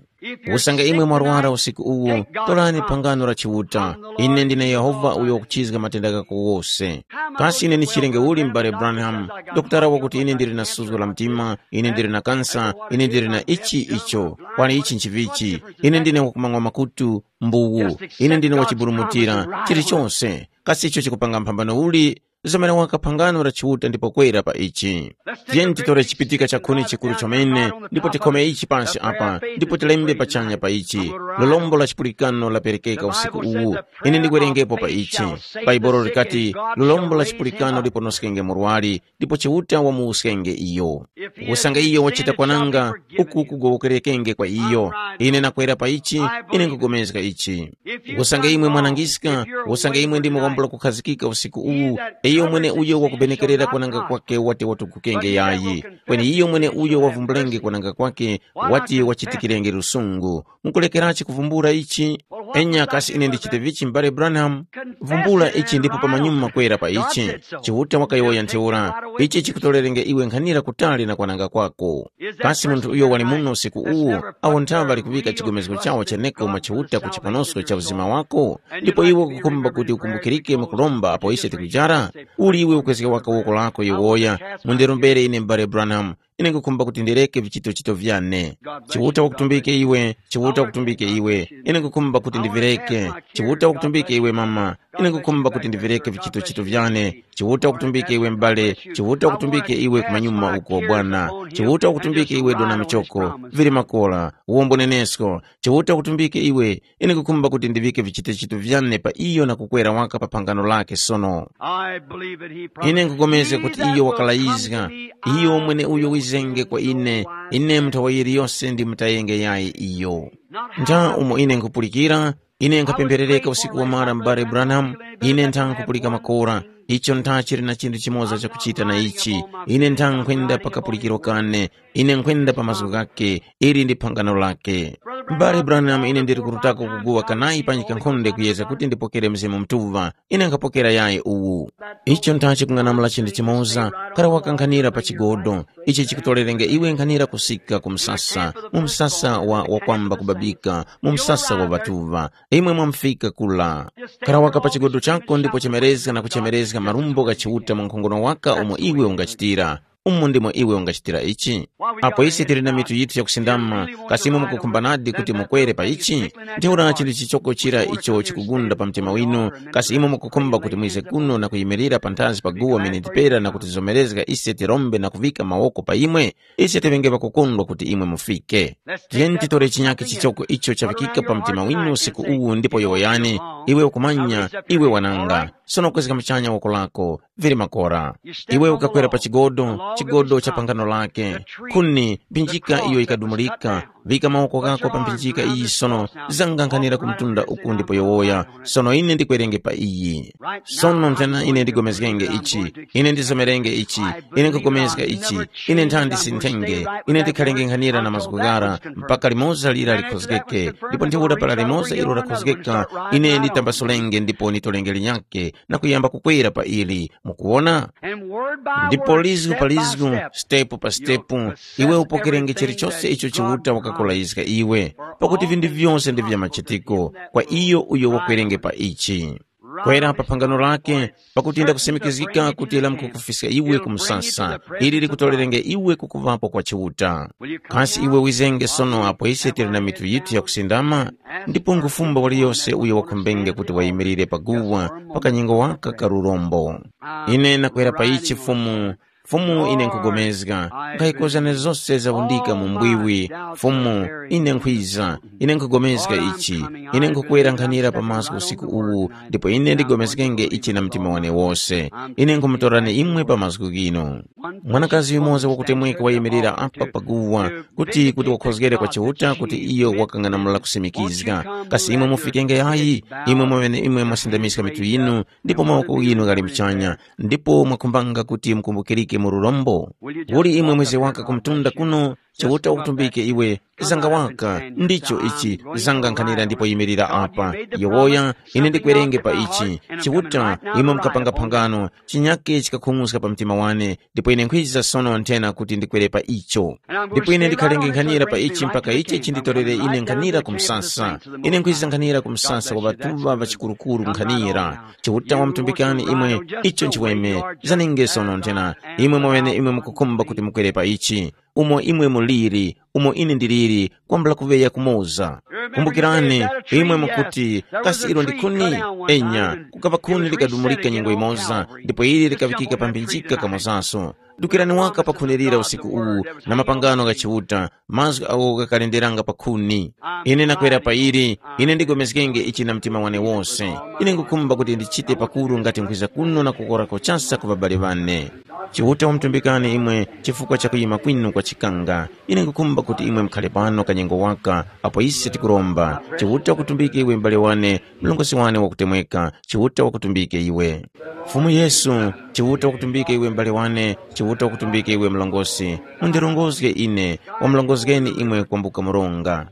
Usange imwe mwarwara usiku uwu, torani phangano la Chiuta. Ine ndine Yehova uyo wakuchizga matenda ghako wose. Kasi ine ndichirenge uli m'bale Branham? Dokotala wakuti ine ndili na suzgo la mtima, ine ndili na kansa, ine ndili na ichi icho. Kwani ichi nchivichi? Ine ndine wakumang'wa makutu, mbuwu. Ine ndine wachiburumutira, chilichonse. Kasi icho chikupanga mphambano uli? Zamene waka phangano la Chiuta ndipo kwera pa ichi. Tiyeni titore chipitika cha khuni chikuru chomene, ndipo tikhome ichi pansi apa, ndipo tilembe pachanya pa ichi. Lolombo la chipulikano laperekeka usiku uwu. Ine ndikwerengepo pa ichi. Bhaibuli likati, lolombo la chipulikano liponoskenge murwari, ndipo Chiuta wamuwuskenge iyo. Usange iyo wachita kwananga, uku kugowokerekenge kwa iyo. Ine nakwera pa ichi, ine nkugomezga ichi. Usange imwe mwanangiska, usange imwe ndimwe kwambula kukhazikika usiku uwu, Iyo mweneuyo wakubenekerera kwananga kwake wati watugukenge yayi, kweni iyo mweneuyo wavumbulenge kwananga kwake wati wachitikirenge lusungu. Mukulekerachi kuvumbula ichi? Enya kasi ine ndichite vichi m'bale Branham? Vumbula ichi ndipo pamanyuma kwera pa ichi. Chiuta wakayowoya ntheura, ichi chikutorerenge iwe nkhanira kutali na kwananga kwako. Kasi munthu uyo wali muno usiku uwu, awo nthawe ŵali kuŵika chigomezgo chawo cheneko mwa Chiuta ku chiponosko cha uzima wako? Ndipo iwe ukukhumba kuti ukumbukirike mukulomba apo ise tikujara? Uli iwe ukwezga waka woko lako yowoya, mundirombere ine m'bale Branham, ine nkukhumba kuti ndireke vichitochito vyane. Chiuta wakutumbike iwe, Chiuta wakutumbike iwe, ine nkukhumba kuti ndivireke. Chiuta wakutumbike iwe mama, ine nkukhumba kuti ndivireke vichitochito vyane. Chiuta wakutumbike iwe m'bale, Chiuta wakutumbike iwe kumanyuma uko bwana. Chiuta wakutumbike iwe dona michoko, vili makora, wombo nenesko. Chiuta wakutumbike iwe, ine nkukhumba kuti ndiŵike vichitochito vyane pa iyo na kukwera waka pa phangano lake sono. I believe that he promised Ine nkupulikana kuti me that iyo will come wakalayizga, to me, iyo I mwene uyo will wizenge kwa ine, ine mnthawi yiliyose ndimutayenge yayi iyo. Ntha umo ine nkupulikira, ine nkhapemberereka usiku wamara m'bale Branham, ine ntha nkupulika makora. Icho ntha chili na chinthu chimoza chakuchita na ichi. Ine ntha nkhwenda pakapulikiro kane. Ine nkhwenda pa mazgu ghake. Ili ndi phangano lake. M'bale Branham, ine ndili kurutako kuguwa kanayi panji kankhonde kuyeza kuti ndipokere Mzimu Mutuŵa. Ine nkhapokera yayi uwu. Icho ntha chikung'anamula chinthu chimoza, kara wakankhanira pa chigodo. Ichi chikutorerenge iwe nkhanira kusika ku msasa, mu msasa wa wakwamba kubabika, mu msasa wa ŵatuŵa. Imwe mwamufika kula. Kara waka pa chigodo chako ndipo chemerezga na kuchemerezga marumbo gha Chiuta mu nkhongono waka umo iwe ungachitira. Umo ndimo iwe ungachitira ichi. Apo ise tili na mitu yithu yakusindama, kasi imwe mukukhumba nadi kuti mukwere pa ichi? Ntheura chinthu chichoko chira icho chikugunda pa mtima winu, kasi imwe mukukhumba kuti mwize kuno na kuyimirira panthazi pa guwa miniti pera na kutizomerezga ise tirombe na kuvika mawoko pa imwe? Ise tiŵenge ŵakukondwa kuti imwe mufike. Tiyeni titore chinyakhe chichoko icho chavikika pa mtima winu usiku uwu ndipo yowoyani, iwe ukumanya, iwe wananga. Sono kwezga muchanya woko lako, vili makora. Iwe ukakwera pa chigodo, chigodo cha pangano lake. Khuni, mphinjika iyo yikadumulika. Vika mawoko ghako pa mphinjika iyi sono, zangankhanira ku mtunda uku ndipo yowoya. Sono ine ndikwerenge pa iyi. Sono nthena ine ndigomezgenge ichi, ine ndizomerenge ichi, ine nkupulikana ichi, ine nthandi sinthenge, ine ndikhalenge nkhanira na mazgu ghara, mpaka limoza lira likhozgeke, ndipo ntheura para limoza ilo lakhozgeka, ine nditambasulenge ndipo nitolenge linyakhe, na kuyamba kukwera pa ili. Mukuwona? Ndipo lizgu pa lizgu, sitepu pa sitepu, iwe upokerenge chilichose icho Chiuta wakakulayizga iwe, pakuti vinthu vyose ndi vya machitiko kwa iyo uyo wakwerenge pa ichi. Kwera pa phangano lake, pakuti ndakusimikizgika kuti lamkukufiska iwe ku msasa, ili likutorerenge iwe kukuŵapo kwa Chiuta. Kasi iwe wizenge sono apo ise tili na mitu yithu yakusindama? Ndipo ngufumba waliyose uyo wakhumbenge kuti wayimirire paguwa pa kanyengo waka ka lurombo. Ine nakwera pa ichi Fumu, Fumu ine nkugomezga, nkhayikozga na zose zavundika mu mbwiwi. Fumu, ine nkhwiza, ine nkhugomezga ichi, ine nkhukwera nkhanira pa mazgu usiku uwu, ndipo ine ndigomezgenge ichi na mtima wane wose. Ine nkhumutorani imwe pa mazgu ghinu. Mwanakazi yumoza wakutemweka wayimirira apa paguwa, kuti kuti wakhozgere kwa Chiuta kuti iyo wakang'anamula kusimikizga. Kasi imwe mufikenge yayi? Imwe mweneimwe mwasindamiska mitu yinu, ndipo mawoko ghinu ghali muchanya, ndipo mwakhumbanga kuti mukumbukirike mu lurombo? Uli imwe mweze waka kumtunda kuno, Chiuta wakutumbike iwe, zanga waka, ndicho ichi, zanga nkhanira ndipo yimirira apa. Yowoya, ine ndikwerenge pa ichi. Chiuta, imwe mukapanga phangano, chinyake chikakhung'uska pa mtima wane, ndipo ine nkhwiza sono nthena kuti ndikwere pa icho. Ndipo ine ndikhalenge nkhanira pa ichi mpaka ichi chinditorere ine nkhanira ku msasa. Ine nkhwiza nkhanira ku msasa wa ŵatuŵa ŵachikurukuru nkhanira. Chiuta wamutumbikani imwe, icho nchiweme, zanenge sono nthena. Imwe mwene imwe mukukhumba kuti mukwere pa ichi. Umo imwe muliri, umo ine ndiliri, kwambula kuŵeya kumoza. Kumbukirani, imwe mukuti, kasi ilo ndi khuni? Enya, kukaŵa khuni likadumulika nyengo imoza, ndipo ili likaŵikika pa mphinjika kamozaso. Dukirani waka pa khuni lira usiku uwu, na mapangano gha Chiuta, mazgu agho ghakalenderanga pa khuni. Ine nakwera pa ili, ine ndigomezgenge ichi na mtima wane wose. Ine ngukhumba kuti ndichite pakuru ngati nkhwiza kuno na kukorako chasa ku ŵabale ŵane. Chiuta wamutumbikani imwe chifukwa cha kuyima kwinu kwa chikanga. Ine ngukhumba kuti imwe mukhale pano kanyengo waka, apo ise tikuromba, Chiuta wakutumbike iwe m'bale wane, mlongosi wane wakutemweka, Chiuta wakutumbike iwe. Fumu Yesu, Chiuta wakutumbike iwe m'bale wane, Chiuta wakutumbike iwe mlongosi. Mundirongozge ine, wamulongozgeni imwe kwambuka mronga.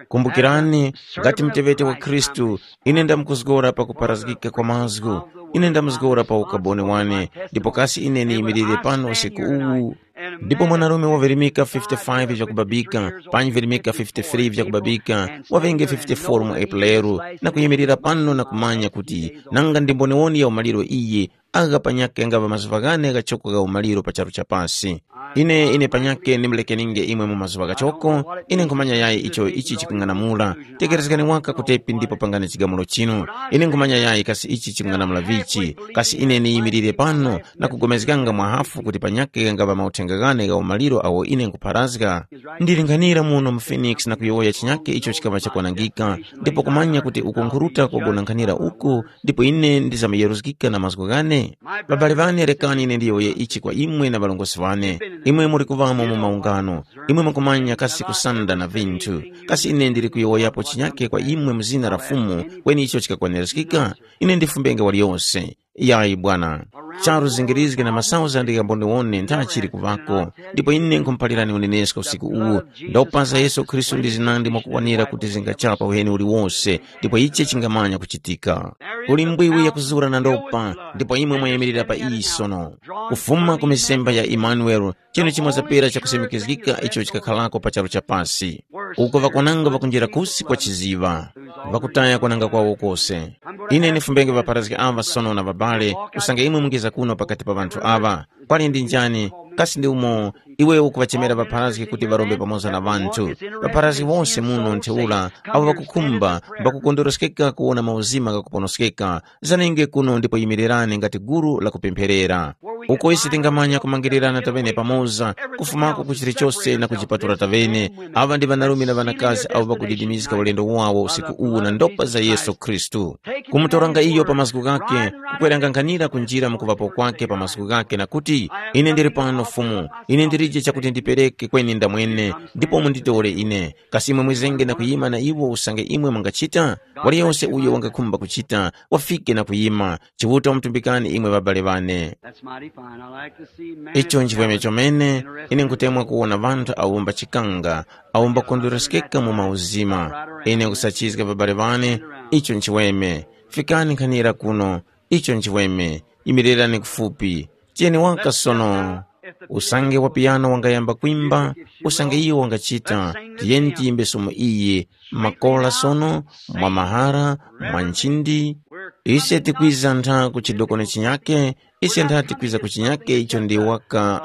Kumbukirani, ngati mutewete wa Khristu, ine ndamkuzgora pa kuparazgika kwa mazgu, ine ndamuzgora pa ukaboni wane, ndipo kasi ine niyimirire pano usiku uwu? Ndipo mwanarume wavirimika fifty-five vyakubabika, panyi virimika fifty-three vyakubabika, wavenge fifty-four mu Epuleru, na kuyimirira pano na kumanya kuti nanga ndi mboniwoni ya umaliro iyi, agha panyakhe ngava mazuŵa ghane ghachoko gha umaliro pa charu cha pasi. Ine, ine panyakhe ndimlekeninge imwe mu mazuŵa ghachoko, ine nkhumanya yayi icho ichi chikung'anamula. Tekerezgani waka kutepi ndipo pangani chigamulo chinu. Ine nkhumanya yayi kasi ichi chikung'anamula vichi, kasi ine niyimirire pano na kugomezganga mwahafu kuti panyakhe ngava mauthenga ghane gha umaliro awo ine nkhupharazga. Ndilinghanira muno mu Phoenix na kuyowoya chinyakhe icho chikaŵa chakwanangika, ndipo kumanya kuti uko nkhuruta kugona nkhanira uku, ndipo ine ndizamuyeruzgika na mazgu ghane. Babale ŵane, rekani ine ndiyowoye ichi kwa imwe na ŵalongosi ŵane. Imwe muli kuŵamo mu maungano, imwe mukumanya kasi kusanda na vinthu. Kasi ine ndili kuyowoyapo chinyake kwa imwe mu zina la Fumu, kweni icho chikakwaniraskika? Ine ndifumbenge waliyose. Yayi bwana. Charu zingirizge na masauzandi ghamboniwone ntha chili kuvako, ndipo ine nkhumuphalirani unenesko usiku uwu. Ndopa za Yesu Khristu ndi zinandi mwakukwanira kuti zingachapa uheni uliwose, ndipo ichi chingamanya kuchitika. Kuli mbwiwi yakuzura na ndopa, ndipo imwe mwayimirira pa iyi sono. Kufuma ku misemba ya Imanueli, chinu chimwe zapera chakusimikizgika icho chikakhalako pa charu cha pasi. Uko ŵakwananga ŵakunjira kusi kwa chiziŵa, ŵakutaya kwananga kwawo kose. Ine ndifumbenge ŵapharazgi aŵa sono na ŵabale, usange imwe mungiza kuno pakati pa ŵanthu aŵa. Kwali ndi njani? Kasi ndi umo iwe ukuŵachemera ŵapharazgi kuti ŵarombe pamoza na ŵanthu? Ŵapharazgi wose muno ntheura, abo ŵakukhumba, mbakukondweroskeka kuwona mauzima ghakuponoskeka, zanenge kuno ndipo yimirirani ngati gulu lakupempherera. Uko ise tingamanya kumangirirana tavene pamoza, kufumako ku chilichose na kuchipatula tavene. Aŵa ndi ŵanarume na ŵanakazi abo ŵakudidimizga ulendo wawo usiku uwu na ndopa za Yesu Khristu. Kumutoranga iyo pa mazgu ghake, kukweranganghanira kunjira mu kuŵapo kwake pa mazgu ghake na kuti, ine ndili pano Fumu, ine ndilije chakuti ndipereke kweni ndamwene, ndipo munditore ine. Kasi imwe mwizenge na kuyima na iwo usange imwe mungachita? Waliyonse uyo wangakhumba kuchita, wafike na kuyima. Chiuta wamutumbikani imwe ŵabale ŵane. That's mighty fine. I like to see man Icho nchivweme chomene, ine nkutemwa kuwona ŵanthu awo mbachikanga, awo mbakondwereskeka mu mauzima. Ine nkusachizga ŵabale ŵane, icho nchivweme. Fikani nkhanira kuno, icho nchivweme. Yimirirani kufupi. Tiyeni waka sono. Usange wa piyano wangayamba kwimba, usange iyo wangachita, tiyeni tiyimbe somo iyi, makola sono, mwa mahara, mwa nchindi. Ise tikwiza ntha ku chidokoni chinyake, ise ntha tikwiza ku chinyake icho ndi waka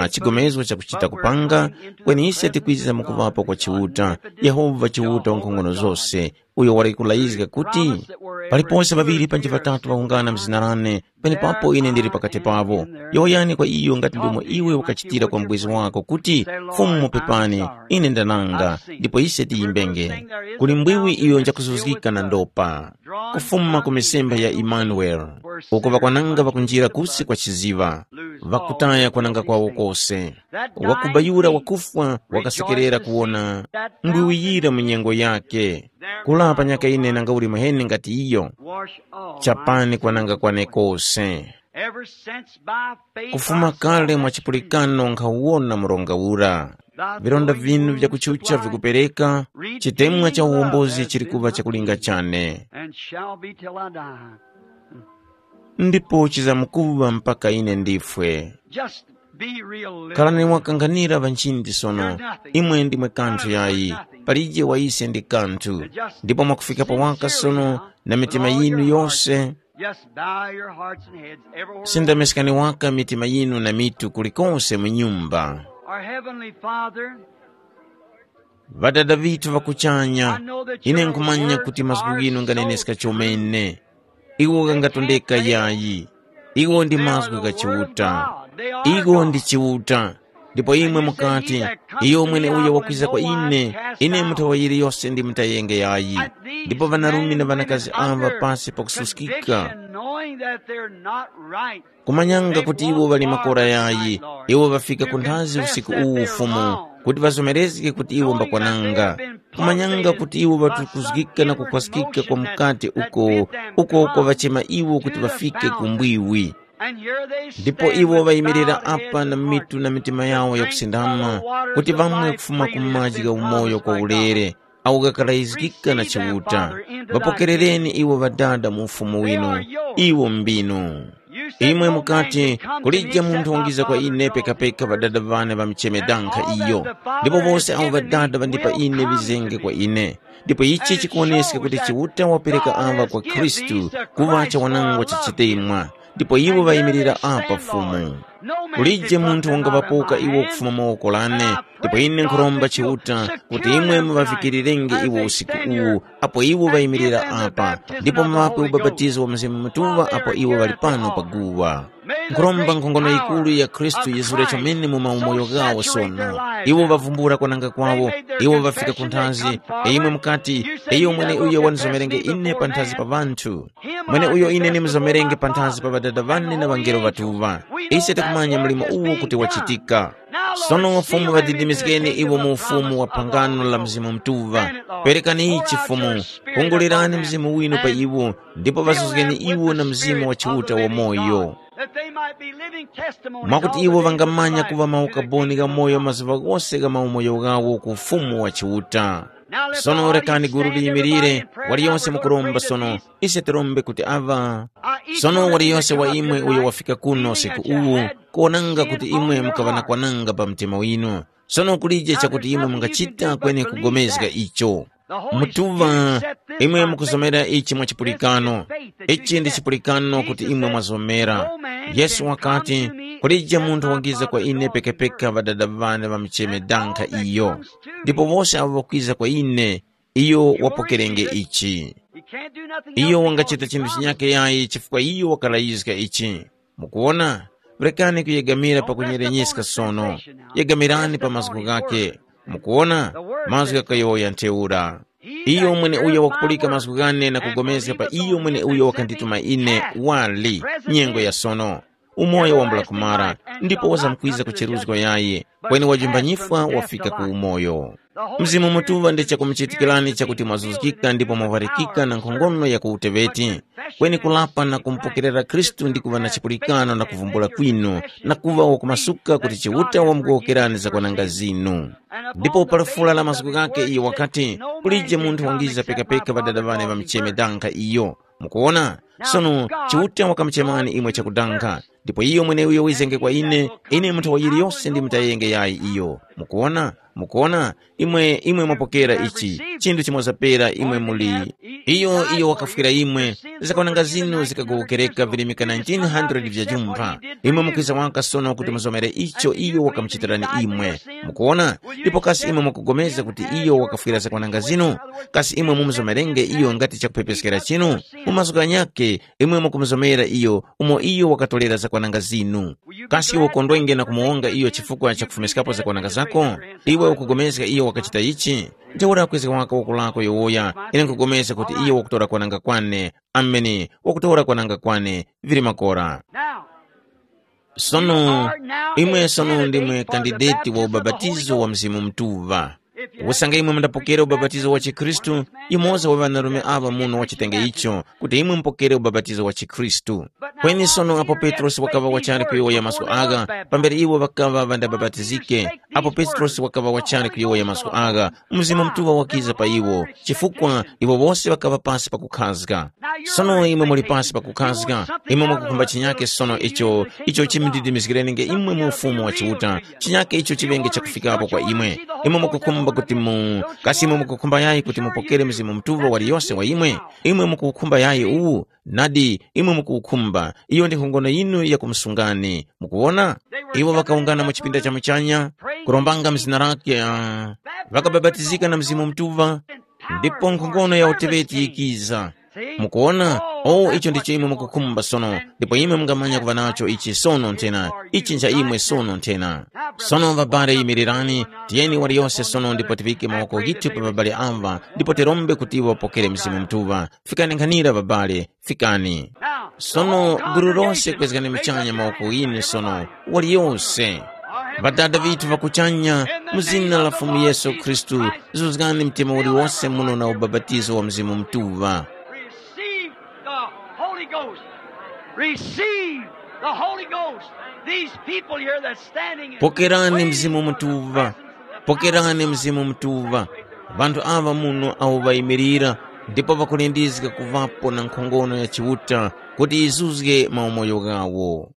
uh, chigomezgo chakuchita kupanga, kweni ise tikwiza mukuvapo kwa Chiuta, Yehova Chiuta wankhongono zose, uyo wali kulayizga kuti, paliponse ŵaŵiri panji ŵatatu ŵawungana mzina lane, penepapo ine ndili pakati pavo. Yowoyani kwa iyo ngati ndomwe iwe wakachitira kwa mbwezi wako kuti, Fumu mupepani, ine ndananga, ndipo ise tiyimbenge. Kuli mbwiwi iyo njakuzuzgika na ndopa. Kufuma ku misemba ya Imanueli, uko ŵakwananga ŵakunjira kusi kwa chiziŵa, ŵakutaya kwananga kwawo kose. Wakubayura wakufwa wakasekerera kuwona mbwiwiyira mu nyengo yake. Kula panyaka ine nanga uli muheni ngati iyo, chapani kwananga kwane kose. Ever since by faith kufuma I kale saw mwa chipulikano nkhawona mronga ura. Vilonda vinu vyakuchucha vikupereka, chitemwa cha uwombozi chili kuŵa chakulinga chane. And shall be till I die. Ndipo chizamkuŵa mpaka ine ndifwe. Just be realistic. Khalani mwakanghanira ŵanchindi sono. Imwe ndimwe kanthu yayi. Palije wa ise ndi kanthu. Ndipo mwakufika pa waka sono na mitima yinu yose. Just bow your hearts and heads everywhere. Sindameskani waka mitima yinu na mitu kulikonse mu nyumba. Our Heavenly Father, Ŵadada vithu ŵa kuchanya, ine nkhumanya kuti mazgu ghinu nganeneska chomene. Iwo ghangatondeka yayi. Iwo ndi mazgu gha Chiuta. Iwo ndi Chiuta. Ndipo imwe mukati, iyo mweneuyo wakwiza kwa ine, ine muthawa yiliyose ndimutayenge yayi. Ndipo ŵanarume na ŵanakazi aŵa pasi pakususkika, kumanyanga kuti iwo ŵali makora yayi, iwo ŵafika ku nthazi usiku uwu Fumu. kuti ŵazomerezge kuti iwo mbakwananga, kumanyanga kuti iwo ŵatukuzgika na kukhwaskika kwa mukate uko, uko kwaŵachema iwo kuti ŵafike ku mbwiwi. Ndipo iwo ŵayimirira apa na mitu na mitima yawo yakusindama, kuti ŵamwe kufuma ku maji gha umoyo kwa ulere, awo ghakarayizgika na Chiuta. Ŵapokerereni iwo Ŵadada mu Ufumu winu. Iwo mbinu. Imwe mukati, kulije munthu wangiza kwa ine pekapeka Ŵadada ŵane ŵamucheme dankha iyo. Ndipo wose awo Ŵadada ŵandipa ine ŵizenge kwa ine. Ndipo ichi chikuwoneska kuti Chiuta wapereka aŵa kwa Khristu kuŵa chawanangwa cha chitemwa. Ndipo iwo ŵayimirira apa Fumu. Kulije munthu wangaŵapoka iwo kufuma mawoko lane, ndipo ine nkhuromba Chiuta kuti imwe muŵavikirirenge iwo usiku uwu, apo iwo ŵayimirira apa, ndipo muŵape ubapatizo wa Mzimu Mutuŵa apo iwo ŵali pano pa guwa. Nkhuromba nkhongono yikuru ya Khristu yizure chomene mu maumoyo ghawo sono. Iwo ŵavumbula kwananga kwawo, iwo ŵafika ku nthazi, imwe mukati, iyo mweneuyo wandizomerenge ine panthazi pa ŵanthu. Mweneuyo ine ndimzomerenge panthazi pa Ŵadada ŵane na ŵangelo ŵatuŵa. Ise tikumanya mlimo uwo kuti wachitika. Sono Fumu ŵadidimizgeni iwo mu ufumu wa phangano la Mzimu Mutuŵa. Perekani ichi Fumu, kungulirani Mzimu winu pa iwo, ndipo ŵazuzgeni iwo na Mzimu wa Chiuta wamoyo, that they might be living testimonies mwakuti all iwo the days of vangamanya life. Kuŵa maukaboni gha moyo mazuŵa ghose gha maumoyo ghawo ku Ufumu wa Chiuta. Sono rekani gulu liyimirire, waliyonse mukuromba sono, ise tirombe kuti aŵa. Sono waliyonse wa imwe uyo wafika kuno usiku uwu, kuwonanga kuti imwe mukaŵa na kwananga pa mtima winu. Sono kulije chakuti imwe mungachita kweni kugomezga icho. Mutuŵa, imwe mukuzomera ichi mwa chipulikano. Ichi ndi chipulikano kuti imwe mwazomera. Yesu wakati, kulije munthu wangiza kwa ine pekepeka Ŵadada ŵane ŵamucheme dankha iyo. Ndipo wose awo ŵakwiza kwa ine, iyo wapokerenge ichi. Iyo wangachita chinthu chinyake yayi chifukwa iyo wakalayizga ichi. Mukuwona? Rekani kuyegamira pakunyerenyeska sono. Yegamirani pa mazgu ghake. Mukuwona? Mazgu ghakayowoya ntheura. Iyo mweneuyo wakupulika mazgu ghane na kugomezga pa iyo mweneuyo wakandituma ine wali nyengo ya sono. Umoyo wambula kumara, ndipo wazamkwiza ku cheruzgo yayi, kweni wajumbanyifwa wafika ku umoyo. Mzimu Mutuŵa ndi chakumuchitikirani chakuti mwazuzgika ndipo mwapharikika na nkhongono ya ku uteŵeti, kweni kulapa na kumupokerera Khristu ndi kuŵa na chipulikano na kuvumbula kwinu, na kuŵa wakumasuka kuti Chiuta wamugowokerani zakwananga zinu. Ndipo pa lufula la mazgu ghake iyo wakati, kulije munthu wangiza pekapeka Ŵadada ŵane ŵamucheme dankha iyo. Mukuwona? Sono Chiuta wakamuchemani imwe chakudanga, ndipo iyo mweneuyo wizenge kwa ine, ine munthu wa yiliyose ndimutayenge yayi iyo. Mukuwona? Mukuwona? Imwe, imwe mwapokera ichi, chinthu chimoza pera imwe muli. Iyo, iyo wakafwira imwe, zakwananga zinu zikagowokereka virimika nineteen hundred vya jumpha. Imwe mukwiza waka sono kuti muzomere icho iyo wakamuchitirani imwe. Mukuwona? Ndipo kasi imwe mukugomeza kuti iyo wakafwira zakwananga zinu? Kasi imwe mumuzomerenge iyo ngati chakuphepeskera chinu? Mu mazgu ghanyakhe, imwe mukumuzomera iyo umo iyo wakatolera zakwananga zinu. Kasi iwe ukondwenge na kumuwonga iyo chifukwa cha kufumiskapo zakwananga zako? Iwe ukupulikana iyo wakachita ichi? Ntheura kwezga waka woko lako yowoya, ine nkupulikana kuti iyo wakutora kwananga kwane. Ameni, wakutora kwananga kwane, vili makora. Now, sono, imwe sono ndimwe kandideti wa ubapatizo wa Mzimu Mutuŵa. Usange imwe mundapokera ubapatizo wa chikhristu, yumoza wa ŵanarume aŵa muno wachitenge icho, kuti imwe mupokere ubapatizo wa chikhristu. Kweni sono apo Petrosi wakaŵa wachali kuyowoya mazgu agha, pambere iwo ŵakaŵa ŵandabapatizike, apo Petrosi wakaŵa wachali kuyowoya mazgu agha, Mzimu Mutuŵa wakiza pa iwo, chifukwa iwo wose ŵakaŵa pasi pakukhazga. Sono imwe muli pasi pakukhazga, imwe mwakukhumba chinyake sono icho, icho chimudidimizgirenenge imwe mu ufumu wa Chiuta, chinyake icho chiŵenge chakufikapo kwa imwe. Imwe mukukhumba kuti mu, kasi imwe mukukhumba yayi kuti mupokere Mzimu Mutuŵa waliyose wa imwe? Imwe mukuwukhumba yayi uwu? Nadi, imwe mukuwukhumba. Iyo ndi nkhongono yinu yakumusungani. Mukuwona? Iwo ŵakawungana mu chipinda cha muchanya, kurombanga mzina lake, ah, ŵakabapatizika na Mzimu Mutuŵa, ndipo nkhongono ya uteŵeti yikiza. Mukuwona? O, icho ndicho imwe mukukhumba sono, ndipo imwe mungamanya kuŵa nacho ichi sono nthena, ichi ncha imwe sono nthena. Sono ŵabale yimirirani, tiyeni waliyose sono ndipo tiŵike mawoko ghithu pa ŵabale aŵa, ndipo tirombe kuti iwo ŵapokere Mzimu Mutuŵa. Fikani nkhanira ŵabale, fikani. Sono gulu lose kwezgani muchanya mawoko ghinu sono, waliyose. Ŵadada ŵithu ŵa kuchanya, Mu zina la Fumu Yesu Khristu, zuzgani mtima uliwose muno na ubapatizo wa Mzimu Mutuŵa. Receive the Holy Ghost. Receive the Holy Ghost. These people here that's standing and Pokerani waiting Mzimu for the Mutuŵa. presence of the Pokerani power of Mzimu God Mutuŵa. saturate their lives. Vanthu awa muno awo ŵayimirira ndipo ŵakulindizga kuŵapo na nkhongono ya Chiuta kuti yizuzge maumoyo ghawo.